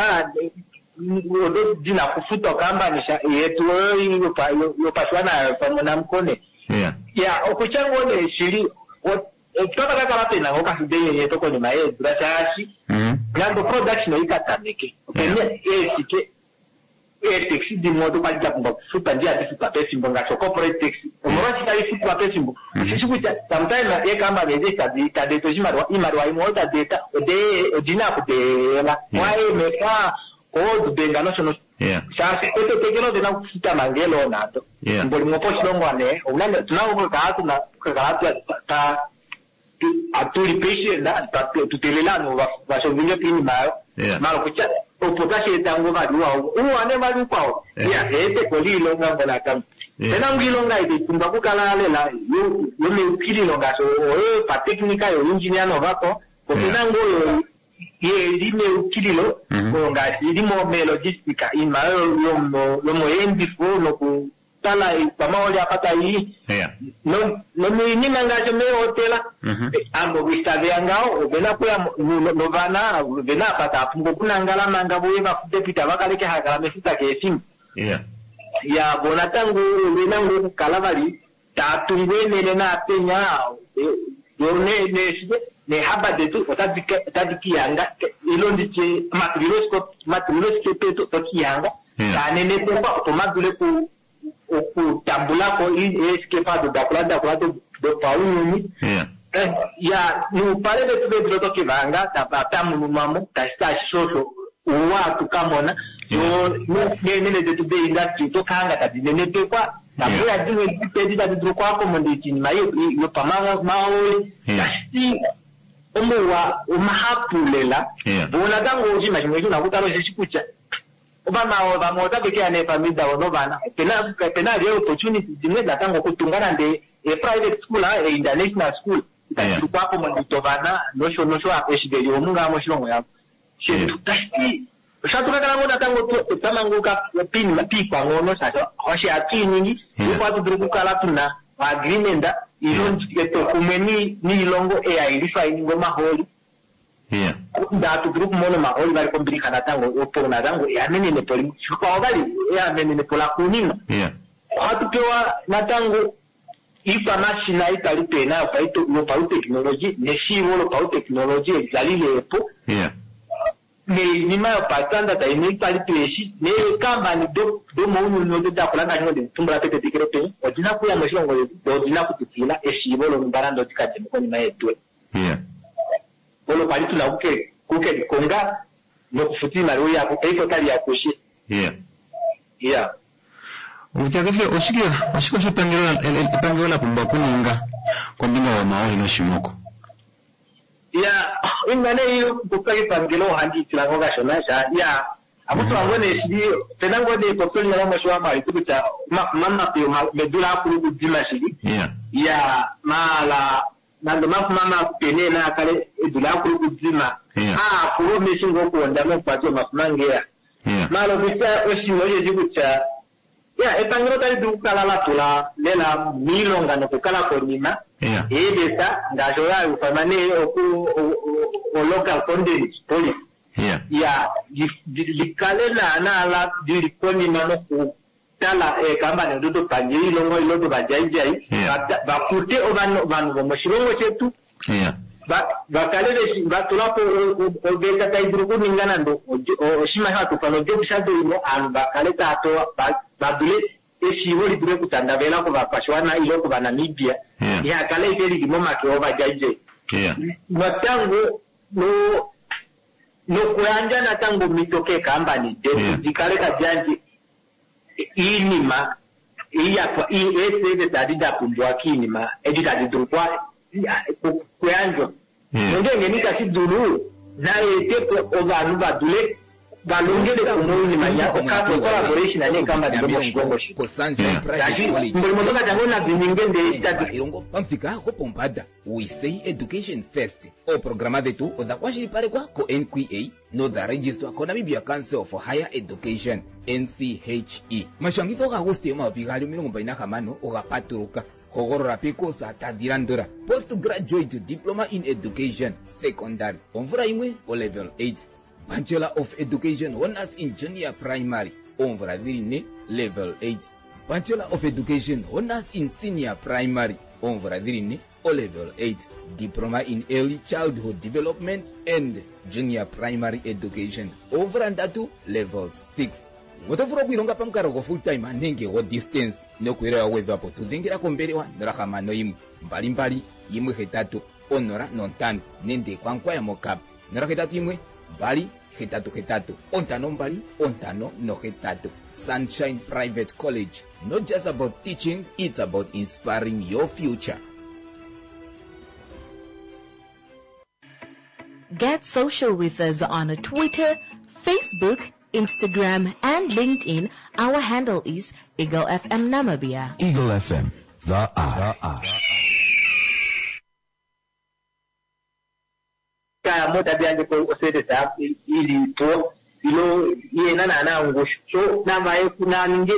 odo dina kufutwa okampani yetu oyo yopashiwana pamwe namukone ya okutya ngoo nee shili otapa kakala pena ngoo kafidenyenyeto konima yeedula shaashi nande production oikatameke opena eeshike eetaxi dimwe odo kwali dapumbwa okufutwa ndi hadi futwa pefimbo ngaashi ocorporate tax omolwashike tali futwa pefimbo oshishi kutya sometimes eekampani edi tadi eta oshimaliwa iimaliwa imwe oyo tadi eta odina okudeela waemeka oodbenga nosho nosho shaashi etetekelo odina okufuta manga eeloan ado efimbo limwe opo oshilongo nee otuna okukala tuna okukala atuli patient tuteelela ovanhu vashovinge poinima ayo mala kutya opo tashi eta ngoo vali uwa uwa nee vali ukwao ya eeteko liilonga ngo natango pena ngo iilonga ei pumbwa okukala lela yomeukililo ngaashi oyo yopatechnica yoengineer novako opena ngoo oyo yeli meukililo oyo ngaashi ili melogistica iinima yomoyeendifo nokutala ikwamaoli apa taii nomiinima ngaashi meehotela ambo itaveya ngaho ovena okuya novana ovena apa tava pumbwa okunangala manga voye vafude po itava kaleke hakala mefuta keefimbo ya vo natango ovena ngoo okukala vali taa tungu eenhele naapenya neehaba detu otadi kihanga ilo nditye omatulilosikepa etu otokihanga taanenepekwa opo madule okutambulako eesikepa ado dakula dakula dopaunyuni ya noupale vetu vedula otokivanga tamununwamo tashi tashi shosho ouwa atukamona neenene detu deindustry otokahanga tadi nenepekwa nabuya dimwe dipedi tadi dulu okuaccommodate iinima yopamahooli tashi omauwa omahapu lela vo natango oshinima shimwe shina okutala osheshi kutya ovanhu vamwe otave keya neefamili davo novana opena ali opportunity dimwe natango okutunga nande e-private school e-international school itadi dulu okuaccommodate ovana nosho nosho eshi veli omu ngaa moshilongo yavo shetu tashi osha tukakala ngoo natango twamanguka piikwanghono shaashi osho hatu iningi opo hatu dulu okukala tuna agreement ilo etwokumwe niilongo ei hailifa iningi omahooli hatu dulu okumona omahooli vali kombilixa natango opo natango eamenenepo limwe shikwao vali eamenenepo laxuuninwa ohatu pewa natango Ikwamashina itali pena yopauteknologi neshiivo lopauteknologi eli lepo neinima yopastandard imwe itali peeshi neekambani domounyuni odo dakula ngaashi oditumbula petetekelo peni odina kuya moshilongo shetu do odina kututila eshiivo lonumba nande odikademo konima yeedula olo kwali tuna kukelikonga nokufuta iimaliwa yapo paife otali ya kushe. Yeah. Utya kefe oshike oshike oshepangelo epangelo la pumbwa okuninga kombinga yomaoli noshimoko? Ya, inga nee kupya epangelo ohandi itila ngo kashona sha ya akutula ngo nee shili pena ngo nee popyo linyala moshiwambo halitu kutya omafuma mape medula akulu kudima shili. Ya, mala nande omafuma mape nee naakale edula akulu kudima aakulu omeshi ngo okuwonda mokukwati omafuma ngeya. Mala okutya oshinima osheshi kutya ya epangelo otali dulu okukala la tula lela miilonga nokukala konima eeveta ngaashi oyo hayufanwa nee oku o local content policy ya likale naana lili konima nokutala eekambani odo dopandje yoilongo ile dovadjaidjai vakute ovanhu vomoshilongo shetu vakale vatulapo oveta tai dulu okuninga nande oshinima shatufana ojob shadowing ovanhu vakale tava pewa vadule eshiivo lidule okutandavela kovakwashiwana ile kovanamibia ihakale ike lili momake ovadjaidjai. Natango nokuyandja natango omhito keekambani detu dikale tadi yandje iinima eeseve tadi da pumbiwa kiinima edi tadi dulu kuyandjwa. Nongenge nitashi dulu naetepo ovanhu vadule valongele kumwe oinima ya collaboration neekambani domoshilongo shetu. Mulimo tokatya nadininge ndee ilongo pamufika gopombada. We say education first. Ooprograma dhetu odha kwashilipalekwa ko N Q A nodha registwa ko Namibia Council for Higher Education N C H E. Mashangitho gaAguste omayovi gaali omilongo mbali nahamano oga patuluka. Hogolola pekosa tadhi landula: Postgraduate Diploma in Education Secondary omvula yimwe o level eight, Bachelor of Education Honors in Junior Primary oomvula dhili ne level eight, Bachelor of Education Honors in Senior Primary oomvula dhili ne o level eight, Diploma in Early Childhood Development and Junior Primary Education oomvula ndatu level six. Oto vulu okuilonga pamukalo go full time nenge go distance nokuelewa gwedhwapo tudhengela kombelewa nola hamano yimwe mbali mbali yimwe hetatu onola nontano nende kwankwaya mokap nola hetatu yimwe mbali hetatu hetatu ontano mbali ontano nohetatu. Sunshine Private College, not just about teaching, it's about inspiring your future. Get social with us on Twitter, Facebook, Instagram and LinkedIn. Our handle is Eagle F M Namibia. Eagle F M, the eye. Kaya mota yandje ko oseresa ilipo ilo yena naana ngoshu so namba kunaninge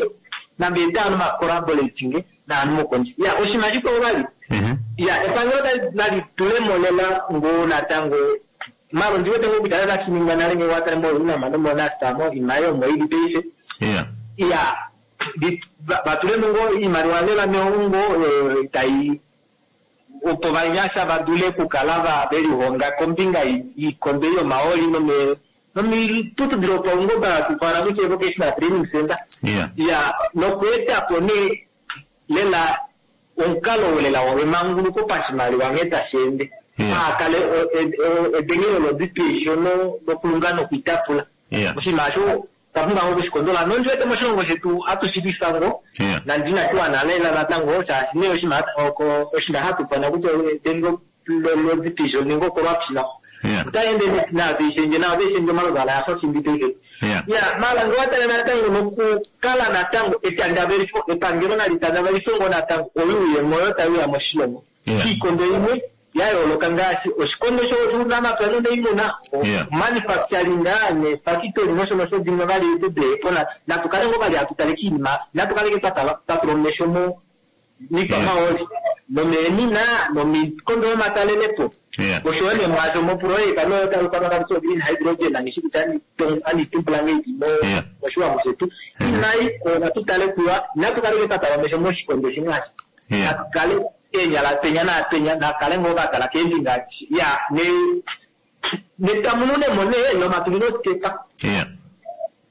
namba etano ma collaborating naanu mokonji ya oshinima shikwawo vali ya epangelo nali tulemolela ngo natango maro ndiwete ngo kutya tashininga nale nge watale mo unama nomonastamo iimaliwa omo ili paife ya vatulemo ngo iimaliwa lela meongo tai opo vanyasha vadule kukala velihonga kombinga yiikombe yomaoli nomiputudhilo paungomba tufana kutya vocational training center ya nokuetapo nee lela omukalo lela wemanguluko pashimaliwa nghee tashi ende aakale edengelo lodipesho nokulunga nokuitapula oshinima osho twapumbwa ngo okushikondola nondiwete moshilongo shetu hatushilwisa ngo nandinatiwa lela natango shaashi nee oshinima oshinima hatufana kutya edengo lodipesho nenge ocorruption otaende navishendje navishendje omaluvala yafa shimbi paife ya mala nge watale natango nokukala natango etandavelifo epangelo nali tandavelifo ngo natango oyuuyemo oyo taiuya moshilongo kiikondo imwe ya yooloka ngaashi oshikondo shuunamapya nonaimuna manufacturing nefactory nosho nosho dimwe vali tudepo natukale ngo vali hatutale kiinima natukaleke twatula omesho mo mikwamaoli nomeenina nomikondo yomatalelepo oshowo nemwaasho moprojeka noyotalukanakakuti green hydrogen angishi kutya anitumbula ngeiti moshiwambo shetu inayi ona tutale kuwa natukaleke twatala omesho moshikondo shimwe ashi. Nakale eenyala penya naapenya nakale ngoo vakala keembinga ya ne netamununemo nee nomatulilo osikepa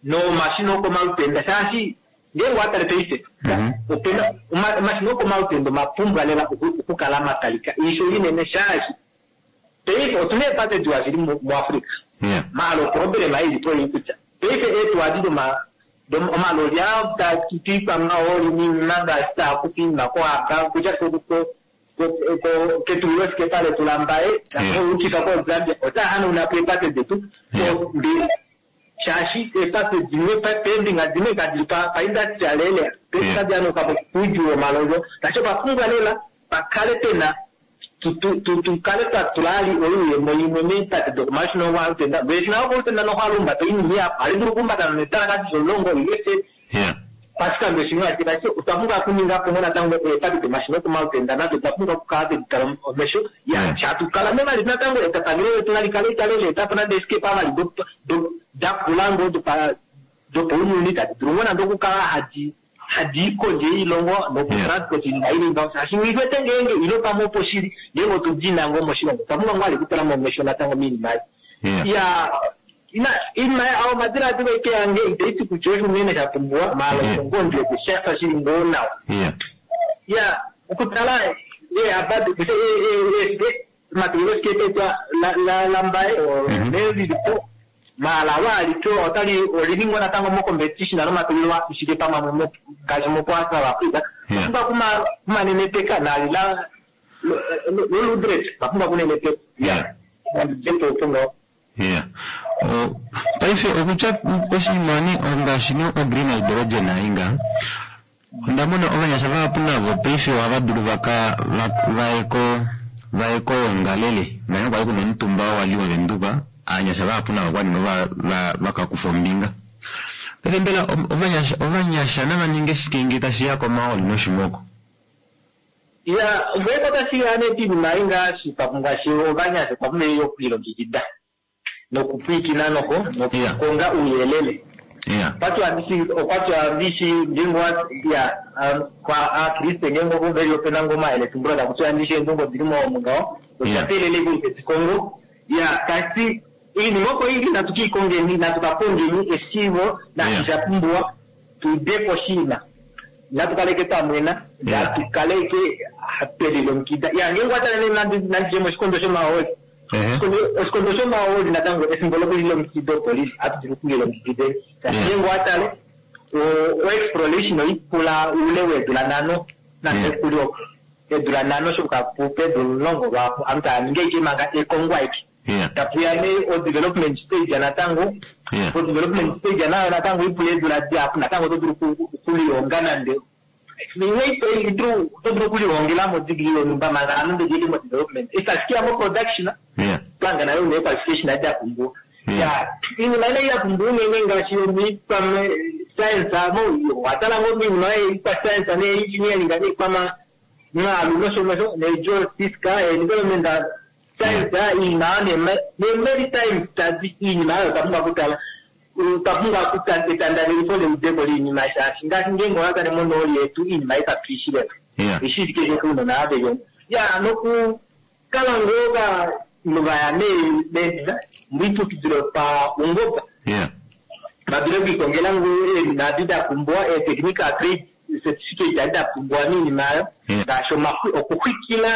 nomashina okomalutenda shaashi ngeenge watale paife opena omashina okomalutenda omapumbwa lela okukala matalika iisho inene shaashi paife otuna eepate diwa shili muAfrica maala oproblema ilipo ii kutya paife eetuwa doma omaloli aa tatuikwa maoli niinima ngaashi taakufa iinima koAba kutya ketulilo sikepa letu lambaye oukifa koZambia otaa hanauna po eepate detu shaashi eepate dimwe peembinga dimwe kadili paindustrial area tadi anuka kuudjuu womalolyo tashi opapumbwa lela pakale pena tukale twatula ali oyuuyemo imwe meepate dokomashina okwalutenda veshina okolutenda nokhwalumbata oinima iyapo ali dulu okumbata netalakati zomulongo ilese pashikando shimwe ashike otwa pumbwa okuninga po ngo natango eepate domashina okomalutenda nado otwa pumbwa okukala tweditala omesho ya shatukala nevali natango etapangelo letu nalikale itale leetapo nande esikepa vali dakula ngoo dopaunyuni tadi dulu ngoo nande okukala hadi hadi kondje yoilongo nokutransport iinima ili ngaho shaashi nghiwete ngeenge ilo pamwe opo shili ngeenge otudina ngoo moshilongo otwa pumbwa ngoo ali okutula momesho natango miinima ei ya ina iinima omadilaadilo eke yange itaiti kutya osho unene sha pumbiwa maala osho ngoo ndiwete shafa shili ngoo nawa ya okutala omatulilo sikepa lambaye nelilipo maala waalito otali olili ngoo natango mocompetition nomatulilo ashike pamwe ngaashi mopoa South Africa pumbwa kumanenepeka nalila loludret vapumbwa kunenepeka ya jeto ngaho Yeah. Paife okutya oshinima ni ngaashi no green hydrogen ainga onda mona ovanyasha vahapu navo paife ohava dulu vaka vaye ko vaye koyoongalele naye kwali kuna omutumba wali wavenduka aanyasha vahapu navo kwali vakakufa ombinga. Paife mbela ovanyasha ovanyasha nava ninge shike ngee tashiya komaoli noshimoko? Ya ngeke otashiya nee piinima ei ngaashi ngaashi ovanyasha okwa pumbwa okulilongekida nokupwiikina noko nokukonga uuyelele okwatwa ndishi ngeenge ya kwa aakriste ngeenge veli opena ngoo omayele tumbulo takutiwa ndishi eendungo dili mo ngaho otwatelele kuife ya kasi iinima oko ili natu kiikongeni natu kakongeni eshiivo nashi sha pumbiwa tuude oshinima natu kaleke twamwena natu kaleke twelilongekida ya ngeenge watale nandije moshikondo shomahooli oshikondo shomahooli natango efimbo lokulilongekida opolisi hatu dulu okulilongekideni ngeenge watale o-exploration oipula oule weedula nhano nande kuli eedula nhano shokapupa eedula omulongo lwaapo aantu taya ningi ashike manga ekongo aike tapuya nee o-development stage natango o-development stage nayo natango ipula eedula dihapu natango oto dulu okulihonga nande oto dulu okulihongela modegree yonhumba manga anu ndejeli mo-development itashi mo-production panga nayo une qualification adi yapumbiwa ya iinima ine yapumbiwa unene ngaashi yomiikwa science mo watala ngoo miinima yeikwa science ne-engineering neikwama mwalu nosho nosho ne-geophysics environment science iinima ne-maritime study iinima oyo twapumbwa okutala twapumbwa etandavelifo leudeko liinima shaashi ngaashi ngeenge owakale monooli yetu iinima ikatwiishileko ishili keshe kuunona aveyona ya nokukala ngoo vaya miiputudhilo paungomba vadule okuikongela ngoo eenina da pumbiwa ee-technical trade certificate adi da pumbiwa miinima ayo ngaashi okuxwikila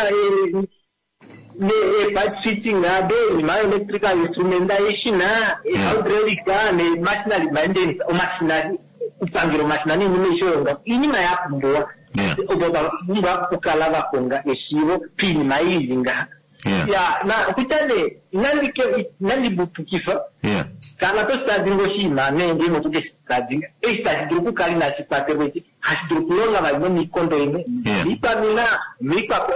ne-pipe fitting ado iinima electrical instrument eshina hydraulic ne-machinery maintenance omashina kupangela omashina niinima aishe oyo ngaho iinima ya pumbiwa opo vapumbwa okukala vakonga eshiivo piinima ili ngaha ya na okutya nee inandi bupukifa kala tositadinga oshinima nee ngeenge otokeshitadinga eshi tashi dulu okukala inashi kwatelwa eshi hashi dulu okulonga vali nomikondo imwe miikwamina miikwa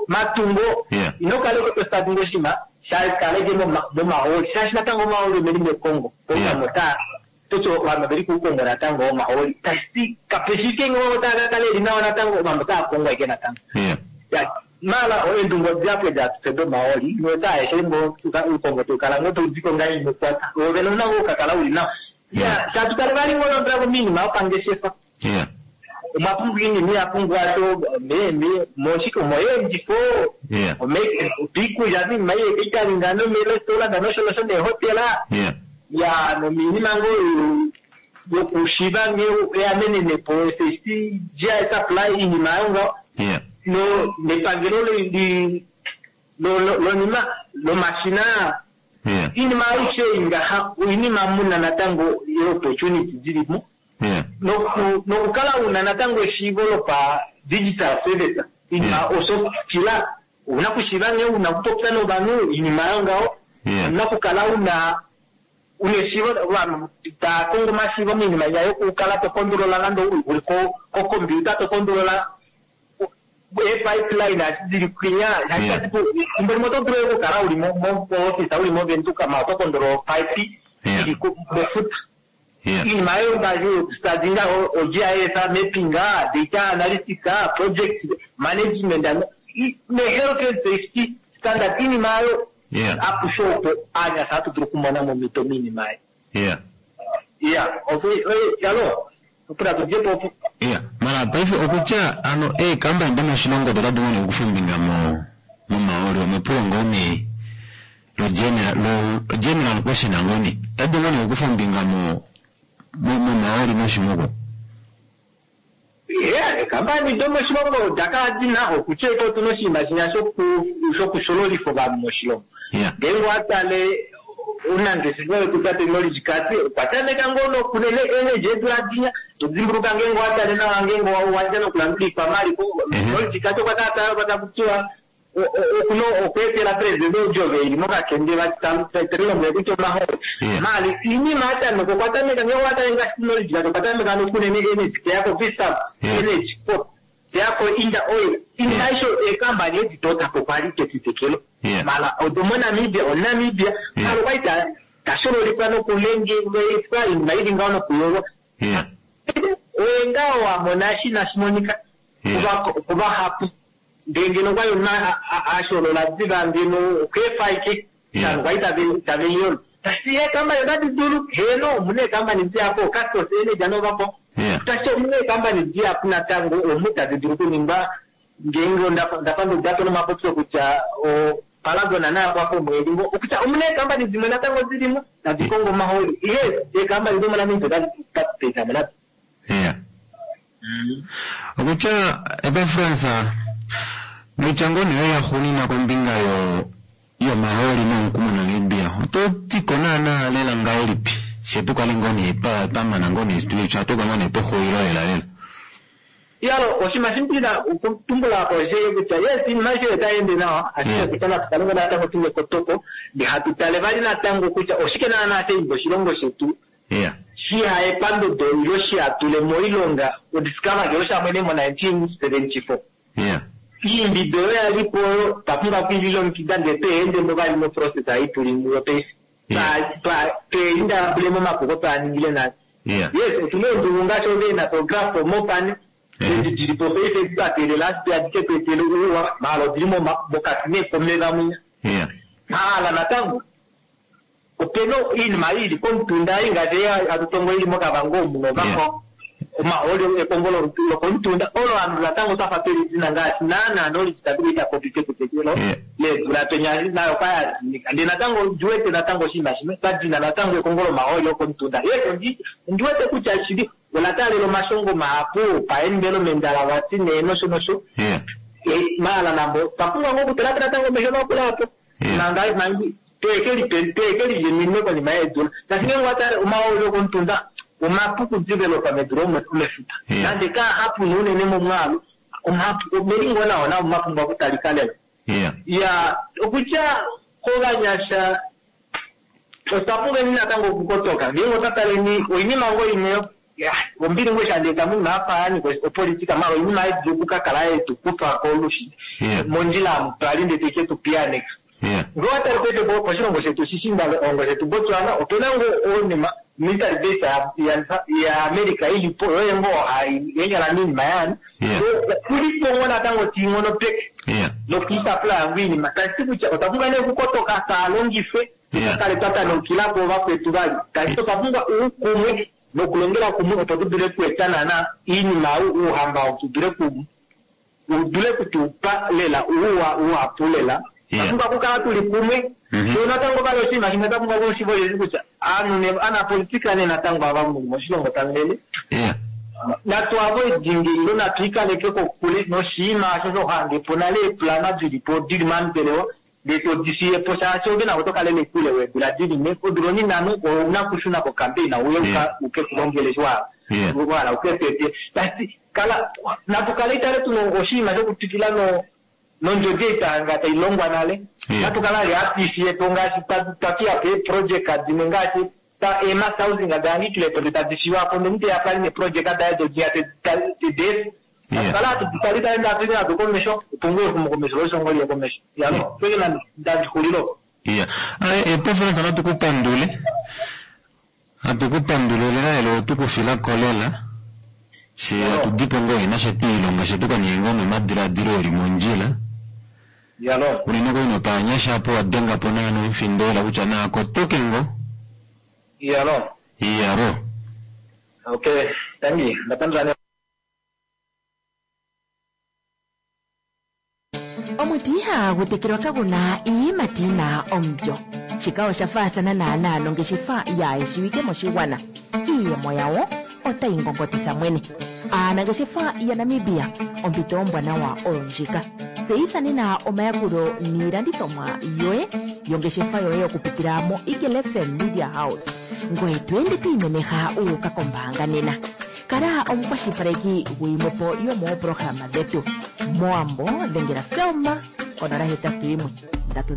matungo ino kala eke tositadinga oshinima shakaleke momahooli shaashi natango omahooli omeli mekongo ounamo taa toti ovanhu veli kuukongo natango omahooli tashi kapeshike ngoo taa kakala eli nawa natango ovanhu otaa kongwa ike natango mala eendungo dihapu datufe domahooli notaeshe ngoo uukongo tukala ngoo taudiko ngaa inokwata ove nouna ngoo ukakala uli nawa ya shatukale vali ngoo londela komiinima yopangeshefa Omwa pumbwa iinima ihapu ngaashi moshike omoyeendifo, opiikulya miinima iye-catering nomeerestaurant nosho nosho neehotela ya nomiinima ngoo yokushiva nghee eamenenepo S H C G I supply iinima ayo ngaho no nepangelo lonima lomashina iinima aishe ingaha oinima muna natango opportunity dilimo nokukala una natango eshiivo lopa digital service iinima osokila una kushiiva nghee una kupopya novanhu iinima ayo ngaho una kukala una una eshiivo ovanhu taakongo omashiivo miinima yayo okukala tokondolola nande uli kokompiuta tokondolola e-pipeline dili kwinya ethimbo limwe oto dulu okukala uli mo-office uli movenduka ma oto kondolola opipe ili mefuta iinima ayo ngaashi studyinga o-G I S mapping, data analytics, project management ne-health and safety standard iinima ayo apushe opo aanyasha hatu dulu okumona momito miinima ayo ya yalo opula tudjepo opo. Yeah, mara paife okutya ano eekampani domoshilongo odo tadi wone okufa ombinga mo momaoli omepulo ngoo nee lo general lo general question ngoo nee tadi wone okufa ombinga mo momaoli noshimoko. Yeah, eekampani domoshilongo odakala dina okutya eko otuna oshinima shinya shokushololifa ovanhu moshilongo ngeenge watale unangeshefa wetu tate Knowledge Kati okwa tameka ngoo nokunene energy eedula dinya todimbuluka ngeenge watale nawa ngeenge wadja nokulandula ikwamaliko Knowledge Kati okwa kala takutiwa okuna okweetela president odjove ili mokakende vati kutya omahooli mali iinima yatameka okwa tameka ngeenge watale ngaashi Knowledge Kati okwa tameka nokunene energy teyako Vistab Energy Corp teyako Inda Oil iinima aisho eekampani edi totapo kwali ketitekelo mala odomonamibia onamibia mala okwali tashololifwa nokulengelifwa iinima ili ngaho nokuyolwa oye ngaho wamona eshi inashi monika kuvahapu ndee ngeno okwali omunhu asholola diva ngeno okweefa ike vanhu kwali tave iyolo tashi eekampani otadi dulu heno omuna eekampani dihapu Castos Energy anovapo tashi omuna eekampani dihapu natango omu tadi dulu okuningwa ngeenge ndafa ndodapo nomapopyo kutya Paragon nayo kwapo omwedi ngo okutya omuna eekampani dimwe natango dilimo tadi kongo omahooli ihe eekampani domonamibia otadi papetamo nado. Okutya Epafras noitya ngoo nee yaxuuninwa kombinga yo yomahooli nomuku moNamibia oto tiko naana lela ngahelipi she tukale ngoo nee twamana ngoo nee twatuka ngoo nee pexulilo lela lela. Yalo oshinima shimpina okutumbula po she kutya yes iinima aishe otayi nawa ashike kutya natu kale ngoo natango tuna ekotoko ndee hatu tale vali natango kutya oshike naana shaimba oshilongo shetu shihaye pandodo ilo shihatule moilonga odiscover ngeno shamwene mo nineteen seventy four iimbido oyo yalipo twapumbwa okwiililongekida ndee tweendemo vali moprocess ei tuli muyo paife tweindambule momapuko twaaningile nale. Yes, otuna eendungu ngaashi oveenatograph mopane edi dilipo paife twateelela ashike adike tweetele ouwa maala odili mokati neekomeva mwinya maala natango opena iinima ili komutunda ei ngaashi hatu tongo ili mokavango omu novako omahooli ekongo lokomutunda olo ovanhu natango twafa twelidina ngaashi naana knowledge tatukuita popi pekutekelo leedula penya nayo kwayadinika ndee natango ndiwete natango oshinima shimwe twadina natango ekongo lomahooli okomutunda. Yes, ndiwete kutya shili ola taalela omashongo mahapu paenvironment vati nee nosho nosho maala nambo twapumbwa ngoo okutulapo natango mesho makula apo manga tweekeli minwe konima yeedula tashi ngeenge watale omahooli okomutunda omapu kudevelopa medu lomefuta nande kaahapu nuunene momwaalu omapu omelingo nawo nao mapumbwa okutalika lela ya okutya kovanyasha otwa pumbweni natango okukotoka ngeenge otwa taleni oinima ngoo imwe ombili ngoo shandeeta moinima yafaani opolitika mala oinima yedulu okukakala yetu kufa kolushi mondjila amu twali ndee teke tupiyaneka ngee watale paife poshilongo shetu shishiindalongo shetu Botswana opena ngoo oinima military base ya America ilipo yoye ngoo yenyala miinima yaani okulipo ngoo natango tiing'ono peke nokwiisapula yangu iinima tashi kutya otwa pumbwa nee okukotoka taalongifwe tukakale twa tanaukilako vakwetu vali tashi otwa pumbwa uukumwe. Nokulongela kumwe opo tu dule kueta naana iinima uuhamba tu dule ku u dule kutupa lela uuwa uhapu lela. Twa pumbwa okukala tuli kumwe. Sho natango vali oshinima shimwe twa pumbwa okushiva osheshi kutya aanhu ne anapolitika ne natango ava moshilongo tamulele natu avoidinge ilo natu ikaleke kokule noshinima osho shohange po nale eeplana dilipo dili mambelewa ndee todi fiye po shaashi ove nako tokalele kule weedula dili ne odula oninano ouna kushuna kocampaign uye uke kulongele eshi wahala uketete tati kala natu kale itale tuna oshinima shokutwikila no nondjodi ei tanga tailongwa nale natu kala ali hatuifiye po ngaashi twafiya po eeprojeka dimwe ngaashi eemass housing dahangikile po ndee tadi fiwa po ndee omuntu teya pali neeprojeka daye dodiya tedeefa natukale hatu tali tali hatu nado komesho opo ngoo exumokomesho loshilongo liye komesho yalo peke ndandixulilo. Iya epreference natu kupandule hatu kupandule lela elo otukufilako lela she atudipo ngoo ina shetu ilonga shetu kaninge ngoo nomadiladilo eli mondjila yalo unene ngoo nopanyasha apo wadengapo naana omufindo lela kutya naakotoke ngoo yalo iyalo. Okay, tangi ndapandula. Omuti ihagu tekelwa kaguna iiyimati yina omulyo. Shika osha faathana naanaa nongeshefa yaayeshiwike moshigwana. Iiyemo yawo otayi ngongotitha mwene. Aanangeshefa yaNamibia, ompito ombwanawa oyo ndjika. Tseyitha nena omayakulo niilandithomwa yoye yongeshefa yoye okupitila mo Eagle F M Media House. Ngoye to ende to imemeha u uka kombaanga nena. Kala omukwashilipaleki guyimwepo yomooprograma dhetu. Mowambo dhengela Selma konola hetatu yimwe ndatu.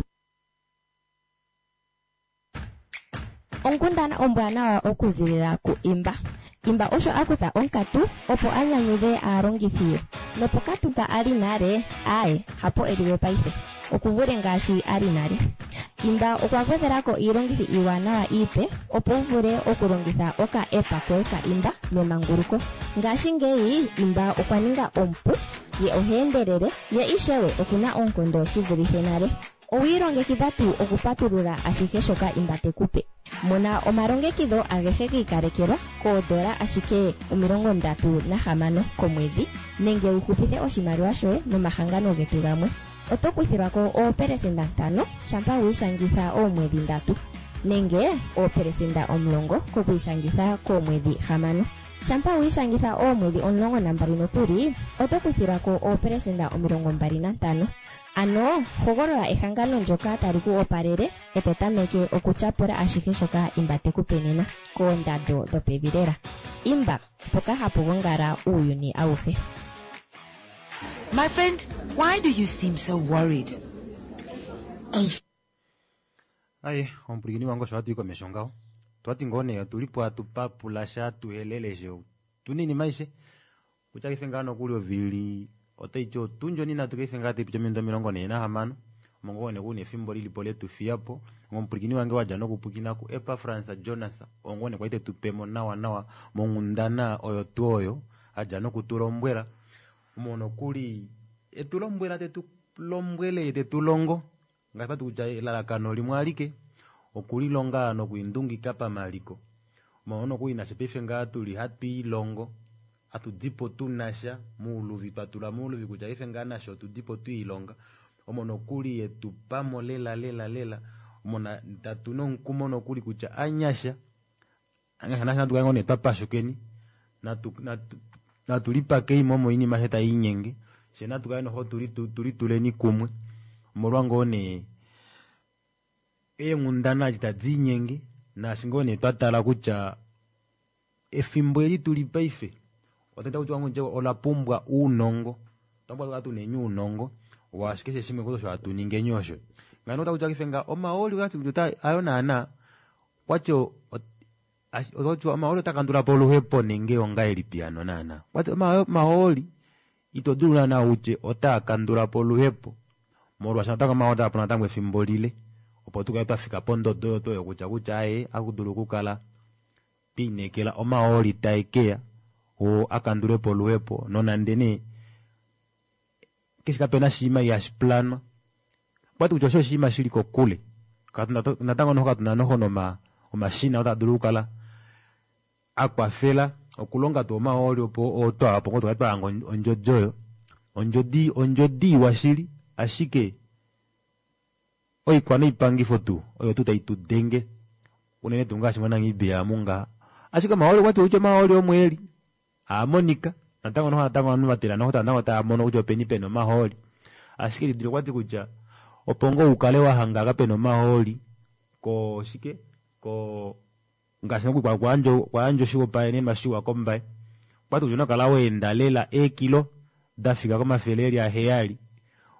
Onkundana ombwanawa okuzilila ku Imba. Imba osho a kutha onkatu opo a nyanyudhe aalongithi ye. Nopokatu mpa a li nale, aaye, hapo e liwe paife. Okuvule ngaashi a li nale. Imba okwa gwedhela ko iilongithi iiwanawa iipe opo wu vule okulongitha oka app koye ka Imba memanguluko. Ngashingeyi Imba okwa ninga omupu, ye oha endelele, ye ishewe okuna oonkondo shi vulithe nale. Owi ilongekidha tuu okupatulula ashihe shoka Imba te ku pe? Mona omalongekidho agehe gi ikalekelwa koodola ashike omilongo ndatu nahamano komwedhi nenge wu hupithe oshimaliwa shoye nomahangano getu gamwe. Oto kuthilwa ko oopelesenda ntano shampa wi ishangitha oomwedhi ndatu nenge oopelesenda omulongo kokwiishangitha koomwedhi hamano. Shampa wi ishangitha oomwedhi omulongo nambali nokuli oto kuthilwa ko oopelesenda omilongo mbali nantano. Ano hogolola ehangano ndyoka tali ku opalele e to tameke okutyapula ashihe shoka Imba te ku pe nena koondando dhopevi lela. Imba, mpoka hapu gongala uuyuni awuhe. My friend, why do you seem so worried? Aye omupwilikini wange osho hatu i komesho ngaho twati ngoo nee otulipo hatu papula sha tuhelele she tuna iinima aishe kutya kaife ngaa nokuli ovili otaiti otundi oninatu kaife ngaa taipiti ominute omilongo nhee nahamano omo ngoo nee kuna efimbo lilipo letufiyapo omupwilikini wange wadja nokupwilikina ku Epafrans Jonas oo ngoo nee kwali tetupemo nawa nawa monghundana oyo tuu oyo adja nokutulombwela omo nokuli etulombwela tetulombwele tetulongo ngaashi pati kutya elalakano limwe alike okulilonga nokwiindungika pamaliko mono nokuli nasho paife ngaa tuli hatwiilongo hatudipo tunasha muuluvi twatula muuluvi kutya paife ngaa nasho otudipo twiilonga omo nokuli yetupamo lela lela lela omo tatu nomukumo nokuli kutya anyasha anyasha nasha natu kale ngoo nee twapashukeni natu natu natulipakei mo moinima she taiinyenge she natu kale noho tulituleni kumwe omolwa ngoo nee eenghundana adi tadi inyenge naashi ngoo nee twatala kutya efimbo eli tuli paife otaita kutya kutya ola pumbwa uunongo otwa pumbwa tukale tuneni uunongo waashi keshe shimwe osho hatu ningeni osho ngano ota kutya kaife nga omahooli kutya ayo naana kwati omahooli otakandula po oluhepo nenge ongahelipi hano naana kwati omahooli ito dulu naana utye otaa kandula po oluhepo molwaashi natango omahooli otaa pula natango efimbo lile opo tukale twafika pondodo oyo oyo kutya kutya aye akudulu okukala twiinekela omahooli taekeya oo akandulepo oluhepo nonande nee keshe kapena oshinima ihashi planwa okwati kutya osho oshinima shili kokule natango noho katuna noho noma omashina otaa dulu okukala Akwafela okulonga tuu omahooli opo otwa opo ngoo tukale twahanga ondjodi oyo. Ondjodi ondjodi iwa shili ashike oikwa noipangifo tuu oyo tuu tai tu denge unene tuu ngaashi moNamibia amu ngaha. Ashike omahooli okwati kutya omahooli omo eli aamonika natango noho natango ovanhu vatila noho natango tava mono kutya openi pena omahooli. Ashike didilika okwati kutya opo ngoo ukale wahanga ka pena omahooli ko shike ko ngaashi nokuli kwa kwayandja oshihopaenenwa shiwa kombaye okwati kutya ouna okukala waenda lela eekilo dafika komafele eli aheyali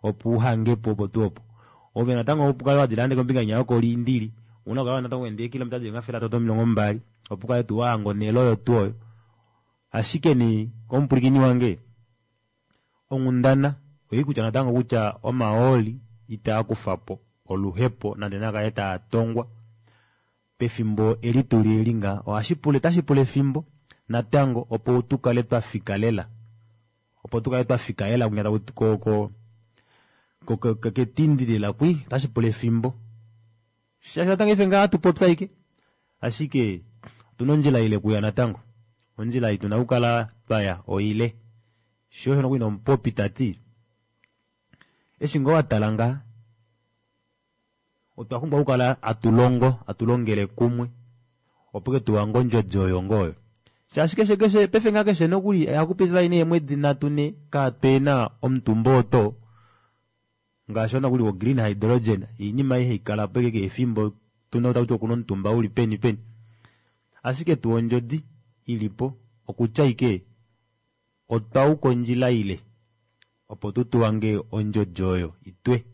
opo uhangepo opo tuu opo. Ove natango opo ukale wadila nande kombinga inya yokoliindili ouna okukala natango waenda eekilometa dili omafele atatu nomilongo mbali opo ukale tuu wahanga onhele oyo tuu oyo. Ashike nee komupwilikini wange onghundana oili kutya natango kutya omahooli itaa kufapo oluhepo nande nakale taa tongwa pefimbo eli tuli eli ngaha ohashi pula otashi pula efimbo natango opo tukale twafika lela opo tukale twafika lela kwinya ko ko ko ketindi lela kwi otashi pula efimbo shaashi natango ife ngaa hatupopya ashike ashike otuna ondjila ile kuya natango ondjila ei tuna okukala twaya oile sho osho nokuli nomupopi tati eshi ngoo watala ngaha otwa pumbwa okukala hatulongo hatulongele kumwe opo ke tuhange ondjodi oyo ngoo oyo shaashi keshe keshe paife ngaa keshe nokuli ohakupiti vali neemwedi nhatu ne kaapena omutumba oo ngaashi nokuli wo green hydrogen oinima ei haikalapo ashike keshe efimbo tuna takuti okuna omutumba uli peni peni ashike tuu ondjodi ilipo okutya ashike otwayuka ondjila ile opo tu tuhange ondjodi oyo itwe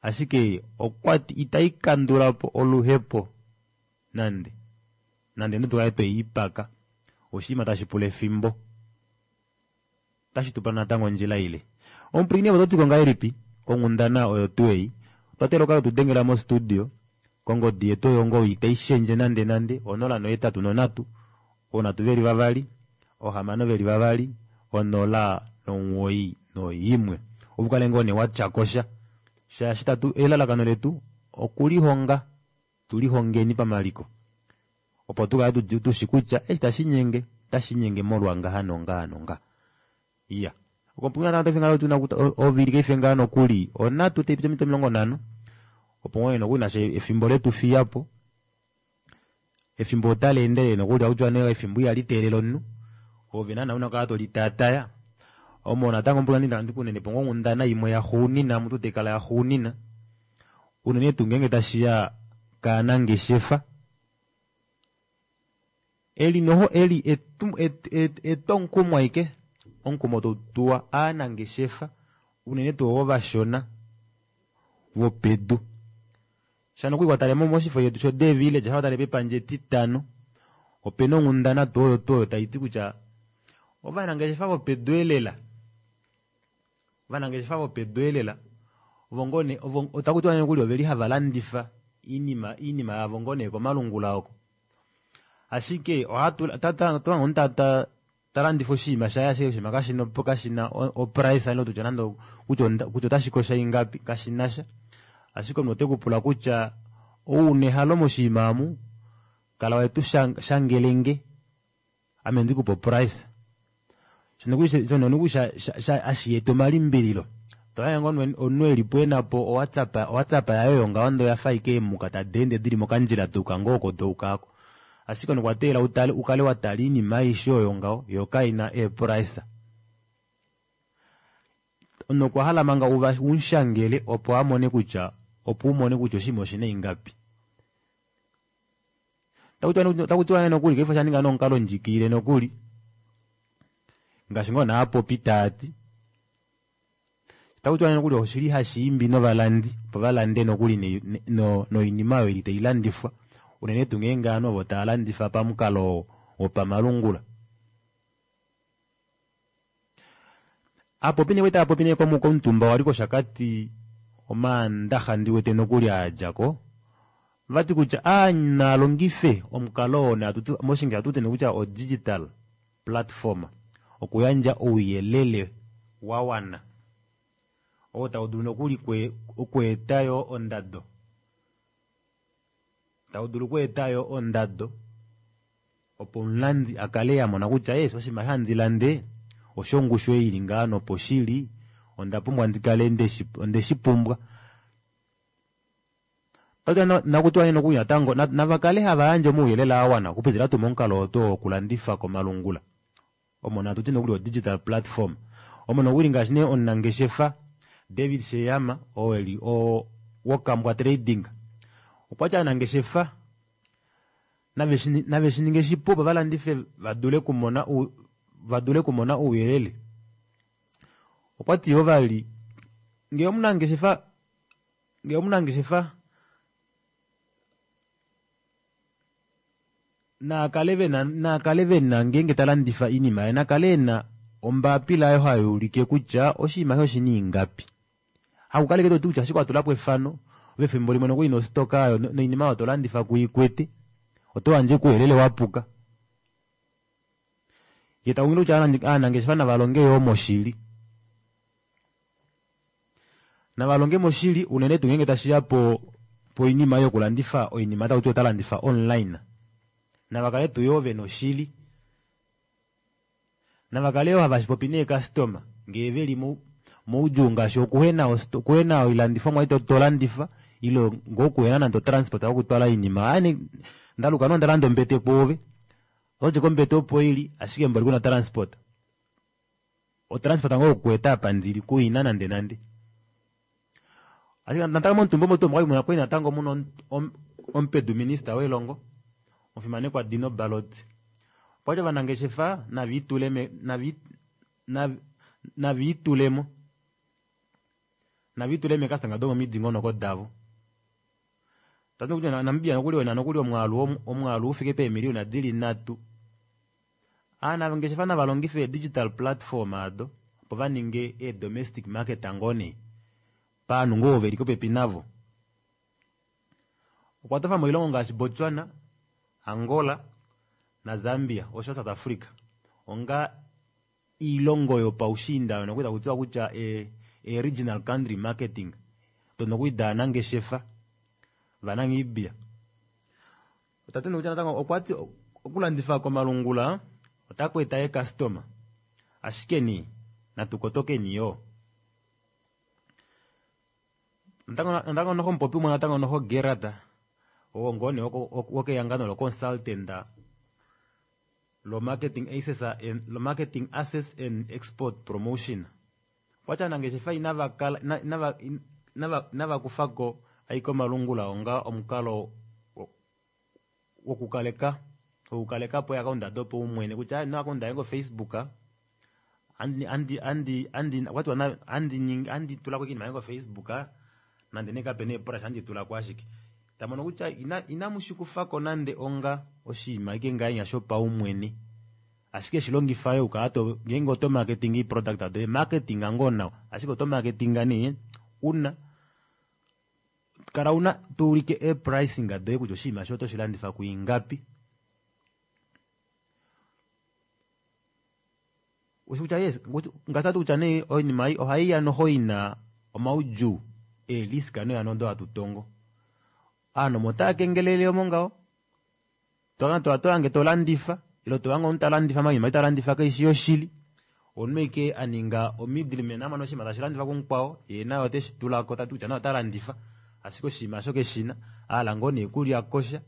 ashike okwati itaikandulapo oluhepo nande nande notukale tweyiipaka oshinima tashi pula efimbo otashi tupa natango ondjila ile. Omupwilikini ove ototiko ngahelipi konghundana oyo tuu ei otwa teelela ukale tudengela mo studio kongodi yetu oyo ngoo itaishendje nande nande onola nohetatu nonhatu oonhatu veli vavali ohamano veli vavali onola nomuwoi noimwe opo ukale ngoo nee watyakosha shaashi tatu elalakano letu okulihonga tulihongeni pamaliko opo tukale tushi kutya eshi tashinyenge otashinyenge molwa ngaha nongaha nongaha. Iya ovili kaife ngaha nokuli onhatu taipiti ominute omilongo nhano opo ngoo nokuli nasho efimbo letu fiyapo efimbo otali endelele nokuli takutiwa nee efimbo ihali teelele omunhu ove naana una okukala tolitaataya omo natango ndikunenepo ngoo onghundana imwe yaxuunina mutu taikala yaxuunina unene tuu ngeenge tashiya kaanangeshefa eli noho eli etwomukumo ashike omukumo tautuwa aanangeshefa unene tuu ovo vashona vopedu shano nokuli watale moshifo shetu sho The Village watale pepandja etitano opena onghundana tuu oyo tuu oyo taiti kutya ovanangeshefa vopedu elela ovanangeshefa vopedu elela ovo ngoo nee otakutiwa nee nokuli oveli hava landifa iinima iinima yavo ngoo nee komalungula oko ashike ohatu omunhu talandifa oshinima shaye ashike oshinima kashina kashina oprice ile tutya nande kutya otashi kosha ingapi kashinasha ashike omunhu otekupula kutya ouna ehalo moshinima omu kala wetu shangelenge ame ndikupe oprice shono nokuli hashi eta omalimbililo tohange ngoo omunhu elipo enapo owhatsapp owhatsapp yaye oyo ngaho ndee oyafa ashike eemuka tadi ende dili mokandjila dayuka ngoo oko dayuka aako ashike omunhu okwa teelela utale ukale watala oinima aishe oyo ngaho yoo kaina eeprice omunhu okwa hala manga umushangele opo amone kutya opo umone kutya oshinima oshina ingapi. Takutiwa nee nokuli paife oshaninga nomukalo ndjikilile nokuli ngaashi ngoo naapopi taati takutiwa nee nokuli oshili hashiimbi novalandi opo valande nokuli noinima oyo ili tailandifwa unene tuu ngeenge ovanhu ovo tava landifa pamukalo wopamalungula. Aapopi nee kwali taapopi nee komutumba wali koshakati omaandaxa ndiwete nokuli aadjako vati kutya nalongife omukalo oo moshingereza hatuti nee kutya o digital platform okuyandja ouyelele wawana oo taudulu nokuli okweeta yoo ondado taudulu okweeta yoo ondado Opo omulandi akale amona kutya yes oshinima eshi handi lande oshongushu ei ili ngaha nopo shili onda pumbwa ndikale ndeshi ondeshipumbwa. Nakutiwa nee nokuli natango navakale hava yandje omauyelele awana okupitila tuu momukalo oo tuu wokulandifa komalungula omo natuti nokuli o digital platform omo nokuli ngaashi nee omunangeshefa David Sheyama oo eli o wokambwa trading okwati ovanangeshefa nave shininge shipu opo valandife vadule kumona vadule kumona ouyelele. Okwati yoo vali ngee omunangeshefa ngee omunangeshefa naakale vena naakale vena ngeenge talandifa oinima yaye nakale ena ombapila oyo hayuulike kutya oshinima eshi oshina ingapi. Hakukala ashike toti kutya ashike watulapo efano ove efimbo limwe nokuli nostoka oyo noinima oyo tolandifa kuikwete oto yandje ouyelele wapuka. Yee takunghilile kutya ovanangeshefa navalonge yoo moshili. Navalonge moshili unene tuu ngeenge tashiya po poinima yokulandifa oinima takuti otalandifa online. Navakale tuu yoo vena oshili. Navakale yoo havashipopi neekastoma ngee veli moudjuu ngaashi okuhena okuhena oilandifomwa ei tolandifa ile ngoo okuhena nande otransport yokutwala oinima. Aaye ndaluka nee ondalanda ombete kwoove ototi kombete opo ili ashike mboli kuna transport. Otransport ngoo yokueta apa ndili kuina nande nande. Ashike natango momutumba omo tuu omo okwali natango muna omupedu minister welongo omufimanekwa Dino Ballot. Okwati ovanangeshefa naviitule naviitulemo naviitule meekastanga domomidingonoko davo. Tati kutya Namibia nokuli ena nokuli omwaalu omwaalu ufike peemiliyona dili nhatu. Ovanangeshefa navalongife ee digital platform ado opo vaninge ee domestic market ngoo nee paanhu ngoo veli popepi navo. Okwa tofa moilongo ngaashi Botswana, Angola naZambia osho South Africa onga oilongo yopaushiinda oyo nokuli takutiwa kutya e, e regional country marketing odo nokuli daanangeshefa vaNamibia. Otati nokutya natango okwati okulandifa komalungula otaku eta eekastoma ashike nee natukotokeni yoo. Natango noho omupopi umwe natango noho Gerard oo ngoo nee wokehangano lo consultant lo marketing access and lo marketing access and export promotion. Okwati ovanangeshefa inavakala inava inava inavakufako ashike omalungula onga omukalo wokukaleka wokukalekapo eakaunda dopaumwene kutya aaye no akaunda yange ko Facebook andi andi andi andi okwatiwa andi andi tulako oinima yange ko Facebook nande nee kapena eepress andi tulako ashike. Tamono kutya ina inamushikufako nande onga oshinima ashike ngahenya shopaumwene. Ashike shilongifa yoo ukala to ngeenge oto marketing product doye marketing ngoo nawa ashike oto marketing nee una kala una tuulike e pricing doye kutya oshinima eshi oto shilandifa kuingapi. Kutya yes ngaashi tati kutya nee oinima ei ohaiya noho ina omaudjuu eerisk noya odo hatu tongo. Ovanhu omo otava kengelele omo ngaho. Tohange tolandifa ile tohange omunhu talandifa oinima ei talandifa kaishi yoshili. Omunhu ashike aninga o middleman amona oshinima tashi landifwa kumukwao yee naye oteshi tulako tati kutya naye ota landifa ashike oshinima osho keshina ahala ngoo nee kulya kosha.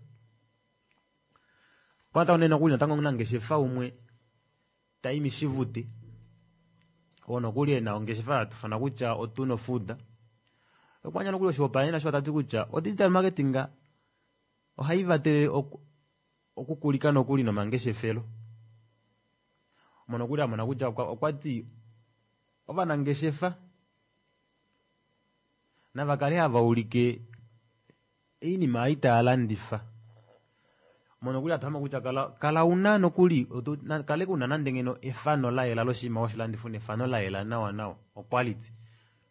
Okwa natango nee nokuli natango omunangeshefa umwe Taimi Shivute oo nokuli ena ongeshefa hatufana kutya Otuno Food okwandja nokuli oshihopaenenwa osho tati kutya o digital marketing ohai vatele okukulika nokuli nomangeshefelo. Omo nokuli amona kutya okwati ovanangeshefa navakale hava ulike oinima ei tava landifa. Omo nokuli hatu kutya kala kala una nokuli kale una nande ngeno efano layela loshinima woshilandifa una efano layela nawa nawa o quality.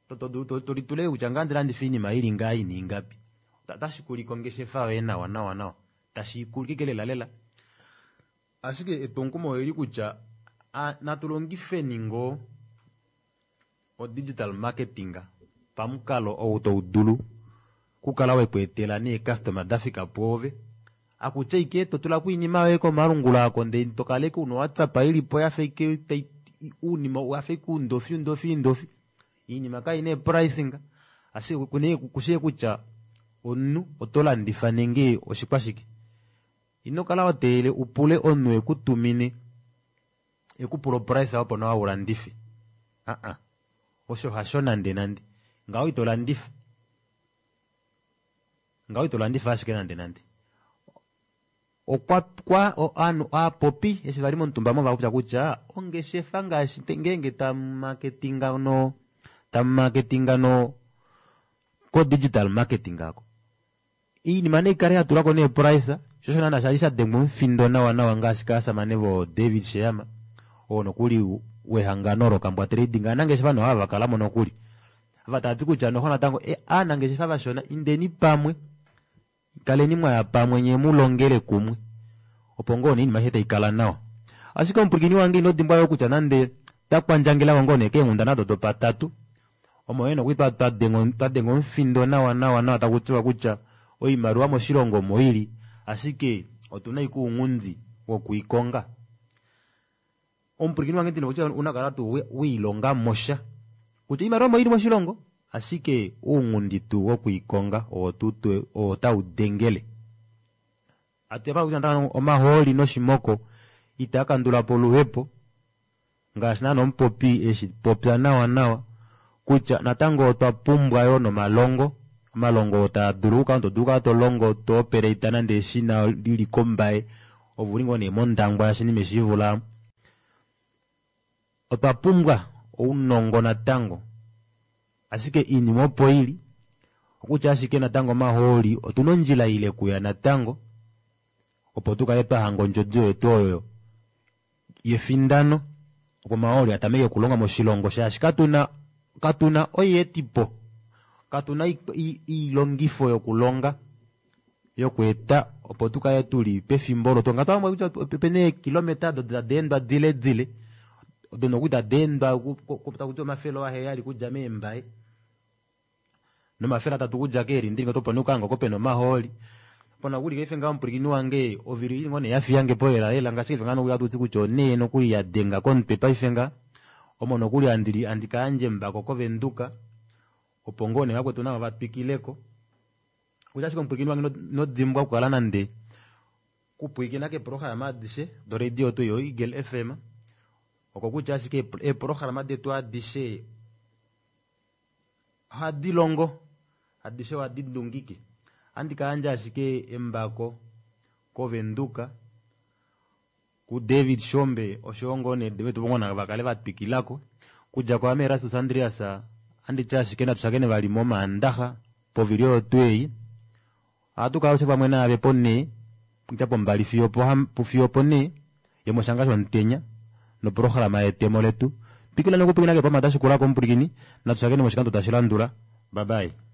Tolitule kutya ngaa andilandifa oinima ili ngaa ina ingapi. Otashi kulike ongeshefa yoye nawa nawa nawa. Tashi ikulike lela lela. Ashike etwomukumo olili kutya natulongifeni ngoo o digital marketing pamukalo ou taudulu okukala wekweetela neekastoma dafika pwoove Akutya ike totulako oinima yoye komalungula ako ndee tokaleke una whatsapp ilipo yafa ike tai uunima wafa ike uundofi undofi undofi iinima kaina eepricing ashike kune kushee kutya omunhu oto landifa nenge oshikwashike ino kala wateelele upule omunhu ekutumine ekupula oprice opo nawa ulandife aa osho hasho nande nande ngaho ito landifa ngaho ito landifa ashike nande nande okwa kwa ovanhu aapopi eshi vali momutumba mo vapopya kutya ongeshefa ngaashi ngeenge tamumaketinga no tamumaketinga no ko digital marketing ako iinima neikale yatulwako neeprice sho osho naana shali shadengwa omufindo nawa nawa ngaashi kaasamane vo David Sheyama oo nokuli wehangano lokambwa trading aanangeshefa nohava vakalamo nokuli ava tavati kutya noho natango e, aanangeshefa vashona indeni pamwe kaleni mwaya pamwe nye mulongele kumwe opo ngoo nee iinima taikala nawa ashike omupwilikini wange ino dimbwa yo kutya nande takwandjangelako ngoo nee keenghundana odo dopatatu omo yene okuli twadenga omufindo nawa nawa nawa taku tiwa kutya oimaliwa moshilongo omo ili ashike otuna ashike ounghundi wokuikonga omupwilikini wange ndina kutya unakala tuu wiilonga mosha kutya oimaliwa omo ili moshilongo ashike ounghundi tuu wokuikonga oo tuu oo taudengele atuya kutya natango omahooli noshimoko itaa kandulapo oluhepo ngaashi naana omupopi eshi popya nawa nawa kutya natango otwa pumbwa yoo nomalongo omalongo oo taa dulu okukala to dulu okukala tolongo to operate nande eshina lili kombaye ove uli ngoo nee mondangwa yashinima eshivula otwa pumbwa ounongo natango ashike iinima opo ili okutya ashike natango omahooli otuna ondjila ile kuya natango opo tukale twahanga ondjodi yetu oyo yefindano opo omahooli atameke okulonga moshilongo shaashi katuna katuna oyeetipo katuna iilongifo yokulonga yokweeta opo tukale tuli pefimbo olo tonga twamwe kutya opena eekilometa odo tadeendwa dile dile odo nokuli tadeendwa takuti omafele aheyali okudja meembaye nomafele atatu okudja keelindili opo nee ukahanga oko pena omahooli pona kuli paife ngaho omupwilikini wange ovili ili ngoo nee yafiyange po lela lela ngaashi paife ngaho nokuli hatuti kutya onee nokuli yadenga komutwe paife nga omo nokuli handili handi kayandja embako kovenduka opo ngoo nee vakwetu navo vatwikileko kutya ashike omupwilikini wange inodimbwa okukala nande kupwilikina keeprograma adishe doradio yetu yo Eagle FM oko kutya ashike eeprograma detu adishe ohadi longo adishe ohadi ndungike handi kayandja ashike embako kovenduka ku David Shombe oshowo ngoo nee vetu vongona vakale vatwikilako kudja kwaame Erastus Andreas anditi ashike natu shakene vali momaandaxa povili oyo tuu ei ohatu kala alushe pamwe naave ponhee kutya pombali fiyo fiyo oponhee yomoshanga shomutenya noprograma yetemo letu twikila nokupwilikina keepama dashikulako omupwilikini natu shakene moshikando tashi landula bye bye.